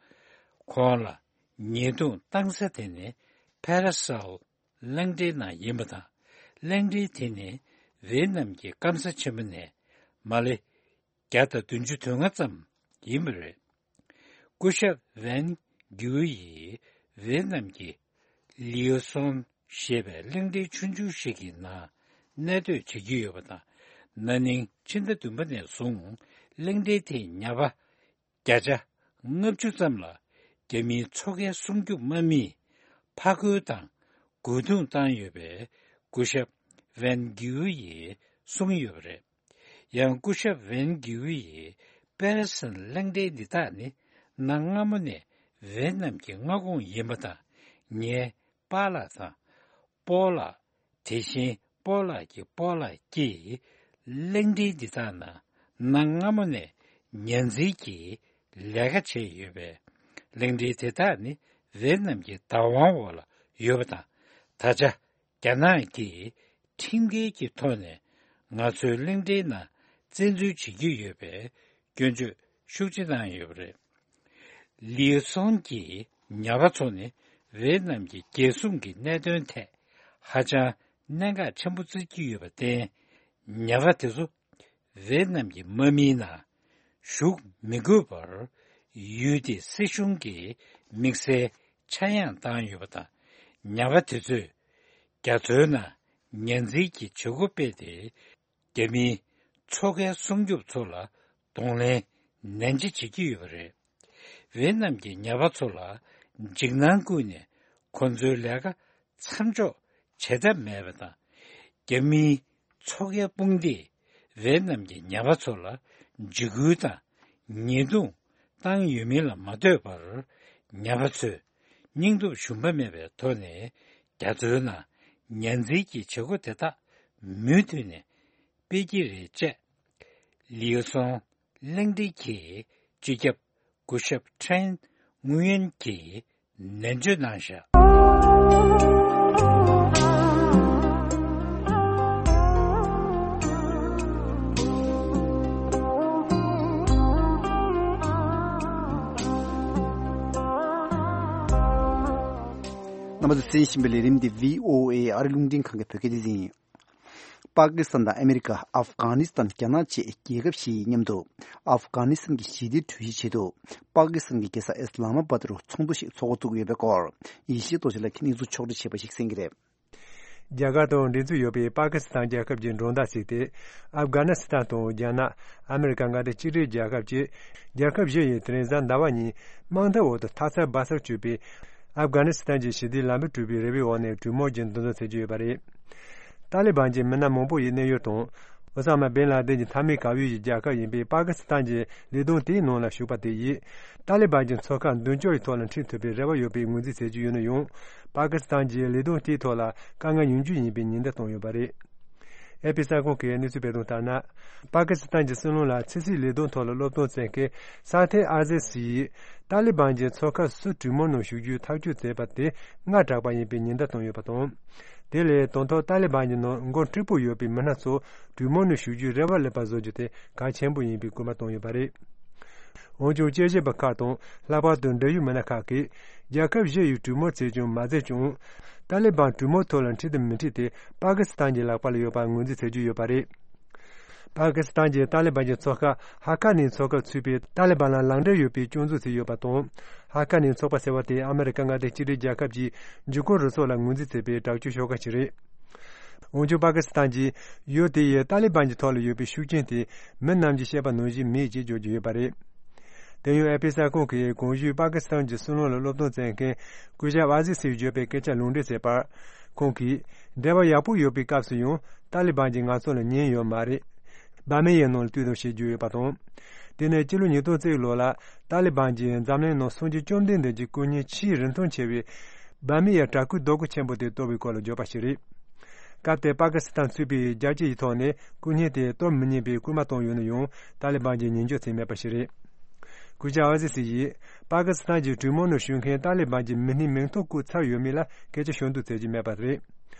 ཁོང་ལ་ཉེས་རྡུང་བཏང་ས་དེ་ནི་ཕེ་ར་སལ་གླིང་ཕྲན་ནང་ཡིན་པ་དང་། གླིང་ཕྲན་དེ་ནི་ཝེ་ནམ་གྱི་སྐམ་ས་ཆེན་པོ་ནས་མ་ལེ་བརྒྱ་དང་བདུན་ཅུ་དོན་ལྔ་ཙམ་ཡིན་པ་རེད། སྐུ་ཞབས་ཝན་གིའུ་ཡིས་ཝེ་ནམ་གྱི་ལིའུ་སོན་ཞེས་པའི་གླིང་ཕྲན་ཆུང་ཆུང་ཞིག་གི་ནང་གནས་སྡོད་བྱེད་ཀྱི་ཡོད་པ་དང་། ན་ནིང་ཕྱི་ཟླ་བདུན་པ་ནས་བཟུང་ གླེང་སྟེགས་དེའི་ཉ་པ་བརྒྱ་ཆ་ལྔ་བཅུ་ཙམ་ལ་རྒྱ་མིའི་མཚོ་ཁའི་སྲུང་སྐྱོབ་དམག་མིས་ཕར་རྒོལ་དང་རྒོལ་རྡུང་བཏང་ཡོད་པའི་སྐུ་ཞབས་ཝན་གིའུ་ཡིས་གསུངས་ཡོད་པ་རེད། ཡང་སྐུ་ཞབས་ཝན་གིའུ་ཡིས་པེ་རི་སན་གླེང་སྟེགས་འདི་དག་ནི་གནའ་སྔ་མོ་ནས་ཝེ་ནམ་གྱི་མངའ་ཁོངས་ཡིན་པ་དང་། ངའི་པཱ་ལགས་དང་སྤོ་ལགས། དེ་བཞིན་སྤོ་ལགས་ཀྱི་སྤོ་ལགས་ཀྱིས་གླེང་སྟེགས་འདི་དག་ནང་གནའ་སྔ་མོ་ནས་ཉ་འཛིན་གྱི་ལས་ཀ་བྱས་ཡོད་པས། གླེང་སྟེགས་དེ་དག་ནི་ཝེ་ནམ་གྱི་བདག་དབང་འོག་ལ་ཡོད་པ་དང་། ད་ཆ་རྒྱ་ནག་གིས་ཁྲིམས་འགལ་གྱི་ཐོག་ནས་ང་ཚོའི་གླེང་སྟེགས་ནང་བཙན་འཛུལ་བྱེད་ཀྱི་ཡོད་པའི་སྐྱོན་བརྗོད་ཤུགས་ཆེ་གནང་ཡོད་པ་རེད། ལིའུ་སོང་གི་ཉ་པ་ཚོ་ནི་ཝེ་ནམ་གྱི་རྒྱལ་སྲུང་གི་གནད་དོན་ཐད་ཧ་ཅང་གནད་འགག་ཆེན་པོ་བརྩི་གི་ཡོད་པར་བརྟེན། ཉ་པ་དེ་ཚོ་ཝེ་ནམ་གྱི་དམག་མིའི་ནང་ཞུགས་མི་དགོས་པར་ཡུལ་དེའི་སྲིད་གཞུང་གིས་དམིགས་བསལ་ཆག་ཡང་བཏང་ཡོད་པ་དང་། ཉ་པ་དེ་ཚོས་རྒྱ་མཚོའི་ནང་ཉ་འཛིན་གྱི་བྱེད་སྒོ་སྤེལ་ཏེ། རྒྱ་མིའི་མཚོ་ཁའི་སྲུང་སྐྱོབ་ཚོ་ལ་གདོང་ལེན་ནན་ཆེ་བྱེད་ཀྱི་ཡོད་པ་རེད། ཝེ་ནམ་གྱི་ཉ་པ་ཚོ་ལ་འཇིགས་སྣང་བསྐུལ་ནས་ཁོ་ཚོའི་ལས་ཀ་མཚམས་འཇོག་བྱེད་ཐབས་མེད་པ་དང་། རྒྱ་མིའི་མཚོ་ཁའི་དཔུང་སྡེས་ཝེ་ནམ་གྱི་ཉ་པ་ཚོ་ལ་འཇིགས་སྐུལ་དང་ཉེས་རྡུང་བཏང་ཡོད་མིན་ལ་མ་ལྟོས་པར། ཉ་པ་ཚོས་སྙིང་སྟོབས་ཞུམ་པ་མེད་པའི་ཐོག་ནས་རྒྱ་མཚོའི་ནང་ཉ་འཛིན་གྱི་བྱེད་སྒོ་དེ་དག་མུ་མཐུད་ནས་སྤེལ་གྱི་རེད་ཅེས། ལིའུ་སོང་གླེང་སྟེགས་ཀྱི་སྤྱི་ཁྱབ་སྐུ་ཞབས་ཁྲེན་ངུ་ཡོན་གྱིས་ནན་བརྗོད་གནང་བཞག་རྣམ་པ་ཚོས་གསན་བཞིན་པའི་ལས་རིམ་འདི་བྷི་ཨོ་ཨེ་ཨ་རི་རླུང་འཕྲིན་ཁང་གི་བོད་སྐད་སྡེ་ཚན་ཡིན། པ་ཀི་སི་ཐན་དང་ཨ་མེ་རི་ཀ། ཨབ་གྷ་ནི་སི་ཐན། རྒྱ་ནག་བཅས་རྒྱལ་ཁབ་བཞི་ཡི་མཉམ་དུ་ཨབ་གྷ་ནི་སི་ཐན་གྱི་ཞི་བདེའི་གྲོས་གཞིའི་ཆེད་དུ། པ་ཀི་སི་ཐན་གྱི་རྒྱལ་ས་ཨི་སི་ལ་མ་པཱད་དུ་ཚོགས་འདུ་ཞིག་ཚོགས་འགོ་བཙུགས་ཡོད་པའི་སྐོར། ཡེ་ཤེས་རྡོ་རྗེ་ལགས་ཀྱིས་གནས་ཚུལ་ཕྱོགས་སྒྲིག་བྱས་པ་ཞིག་གསན་གྱི་རེད། རྒྱ་གར་དང་འབྲེལ་འཚུབ་ཡོད་པའི་པ་ཀི་སི་ཐན་རྒྱལ་ཁབ་ཀྱི་མགྲོན་བདག་བརྩིས་ཏེ། ཨབ་གྷ་ནི་སི་ཐན་དང་རྒྱ་ནག་ཨ་མེ་རི་ཀ་མངའ་སྡེ་གཅིག་སྒྲིལ་རྒྱལ་ཁབ་བཅས་རྒྱལ་ཁབ་བཞི་ཡིས་དེ་རིང་གཟའ་ཟླ་བ་ཉིན་དམག་འཐབ་འོག་ཏུ་མཐའ་མཚམས་སྦ་གསར་གཅོད་པའི་ཨབ་གྷ་ནི་སི་ཐན་གྱི་ཞི་བདེའི་ལམ་བུ་དཀྲུག་པའི་རེ་བའི་འོག་ནས་གྲོས་མོལ་གྱི་འདུ་འཛོམས་བྱེད་ཀྱི་ཡོད་པ་རེད། ཏཱ་ལི་བན་གྱི་མི་སྣ་མང་པོ་ཡི་གནས་ཡུལ་དང་། ཨོ་ས་མ་བིན་ལ་དིན་གྱི་མཐའ་མའི་གར་ཡུལ་གྱི་རྒྱལ་ཁབ་ཡིན་པའི་པ་ཀི་སི་ཐན་གྱི་ལས་དོན་དེའི་ནང་ལ་ཞུགས་པ་དེ་ཡིས། ཏཱ་ལི་བན་གྱི་མཚོ་ཁ་མདུན་སྐྱོད་ཀྱི་ཐོག་ལ་འཁྲིད་ཐུབ་པའི་རེ་བ་ཡོད་པའི་ངོས་འཛིན་བྱེད་ཀྱི་ཡོད་ན་ཡང་། པ་ཀི་སི་ཐན་གྱིས་ལས་དོན་དེའི་ཐོག་ལ་དཀའ་ངལ་ཡོང་རྒྱུ་ཡིན་པའི་ཉེན་བརྡ་བཏང་ཡོད་པ་རེད། ཨེ་ཕི་གསར་ཁང་གིས་གནས་ཚུལ་སྤེལ་དོན་ལྟར་ན། པ་ཀི་སི་ཐན་གྱི་སྲིད་བློན་ལ་ཕྱི་སྲིད་ལས་དོན་ཐོག་ལ་སློབ་སྟོན་བྱེད་མཁན་ས་ཐེ་ཨ་ཟེ་སི་ཡིས། ཏཱ་ལི་བན་གྱིས་མཚོ་ཁ་སུ་གྲོས་མོལ་ནང་ཞུགས་རྒྱུའི་ཐག་གཅོད་མཛད་པ་དེ་སྔ་དྲགས་པ་ཡིན་པའི་ཉེན་བརྡ་བཏང་ཡོད་པ་དང་། དེ་ལས་དང་ཐོག་ཏཱ་ལི་བན་གྱི་ནང་མགོ་མཁྲེགས་པོ་ཡོད་པའི་མི་སྣ་ཚོ་གྲོས་མོལ་ནང་ཞུགས་རྒྱུའི་རེ་བ་སླེབས་པ་བཟོ་རྒྱུ་དེ་གལ་ཆེན་པོ་ཡིན་པའི་སྐུལ་མ་བཏང་ཡོད་པ་རེད། འོན་ཀྱང་། དཔྱད་ཞིབ་པ་ཁག་དང་། ལྷག་པར་དུ་འབྲེལ་ཡོད་མི་སྣ་ཁག་གིས། རྒྱལ་ཁབ་བཞི་ཡིས་གྲོས་མོལ་བྱས་ཀྱང་མ་མཛད་ཀྱང་། ཏཱ་ལི་བན་གྲོས་མོལ་ཐོག་ལ་འཁྲིད་དང་མི་འཁྲིད་དེ། པ་ཀི་སི་ཐན་གྱི་ལག་པ་ལ་ཡོད་པར་ངོས་འཛིན་བྱེད་ཀྱི་ཡོད་པ་རེད། པ་ཀི་སི་ཐན་གྱིས་ཏཱ་ལི་བན་གྱི་མཚོ་ཁ་ཧ་ཀ་ནི་མཚོ་ཁར་ཚུད་པའི་ཏཱ་ལི་བན་ལ་ལག་འབྲེལ་ཡོད་པའི་སྐྱོན་འཛུགས་བྱས་ཡོད་པ་དང་། ཧ་ཀ་ནི་ཚོགས་པ་ཟེར་བ་དེ་ཨ་མེ་རི་ཀ་མངའ་སྡེ་གཅིག་སྒྲིལ་རྒྱལ་ཁབ་ཀྱི་འཇིགས་སྐུལ་རུ་ཚོགས་ལ་ངོས་འཛིན་བྱེད་པའི་དྲག་སྤྱོད་ཤོག་ཁག་ཅིག་རེད། འོན་ཀྱང་། པ་ཀི་སི་ཐན་གྱིས་ཡུལ་དེ་ཡི་ཏཱ་ལི་བན་གྱི་ཐོག་ལ་ཡོད་པའི་ཤུགས་རྐྱེན་དེ་མི་རྣམས་ཀྱིས་བཤད་པ་ནང་བཞིན་མེད་ཅེས་བརྗོད་ཀྱི་ཡོད་པ་རེད། དེ་ཡང་། ཨེ་ཕི་གསར་ཁང་གིས་གོང་ཞུས་པ་ཀི་སི་ཐན་གྱི་སྲིད་བློན་ལ་སློབ་སྟོན་མཛད་མཁན་སྐུ་ཞབས་ཨ་ཟི་སིས་བརྗོད་པའི་སྐད་ཆ་ལུང་འདྲེན་བྱས་པར། ཁོང་གིས། འབྲེལ་བ་ཡག་པོ་ཡོད་པའི་སྐབས་སུ་ཡང་ཏཱ་ལི་བན་གྱིས་ང་ཚོ་ལ་ཉན་ཡོད་མ་རེད། འབར་མའི་ཡའི་ནང་ལ་བཏུད་དང་ཞེས་བརྗོད་ཡོད་པ་དང་། དེ་ནས་སྤྱི་ལོ་ཉིས་སྟོང་གཅིག་ལོ་ལ་ཏཱ་ལི་བན་གྱིས་འཛམ་གླིང་ནང་སངས་རྒྱས་བཅོམ་ལྡན་འདས་ཀྱི་སྐུ་བརྙན་ཆེས་རིན་ཐང་ཆེ་བའི་འབར་མའི་ཡའི་བྲག་བརྐོས་རྡོ་སྐུ་ཆེན་པོ་དེ་གཏོར་བའི་སྐོར་ལ་བརྗོད་པ་ཞིག་རེད། སྐབས་དེར་པ་ཀི་སི་ཐན་ཚུད་པའི་རྒྱལ་སྤྱི་ཡི་ཐོག་ནས་སྐུ་བརྙན་དེ་གཏོར་མི་ཉན་པའི་སྐུལ་མ་བཏང་ཡོད་ན་ཡང་། ཏཱ་ལི་བན་གྱིས་ཉན་འཇོག་བྱས་མེད་པ་ཞིག་རེད། སྐུ་ཞབས་ཨ་ཟི་སི་ཡིས། པ་ཀི་སི་ཐན་གྱི་གྲོས་མོལ་ནང་ཞུགས་མཁན་ཏཱ་ལི་བན་གྱི་མི་སྣའི་མིང་ཐོ་བཀོད་ཚར་ཡོད་མེད་ལ་སྐད་ཆ་ཤོད་འདུག་ཟེར་གྱི་མེད་པ་རེད།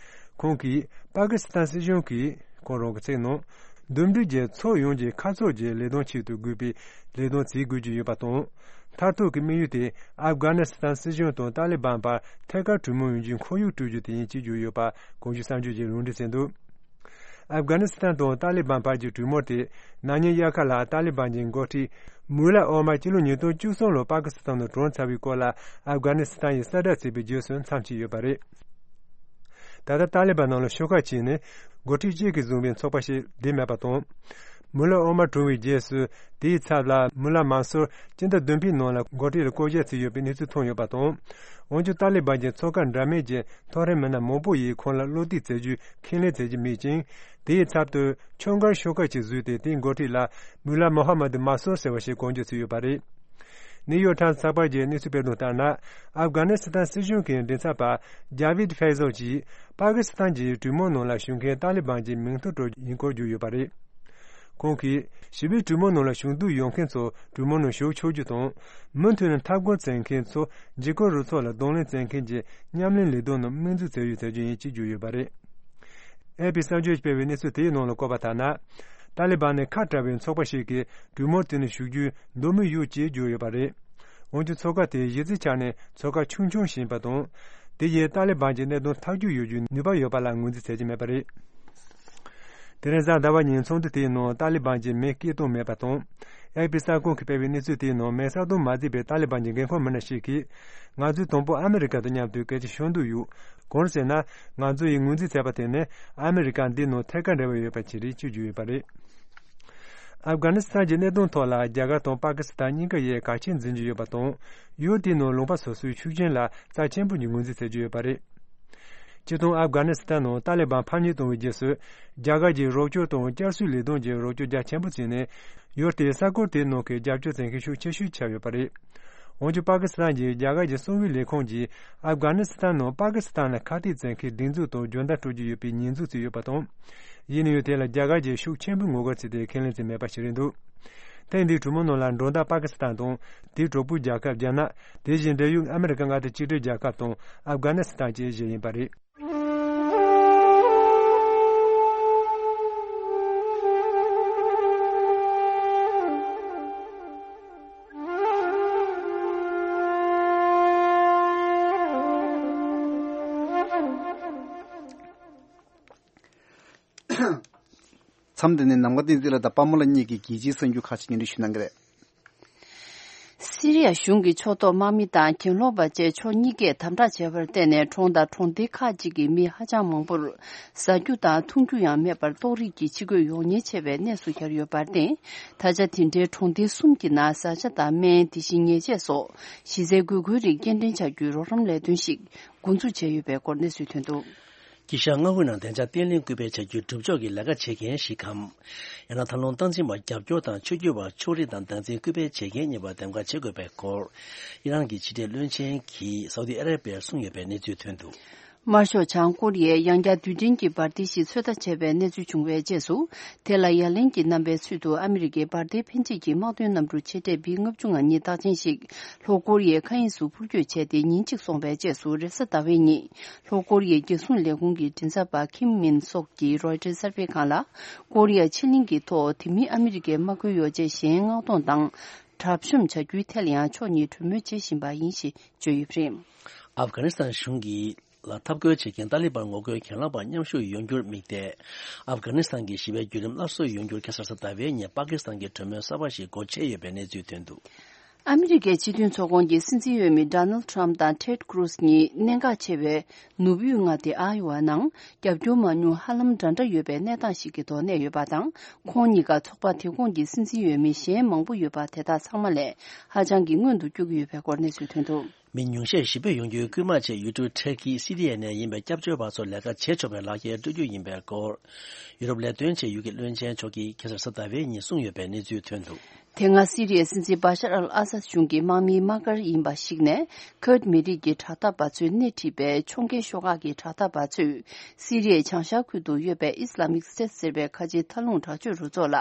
ཁོང་གིས། པ་ཀི་སི་ཐན་སྲིད་གཞུང་གིས། ཁོང་རང་གི་ཚིག་ནང་། འདུམ་འགྲིག་གིས་ཕྱོགས་ཡོངས་ཀྱི་ཁ་ཕྱོགས་ཀྱི་ལས་དོན་ཆེད་དུ་དགོས་པའི་ལས་དོན་བྱེད་དགོས་ཀྱི་ཡོད་པ་དང་། མཐར་ཐུག་གི་དམིགས་ཡུལ་དེ། ཨབ་གྷ་ནི་སི་ཐན་སྲིད་གཞུང་དང་ཏཱ་ལི་བན་བར་ཐད་ཀར་གྲོས་མོལ་ཡོང་རྒྱུའི་ཁོར་ཡུག་སྤྲོད་རྒྱུ་དེ་ཡིན་ཅེས་བརྗོད་ཡོད་པ། གོང་ཞུས་གསར་འགྱུར་གྱིས་ལུང་འདྲེན་བྱས་འདུག་ཨབ་གྷ་ནི་སི་ཐན་དང་ཏཱ་ལི་བན་བར་གྱི་གྲོས་མོལ་དེ། ན་ནིང་དབྱར་ཁ་ལ་ཏཱ་ལི་བན་གྱི་འགོ་ཁྲིད་མུ་ལ་ཨོ་མར་སྤྱི་ལོ་ཉིས་སྟོང་བཅུ་གསུམ་ལོར་པ་ཀི་སི་ཐན་དུ་གྲོངས་ཚར་བའི་སྐོར་ལ། ཨབ་གྷ་ནི་སི་ཐན་ཡིས་གསལ་བསྒྲགས་བྱས་པའི་རྗེས་སུ་མཚམས་ཆད་ཡོད་པ་རེད། ད་ལྟ་ཏཱ་ལི་བན་ནང་ལ་ཤོག་ཁག་གཅིག་ནས་འགོ་ཁྲིད་གཅིག་གིས་བཟུང་བའི་ཚོགས་པ་ཞིག་བསྡད་མེད་པ་དང་། མུ་ལ་ཨོ་མར་གྲོངས་པའི་རྗེས་སུ། དེའི་ཚབ་ལ་མུ་ལ་མན་སུར་སྤྱི་ཟླ་བདུན་པའི་ནང་ལ་འགོ་ཁྲིད་ལ་བསྐོ་བཞག་བྱས་ཡོད་པའི་གནས་ཚུལ་ཐོན་ཡོད་པ་དང་། འོན་ཀྱང་ཏཱ་ལི་བན་གྱི་ཚོགས་ཁག་འདྲ་མིན་གྱི་མཐོ་རིམ་མི་སྣ་མང་པོ་ཡིས་ཁོང་ལ་བློ་གཏད་བྱེད་རྒྱུའི་ཁས་ལེན་བྱེད་ཀྱི་མེད་ཅིང་། དེའི་ཚབ་ཏུ་ཁྱོན་བཀའ་ཤོག་ཁག་ཅིག་བཟོས་ཏེ། དེའི་འགོ་ཁྲིད་ལ་མུ་ལ་མོ་ཧ་མ་དུ་མ་སོར་ཟེར་བ་ཞིག་བསྐོ་འཇོག་བྱས་ཡོད་པ་རེད། ནིའུ་ཡོག་ཊའིམ་ཚགས་པར་གྱི་གནས་ཚུལ་སྤེལ་དོན་ལྟར་ན། ཨབ་གྷ་ནི་སི་ཐན་སྲིད་གཞུང་གི་མགྲིན་ཚབ་པ་ཇཱ་བིད་ཕེ་ཟོ་གྱིས་པ་ཀི་སི་ཐན་གྱི་གྲོས་མོལ་ནང་ལ་ཞུགས་མཁན་ཏཱ་ལི་བན་གྱི་མིང་ཐོ་སྤྲོད་ཡིན་སྐོར་བརྗོད་ཡོད་པ་རེད། ཁོང་གིས་ཞི་བའི་གྲོས་མོལ་ནང་ལ་ཞུགས་འདོད་ཡོད་མཁན་ཚོ་གྲོས་མོལ་ནང་ཞུགས་ཆོག་རྒྱུ་དང་། མུ་མཐུད་ནས་འཐབ་རྒོལ་བྱེད་མཁན་ཚོ་འཇིགས་སྐུལ་རུ་ཚོགས་ལ་གདོང་ལེན་བྱེད་མཁན་གྱི་མཉམ་ལས་ལས་དོན་ནང་སྨན་རྫུན་བྱས་ཡོད་ཟེར་རྒྱུ་ཡིན་ཅེས་བརྗོད་ཡོད་པ་རེད། ཨེ་པི་གསར་འགྱུར་སྤེལ་བའི་གནས་ཚུལ་དེའི་ནང་ལ་བཀོད་པ་ལྟར་ན། ཏཱ་ལི་བན་ནི་ཁ་བྲལ་བའི་ཚོགས་པ་ཞིག་གིས་གྲོས་མོལ་དེ་ནི་ཞུགས་རྒྱུའི་འདོད་མོས་ཡོད་ཅེས་བརྗོད་ཡོད་པ་རེད། འོན་ཀྱང་ཚོགས་ཁག་དེ་གཞི་རྩའི་ཆ་ནས་ཚོགས་ཁག་ཆུང་ཆུང་ཞིག་ཡིན་པ་དང་། དེ་ཡིས་ཏཱ་ལི་བན་གྱི་གནད་དོན་ཐག་གཅོད་ཡོད་རྒྱུའི་ནུས་པ་ཡོད་པ་ལ་ངོས་འཛིན་བྱེད་ཀྱི་མེད་པ་རེད། དེ་རིང་གཟའ་ཟླ་བ་ཉིན་ཚོགས་འདུ་དེའི་ནང་ཏཱ་ལི་བན་གྱི་མི་སྐད་གཏོང་མེད་པ་དང་། ཨེ་པི་གསར་ཁང་གིས་སྤེལ་བའི་གནས་ཚུལ་དེའི་ནང་མེ་སར་དང་མ་བརྩིས་པའི་ཏཱ་ལི་བན་གྱི་འགན་ཁུར་མི་སྣ་ཞིག་གིས། ང་ཚོས་དང་པོ་ཨ་མི་རི་ཀ་དང་མཉམ་དུ་སྐད་ཆ་ཤོད་འདོད་ཡོད། གང་ཟེར་ན། ང་ཚོ་ཡིས་ངོས་འཛིན་བྱས་པ་དེ་ནི་ཨ་མི་རི་ཀ་འདི་ནང་ཐད་ཀར་འབྲེལ་བ་ཡོད་པ་ཞིག་རེད་ཅེས་བརྗོད་ཡོད་པ་རེད། ཨབ་གྷ་ནི་སི་ཐན་གྱི་གནད་དོན་ཐོག་ལ་རྒྱ་གར་དང་པ་ཀི་སི་ཐན་གཉིས་ཀ་ཡིས་གལ་ཆེན་འཛིན་གྱི་ཡོད་པ་དང་། ཡུལ་དེའི་ནང་ལུང་པ་སོ་སོའི་ཤུགས་རྐྱེན་ལ་རྩ་ཆེན་པོ་ཞིག་ངོས་འཛིན་བྱེད་ཀྱི་ཡོད་པ་རེད། སྤྱིར་བཏང་ཨབ་གྷ་ནི་སི་ཐན་ནང་ཏཱ་ལི་བན་ཕམ་ཉེས་བཏང་བའི་རྗེས་སུ། རྒྱ་གར་གྱི་རོགས་སྐྱོར་དང་བསྐྱར་གསོའི་ལས་དོན་གྱི་རོགས་སྐྱོར་རྒྱ་ཆེན་པོ་བྱས་ནས། ཡུལ་དེའི་ས་ཁུལ་དེའི་ནང་གི་རྒྱབ་སྐྱོར་བྱེད་མཁན་ཤུགས་ཆེ་ཤོས་ཆགས་ཡོད་པ་རེད། འོན་ཀྱང་པ་ཀི་སི་ཐན་གྱི་རྒྱ་གར་གྱི་གསང་བའི་ལས་ཁུངས་ཀྱིས་ཨབ་གྷ་ནི་སི་ཐན་ནང་པ་ཀི་སི་ཐན་ལ་ཁ་གཏད་བྱེད་མཁན་སྒྲིག་འཛུགས་དང་སྦྱོང་བརྡར་སྤྲོད་ཀྱི་ཡོད་པའི་ཉེས་འཛུགས་བྱས་ཡོད་པ་དང་། ཡིན་ན་ཡང་དེ་ལ་རྒྱ་གར་གྱིས་ཤུགས་ཆེན་པོས་ངོ་རྒོལ་བྱས་ཏེ་ཁས་ལེན་བྱས་མེད་པ་ཞིག་རེད་འདུག་ཐེངས་འདིའི་གྲོས་མོལ་ནང་ལ་མགྲོན་བདག་པ་ཀི་སི་ཐན་དང་། དེའི་གྲོགས་པོའི་རྒྱལ་ཁབ་རྒྱ་ནག་དེ་བཞིན་འབྲེལ་ཡོད་ཨ་མི་རི་ཀ་མངའ་སྡེ་གཅིག་སྒྲིལ་རྒྱལ་ཁབ་དང་ཨབ་གྷ་ནི་སི་ཐན་བཅས་བཞི་ཡིན་པ་རེད། མཚམས་འདི་ནས་ནམ་མཁའ་བསྟན་འཛིན་ལགས་དང་པདྨ་ལགས་གཉིས་ཀྱིས་རྒྱལ་སྤྱིའི་གསར་འགྱུར་ཁག་ཅིག་སྙན་སྒྲོན་ཞུ་གནང་གི་རེད། སི་རི་ཡ་གཞུང་གི་ཕྱོགས་གཏོགས་དམག་མི་དང་གྱེན་ལོག་པ་བཅས་ཕྱོགས་གཉིས་ཀས་དམ་དྲག་བྱས་པར་བརྟེན་ནས། གྲོང་དང་གྲོང་སྡེ་ཁག་ཅིག་གི་མི་ཧ་ཅང་མང་པོར་ཟ་རྒྱུ་དང་འཐུང་རྒྱུ་ཡང་མེད་པར་ལྟོགས་རིགས་ཀྱི་འཆི་གོད་ཡོང་ཉེན་ཆེ་བའི་གནས་སུ་གྱར་ཡོད་པར་བརྟེན། ད་ཆ་དེ་འདྲའི་གྲོང་སྡེ་གསུམ་གྱི་ནང་བཟའ་བཅའ་དང་སྨན། དེ་བཞིན་ཉལ་ཆས་སོགས་གཞི་རྩའི་དགོས་མཁོའི་རིགས་སྐྱེལ་འདྲེན་བྱ་རྒྱུའི་རོགས་རམ་ལས་དོན་ཞིག་འགོ་འཛུགས་བྱས་ཡོད་པའི་སྐོར་གནས་ཚུལ་ཐོན་འདུག་དཀྱིལ་ཤར་མངའ་ཁུལ་ནང་བདེ་འཇགས་བརྟན་ལྷིང་སྐུལ་སྤེལ་བྱ་རྒྱུའི་སྒྲུབ་ཕྱོགས་ཀྱི་ལས་ཀ་བྱེད་མཁན་ཞིག་གམ། ཡང་ན་ཐབས་ལམ་སྟངས་འཛིན་པ་རྒྱབ་སྐྱོར་དང་ཆོས་བརྒྱུད་པ་ཕྱོགས་རིས་དང་བདག་འཛིན་སྐུལ་སྤེལ་བྱེད་མཁན་གཉིས་བར་འདེམས་ཀ་བྱེད་དགོས་པའི་སྐོར། ཨི་རན་གྱི་ཕྱི་འབྲེལ་བློན་ཆེན་གྱིས་སའུ་དི་ཨ་ར་པི་ཡར་གསུངས་ཡོད་པའི་གནས་ཚུལ་ཐོན་འདུག་དམར་ཤོག་བྱང་ཀོ་རི་ཡས་ཡང་བསྐྱར་རྡུལ་ཕྲན་གྱི་འབར་མདེལ་ཞིག་ཚོད་ལྟ་བྱས་པའི་གནས་ཚུལ་བྱུང་བའི་རྗེས་སུ། དེ་ལ་ཡ་ལན་གྱི་རྣམ་པའི་ཚུལ་དུ་ཨ་མི་རི་ཀའི་འབར་མདེལ་འཕེན་བྱེད་ཀྱི་དམག་དོན་གནམ་གྲུ་ཆེ་གྲས་བི་ལྔ་བཅུ་ང་གཉིས་རྟགས་ཅན་ཞིག་ལྷོ་ཀོ་རི་ཡའི་མཁའ་དབྱིངས་སུ་འཕུར་སྐྱོད་བྱས་ཏེ། ཉིན་གཅིག་སོང་བའི་རྗེས་སུ་རེས་གཟའ་ཟླ་བའི་ཉིན། ལྷོ་ཀོ་རི་ཡའི་རྒྱལ་སྲུང་ལས་ཁུངས་ཀྱི་མགྲིན་ཚབ་པ་ཁིམ་མིན་སོག་གིས་རོའི་ཊར་གསར་སྤེལ་ཁང་ལ། ཀོ་རི་ཡ་ཕྱེད་གླིང་གི་ཐོག་དེ་མིན་ཨ་མི་རི་ཀའི་དམག་ཁུལ་ཡོ་བྱད་གཞན་མངགས་གཏོང་དང་། གྲབས་གཤོམ་བྱ་རྒྱུའི་ཐད་ལ་ཡང་ཕྱོགས་གཉིས་གྲོས་མོལ་བྱེད་བཞིན་པ་ཡིན་ཞེས་བརྗོད་ཡོད་པ་རེད། ཨབ་གྷ་ནི་སི་ཐན་གཞུང་གིས་ལ་འཐབ་རྒོལ་བྱེད་མཁན་ཏཱ་ལི་བན་ངོ་རྒོལ་གྱེན་ལངས་པ་མཉམ་ཞུགས་ཡོང་རྒྱུར་དམིགས་ཏེ། ཨབ་གྷ་ནི་སི་ཐན་གྱི་ཞི་བའི་བརྒྱུད་རིམ་སླར་གསོ་ཡོང་རྒྱུར་ཁ་སང་གཟའ་ཟླ་བའི་ཉིན་པ་ཀི་སི་ཐན་གྱི་གྲོས་མོལ་གསར་པ་ཞིག་སྒོ་ཕྱེ་ཡོད་པའི་གནས་ཚུལ་ཐོན་འདུག་ཨ་མི་རི་ཀའི་སྤྱི་མཐུན་ཚོགས་ཁོངས་ཀྱི་སྲིད་འཛིན་འོས་མི་ཌོ་ནལ་ཌི་ཊརམ་ཕི་དང་ཊེཌ་ཀུ་རུ་སི་གཉིས་གནད་འགག་ཆེ་བའི་ནུབ་ཡུལ་མངའ་སྡེ་ཨ་ཡོ་ཝ་ནང་རྒྱབ་སྐྱོར་མ་ཉུང་ཧ་ལམ་འདྲ་འདྲ་ཡོད་པའི་གནས་སྟངས་ཤིག་གི་ཐོག་གནས་ཡོད་པ་དང་། ཁོང་གཉིས་ཀ་ཚོགས་པ་དེ་ཁོངས་ཀྱི་སྲིད་འཛིན་འོས་མི་གཞན་མང་པོ་ཡོད་པ་དེ་དག་ཚང་མ་ལས་ཧ་ཅང་གི་སྔོན་དུ་བསྐྱོད་ཀྱི་ཡོད་པའི་སྐོར་གནས་ཚུལ་ཐོན་འདུག་མི་ཉུང་ཤས་ཞི་བདེ་ཡོང་རྒྱུའི་སྐུལ་མ་ཆེད་ཡུལ་གྲུ་ཊར་ཀི་སི་རི་ཡ་ནས་ཡིན་པའི་སྐྱབས་བཅོལ་བ་ཚོར་ལས་ཀ་བྱེད་ཆོག་པའི་ལག་ཁྱེར་སྤྲོད་རྒྱུ་ཡིན་པའི་སྐོར། ཡུ་རོབ་ལས་དོན་ཆེད་ཡུལ་གྱི་བློན་ཆེན་མཆོག་གིས་ཁ་སང་གཟའ་ཟླ་བའི་ཉིན་གསུངས་ཡོད་པའི་གནས་ཚུལ་ཐོན་འདུག་དེ་སྔ་སི་རི་ཡའི་སྲིད་འཛིན་བྷ་ཤར་ཨལ་ཨ་སཱད་གཞུང་གི་དམག་མིའི་དམག་སྒར་ཡིན་པ་ཞིག་ནས། ཁུར་མི་རིགས་ཀྱི་དྲག་འཐབ་པ་ཚོས་སྣེ་ཁྲིད་པའི་ཕྱོགས་འགལ་ཤོག་ཁག་གི་དྲག་འཐབ་པ་ཚོས་སི་རི་ཡའི་བྱང་ཤར་ཁུལ་དུ་ཡོད་པའི་ཨི་སི་ལ་མིག་སི་ཊེཊ་ཟེར་བའི་ཁ་ཆེའི་མཐའ་ལྷུང་དྲག་སྤྱོད་རུ་ཚོགས་ལ་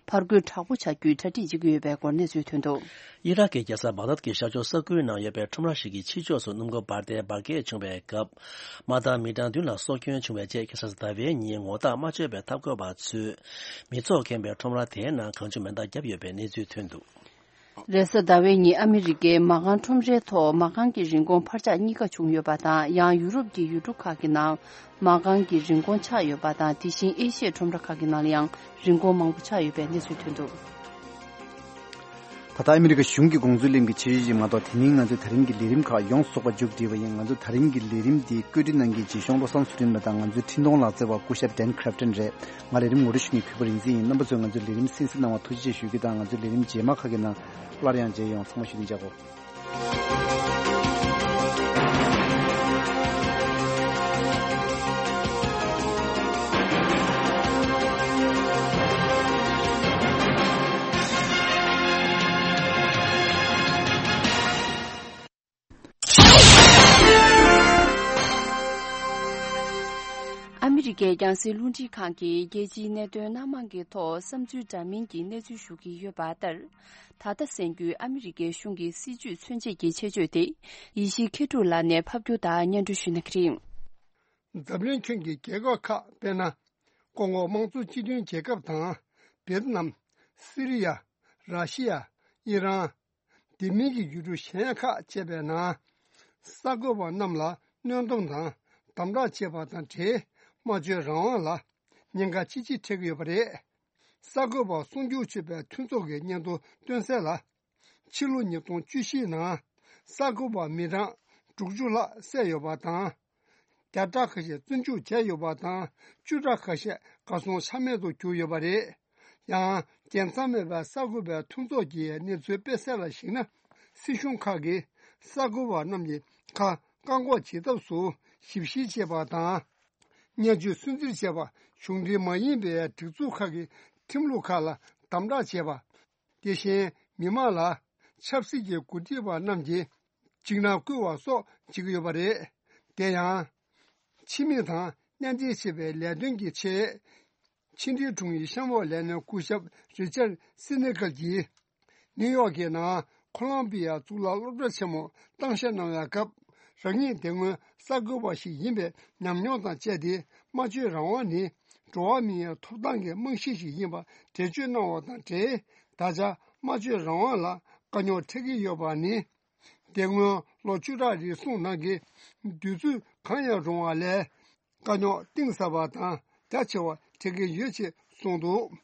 ཕར་རྒོལ་དྲག་པོ་བྱ་རྒྱུའི་གྲ་སྒྲིག་བྱེད་ཀྱི་ཡོད་པའི་སྐོར་གནས་ཚུལ་ཐོན་འདུག་ཨི་རག་གི་རྒྱལ་ས་བག་དྷད་ཀྱི་ཤར་ཕྱོགས་ས་ཁུལ་ནང་ཡོད་པའི་ཁྲོམ་ར་ཞིག་གི་ཕྱི་ཕྱོགས་སུ་སྣུམ་འཁོར་འབར་མདེལ་འབར་གས་བྱུང་བའི་སྐབས། དམག་བདག་མི་གྲངས་བདུན་ལ་སྲོག་སྐྱོན་བྱུང་བའི་རྗེས། ཁ་སང་གཟའ་ཟླ་བའི་ཉིན་ངོ་རྟགས་མ་ཆོད་པའི་འཐབ་རྒོལ་བ་ཚོས་མི་ཚོགས་ཁེངས་པའི་ཁྲོམ་ར་དེའི་ནང་གང་བྱུང་མེ་མདའ་བརྒྱབ་ཡོད་པའི་གནས་ཚུལ་ཐོན་འདུག་རེས་གཟའ་ཟླ་བའི་ཉིན་ཨ་མི་རི་ཀའི་མ་རྐང་ཁྲོམ་རའི་ཐོག་མ་རྐང་གི་རིན་གོང་འཕར་ཆག་གཉིས་ཀ་བྱུང་ཡོད་པ་དང་། ཡང་ཡུ་རོབ་ཀྱི་ཡུལ་གྲུ་ཁག་གི་ནང་མ་རྐང་གི་རིན་གོང་ཆག་ཡོད་པ་དང་། དེ་བཞིན་ཨེ་ཤི་ཡའི་ཁྲོམ་ར་ཁག་གི་ནང་ལ་ཡང་རིན་གོང་མང་པོ་ཆག་ཡོད་པའི་གནས་ཚུལ་ཐོན་འདུག་ད་ལྟ་ཨ་མི་རི་ཀ་གཞུང་གི་དགོངས་ཚུལ་གླེང་གི་ཆེད་ཞུ་ཞིག་མ་གཏོགས། དེ་མིན་ང་ཚོའི་ད་རིང་གི་ལས་རིམ་ཁག་ཡོངས་སུ་རྫོགས་པ་མཇུག་བསྒྲིལ་བ་ཡིན། ང་ཚོའི་ད་རིང་གི་ལས་རིམ་འདི་བཀོད་སྒྲིག་གནང་མཁན་རྗེ་གཞུང་བློ་བཟང་ཚུལ་ཁྲིམས་ལགས་དང་ང་ཚོའི་འཕྲིན་གཏོང་ལག་རྩལ་བ་སྐུ་ཞབས་ཌན་ཁྲེབ་ཊན་རེད། ང་ལས་རིམ་ངོ་སྤྲོད་ཞུ་མཁན་གུས་པ་རིག་འཛིན་ཡིན། རྣམ་པ་ཚོས་ང་ཚོའི་ལས་རིམ་གསན་གཟིགས་གནང་བར་ཐུགས་རྗེ་ཆེ་ཞུ་རྒྱུ་དང་། ང་ཚོའི་ལས་རིམ་རྗེས་མ་ཁག་གི་ནང་སླར་ཡང་མཇལ་ཡོང་། ཚང་མ་བཞུགས་གདན་འཇགས་དགོས། ཨ་མི་རི་ཀའི་རྒྱང་སྲིང་རླུང་འཕྲིན་ཁང་གིས་རྒྱལ་སྤྱིའི་གནད་དོན་སྣ་མང་གི་ཐོག་བསམ་ཚུལ་འདྲ་མིན་གྱི་གནས་ཚུལ་ཞུ་གི་ཡོད་པ་ལྟར། ད་ལྟ་གསན་རྒྱུའི་ཨ་མི་རི་ཀའི་གཞུང་གི་སྲིད་བྱུས་མཚོན་བྱེད་ཀྱི་ཆེད་བརྗོད་དེ། ཡེ་ཤེས་མཁས་གྲུབ་ལགས་ནས་ཕབ་སྒྱུར་དང་སྙན་སྒྲོན་ཞུ་གནང་གི་རེད། འཛམ་གླིང་ཁྱོན་གྱི་རྒྱལ་ཁབ་ཁག་དཔེར་ན། ཀོང་གོ་དམངས་གཙོ་སྤྱི་མཐུན་རྒྱལ་ཁབ་དང་། ཝེ་ཏི་ནམ། སི་རི་ཡ། ར་ཤི་ཡ། ཨི་རན། དེ་མིན་གྱི་ཡུལ་གྲུ་གཞན་ཁག་བཅས་པའི་ནང་། གསར་འགོད་པ་རྣམས་ལ་གནོན་སྡོམ་དང་དམ་དྲག་བྱས་པ་དང་འབྲེལ། སྨྲ་བརྗོད་རང་དབང་ལ་ཉེན་ཁ་ཅི་ཆེ་འཕྲད་ཀྱི་ཡོད་པ་རེད། གསར་འགོད་པ་སྲུང་སྐྱོབ་བྱེད་པའི་མཐུན་ཚོགས་ཀྱི་སྙན་ཐོ་བཏོན་གསལ་ལ། ཕྱི་ལོ་ཉིས་སྟོང་བཅུ་བཞི་ནང་གསར་འགོད་པ་མི་གྲངས་དྲུག་ཅུ་ལྷག་བསད་ཡོད་པ་དང་། བརྒྱ་ཕྲག་ཁ་ཤས་བཙོན་འཇུག་བྱས་ཡོད་པ་དང་། བཅུ་ཕྲག་ཁ་ཤས་གར་སོང་ཆ་མེད་དུ་གྱུར་ཡོད་པ་རེད། ཡང་རྒྱལ་མཚམས་མེད་པའི་གསར་འགོད་པའི་མཐུན་ཚོགས་ཀྱིས་གནས་ཚུལ་སྤེལ་གསལ་ལ་གཞིགས་ན། སྲིད་གཞུང་ཁག་གིས་གསར་འགོད་པ་རྣམས་ཀྱི་ཁ་བཀག་འགོག་བྱེད་ཐབས་སུ་ཞིབ་བཤེར་བྱས་པ་དང་། བརྙས་བཅོས་སུན་གཙེར་བྱས་པ། གཞུང་འབྲེལ་མ་ཡིན་པའི་སྒྲིག་འཛུགས་ཁག་གི་ཁྲིམས་ལུགས་ཁག་ལ་དམ་དྲག་བྱས་པ། དེ་བཞིན་མི་མང་ལ་ཆབ་སྲིད་ཀྱི་འགོ་ཁྲིད་པ་རྣམས་ཀྱིས་འཇིགས་སྣང་བསྐུལ་བ་སོགས་བྱེད་ཀྱི་ཡོད་པ་རེད། དེ་ཡང་། ཕྱི་མི་དང་གཉེན་སྒྲིག་བྱེད་པའི་ལས་དོན་གྱི་ཆེད། ཕྱི་འབྲེལ་དྲུང་ཡིག་གཤམ་འོག་ལས་སྣེ་སྐུ་ཞབས་རི་ཅར་སི་ནེ་གལ་གྱིས། ནིའུ་ཡོག་གི་ནང་ཁོ་ལོམ་བི་ཡ་གཙུག་ལག་སློབ་གྲྭ་ཆེན་མོར་གཏམ་བཤད་གནང་བའི་སྐབས། རང་ཉིད་དེ་སྔོན་གསར་འགོད་པ་ཞིག་ཡིན་པའི་ཉམས་མྱོང་དང་བཅས་ཏེ། སྨྲ་བརྗོད་རང་དབང་ནི་འགྲོ་བ་མིའི་ཐོབ་ཐང་གི་རྨང་གཞི་ཞིག་ཡིན་པ་འགྲེལ་བརྗོད་གནང་བ་དང་འབྲེལ། ད་ཆ་སྨྲ་བརྗོད་རང་དབང་ལ་དཀའ་རྙོག་འཕྲད་ཀྱི་ཡོད་པ་ནི། དེ་སྔོན་ལོ་བཅུ་ཕྲག་རེ་ཟུང་ནང་གི་དུས་ཚོད་གང་ཡང་རུང་བ་ལས། དཀའ་རྙོག་གཏིང་ཟབ་པ་དང་རྒྱ་ཆེ་བ་འཕྲད་ཀྱི་ཡོད་ཅེས་གསུངས་འདུག།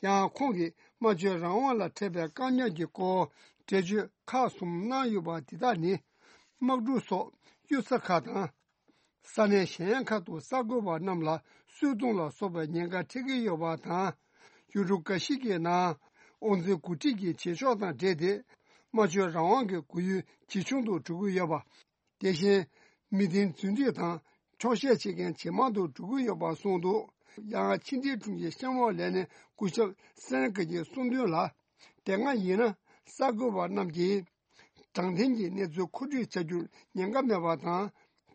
ཡང་ཁོང་གིས་སྨྲ་བརྗོད་རང་དབང་ལ་འཕྲད་པའི་དཀའ་རྙོག་གི་སྐོར་འགྲེལ་བརྗོད་ཁག་གསུམ་གནང་ཡོད་པ་འདི་དག་ནི། དམག་གྲུ་སོགས་གཡུལ་ས་ཁག་དང་། ས་གནས་གཞན་ཁག་ཏུ་གསར་འགོད་པ་རྣམས་ལ་གསོད་རྡུང་ལ་སོགས་པའི་ཉེན་ཁ་འཕྲད་ཀྱི་ཡོད་པ་དང་། ཡུལ་གྲུ་འགའ་ཞིག་གི་ནང་དབང་འཛིན་འགོ་ཁྲིད་ཀྱི་བྱེད་ཕྱོགས་དང་འབྲེལ་ཏེ། སྨྲ་བརྗོད་རང་དབང་གི་རྒུད་ཡུལ་ཇེ་ཆུང་དུ་འགྲོ་གི་ཡོད་པ། དེ་བཞིན་མི་བདེན་རྫུན་སྒྲིག་དང་འཁྱོག་བཤད་བྱེད་མཁན་ཇེ་མང་དུ་འགྲོ་གི་ཡོད་པ་གསུངས་འདུག། ཡང་ཕྱི་འབྲེལ་དྲུང་ཆེ་གཤམ་འོག་ལས་སྣེ་སྐུ་ཞབས་སེན་ཀེ་ཡིས་གསུངས་དོན་ལ། དེ་སྔ་ཡིན་ན་གསར་འགོད་པ་རྣམས་ཀྱིས་དྲང་བདེན་གྱི་གནས་ཚུལ་མཁོ་སྤྲོད་བྱ་རྒྱུར་ཉེན་ཁ་མེད་པ་དང་།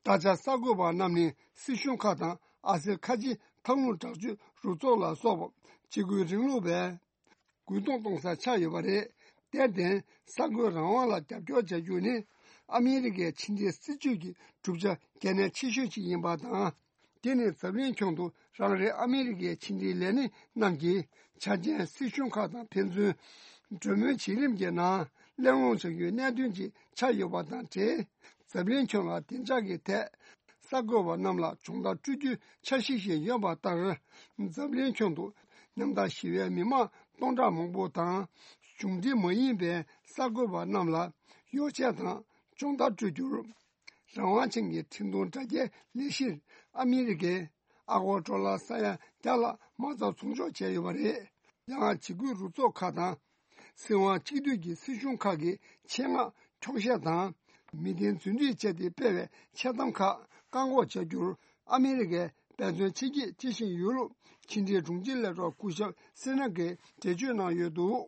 ད་ཆ་གསར་འགོད་པ་རྣམས་ནི་སྲིད་གཞུང་ཁག་དང་ཨ་སེར་ཁ་ཆེའི་ཐབས་ལམ་དྲག་སྤྱོད་རུ་ཚོགས་ལ་སོགས་པ་འཇིགས་སྐུལ་རིང་ལུགས་པས། རྒོལ་རྡུང་གཏོང་ས་ཆགས་ཡོད་པ་རེད། དེར་བརྟེན་གསར་འགོད་རང་དབང་ལ་རྒྱབ་སྐྱོར་བྱ་རྒྱུ་ནི་ཨ་མི་རི་ཀའི་ཕྱི་འབྲེལ་སྲིད་ཇུས་ཀྱི་གྲུབ་ཆ་གལ་གནད་ཆེ་ཤོས་ཤིག་ཡིན་པ་དང་། དེ་ནི་འཛམ་གླིང་ཁྱོན་དུ་རང་རེའི་ཨ་མི་རི་ཀའི་ཕྱི་འབྲེལ་ལས་སྣེ་རྣམས་ཀྱིས་ཆ་རྐྱེན་སྲིད་གཞུང་ཁག་དང་ཕན་ཚུན་གྲོས་མོལ་བྱེད་རིམ་གྱི་ནང་གླེང་སློང་བྱ་རྒྱུའི་གནད་དོན་ཅིག་ཆགས་ཡོད་པ་དང་འབྲེལ། འཛམ་གླིང་ཁྱོན་ལ་བདེ་འཇགས་ཀྱི་ཐད། གསར་འགོད་པ་རྣམས་ལ་སྦྱོང་བརྡར་སྤྲོད་རྒྱུའི་འཆར་གཞི་ཞིག་ཡོད་པ་ལྟར། འཛམ་གླིང་ཁྱོན་དུ་ཉམ་ཐག་ཞི་བའི་མི་མང་སྟོང་ཕྲག་མང་པོ་དང་། གཞུང་འབྲེལ་མ་ཡིན་པའི་གསར་འགོད་པ་རྣམས་ལ་ཡོ་བྱད་དང་སྦྱོང་བརྡར་སྤྲོད་རྒྱུར། རང་དབང་ཅན་གྱི་འཕྲིན་གཏོང་དྲ་རྒྱའི་ལས་གཞིར་ཨ་མི་རི་ཀས་ཨ་སྒོར་ཌོ་ལར་ས་ཡ་བརྒྱ་ལྷག་མ་རྩ་ཚོང་འཇོག་བྱས་ཡོད་པ་རེད། ཡང་འཇིགས་སྐུལ་རུ་ཚོགས་ཁག་དང་། སྲིད་དབང་གཅིག་སྡུད་ཀྱི་སྲིད་གཞུང་ཁག་གི་ཆེད་མངགས་འཁྱོག་བཤད་དང་། མི་བདེན་རྫུན་སྒྲིག་བྱས་ཏེ་སྤེལ་བའི་འཆལ་གཏམ་ཁག་བཀག་འགོག་བྱ་རྒྱུར་ཨ་མི་རི་ཀས་འབད་བརྩོན་ཆེ་བསྐྱེད་བྱེད་བཞིན་ཡོད་ལུགས་ཕྱི་འབྲེལ་དྲུང་ཆེ་ལས་རོགས་སྐུ་ཞབས་སེ་ན་གིས་འགྲེལ་བརྗོད་གནང་ཡོད་འདུག།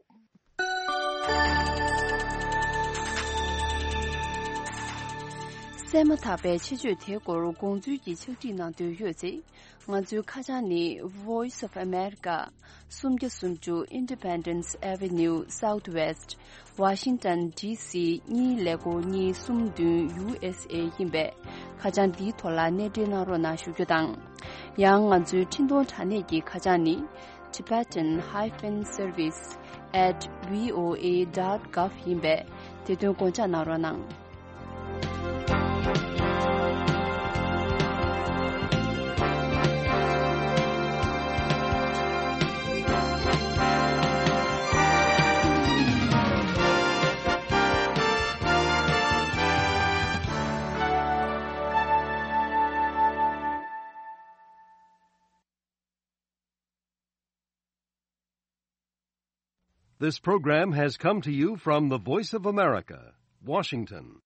གསན་མ་ཐག་པའི་ཆེད་བརྗོད་དེའི་སྐོར་དགོངས་ཚུལ་གྱི་ཕྱག་བྲིས་གནང་འདོད་ཡོད་ཚེ། ང་ཚོའི་ཁ་བྱང་ནི། Voice of America། སུམ་བརྒྱ་སུམ་ཅུ་Independence Avenue Southwest། Washington D C གཉིས་ཀླད་ཀོར་གཉིས་གསུམ་བདུན་U S A ཡིན་པས། ཁ་བྱང་འདིའི་ཐོག་ལ་གནས་འབྲེལ་གནང་རོགས་གནང་ཞུ་རྒྱུ་དང་། ཡང་ང་ཚོའི་འཕྲིན་གཏོང་དྲ་གནས་ཀྱི་ཁ་བྱང་ནི། Tibetan hyphen service at V O A dot gov ཡིན་པས། དེ་དོན་དགོངས་འཇགས་གནང་རོགས་གནང་། This program has come to you from the Voice of America, Washington.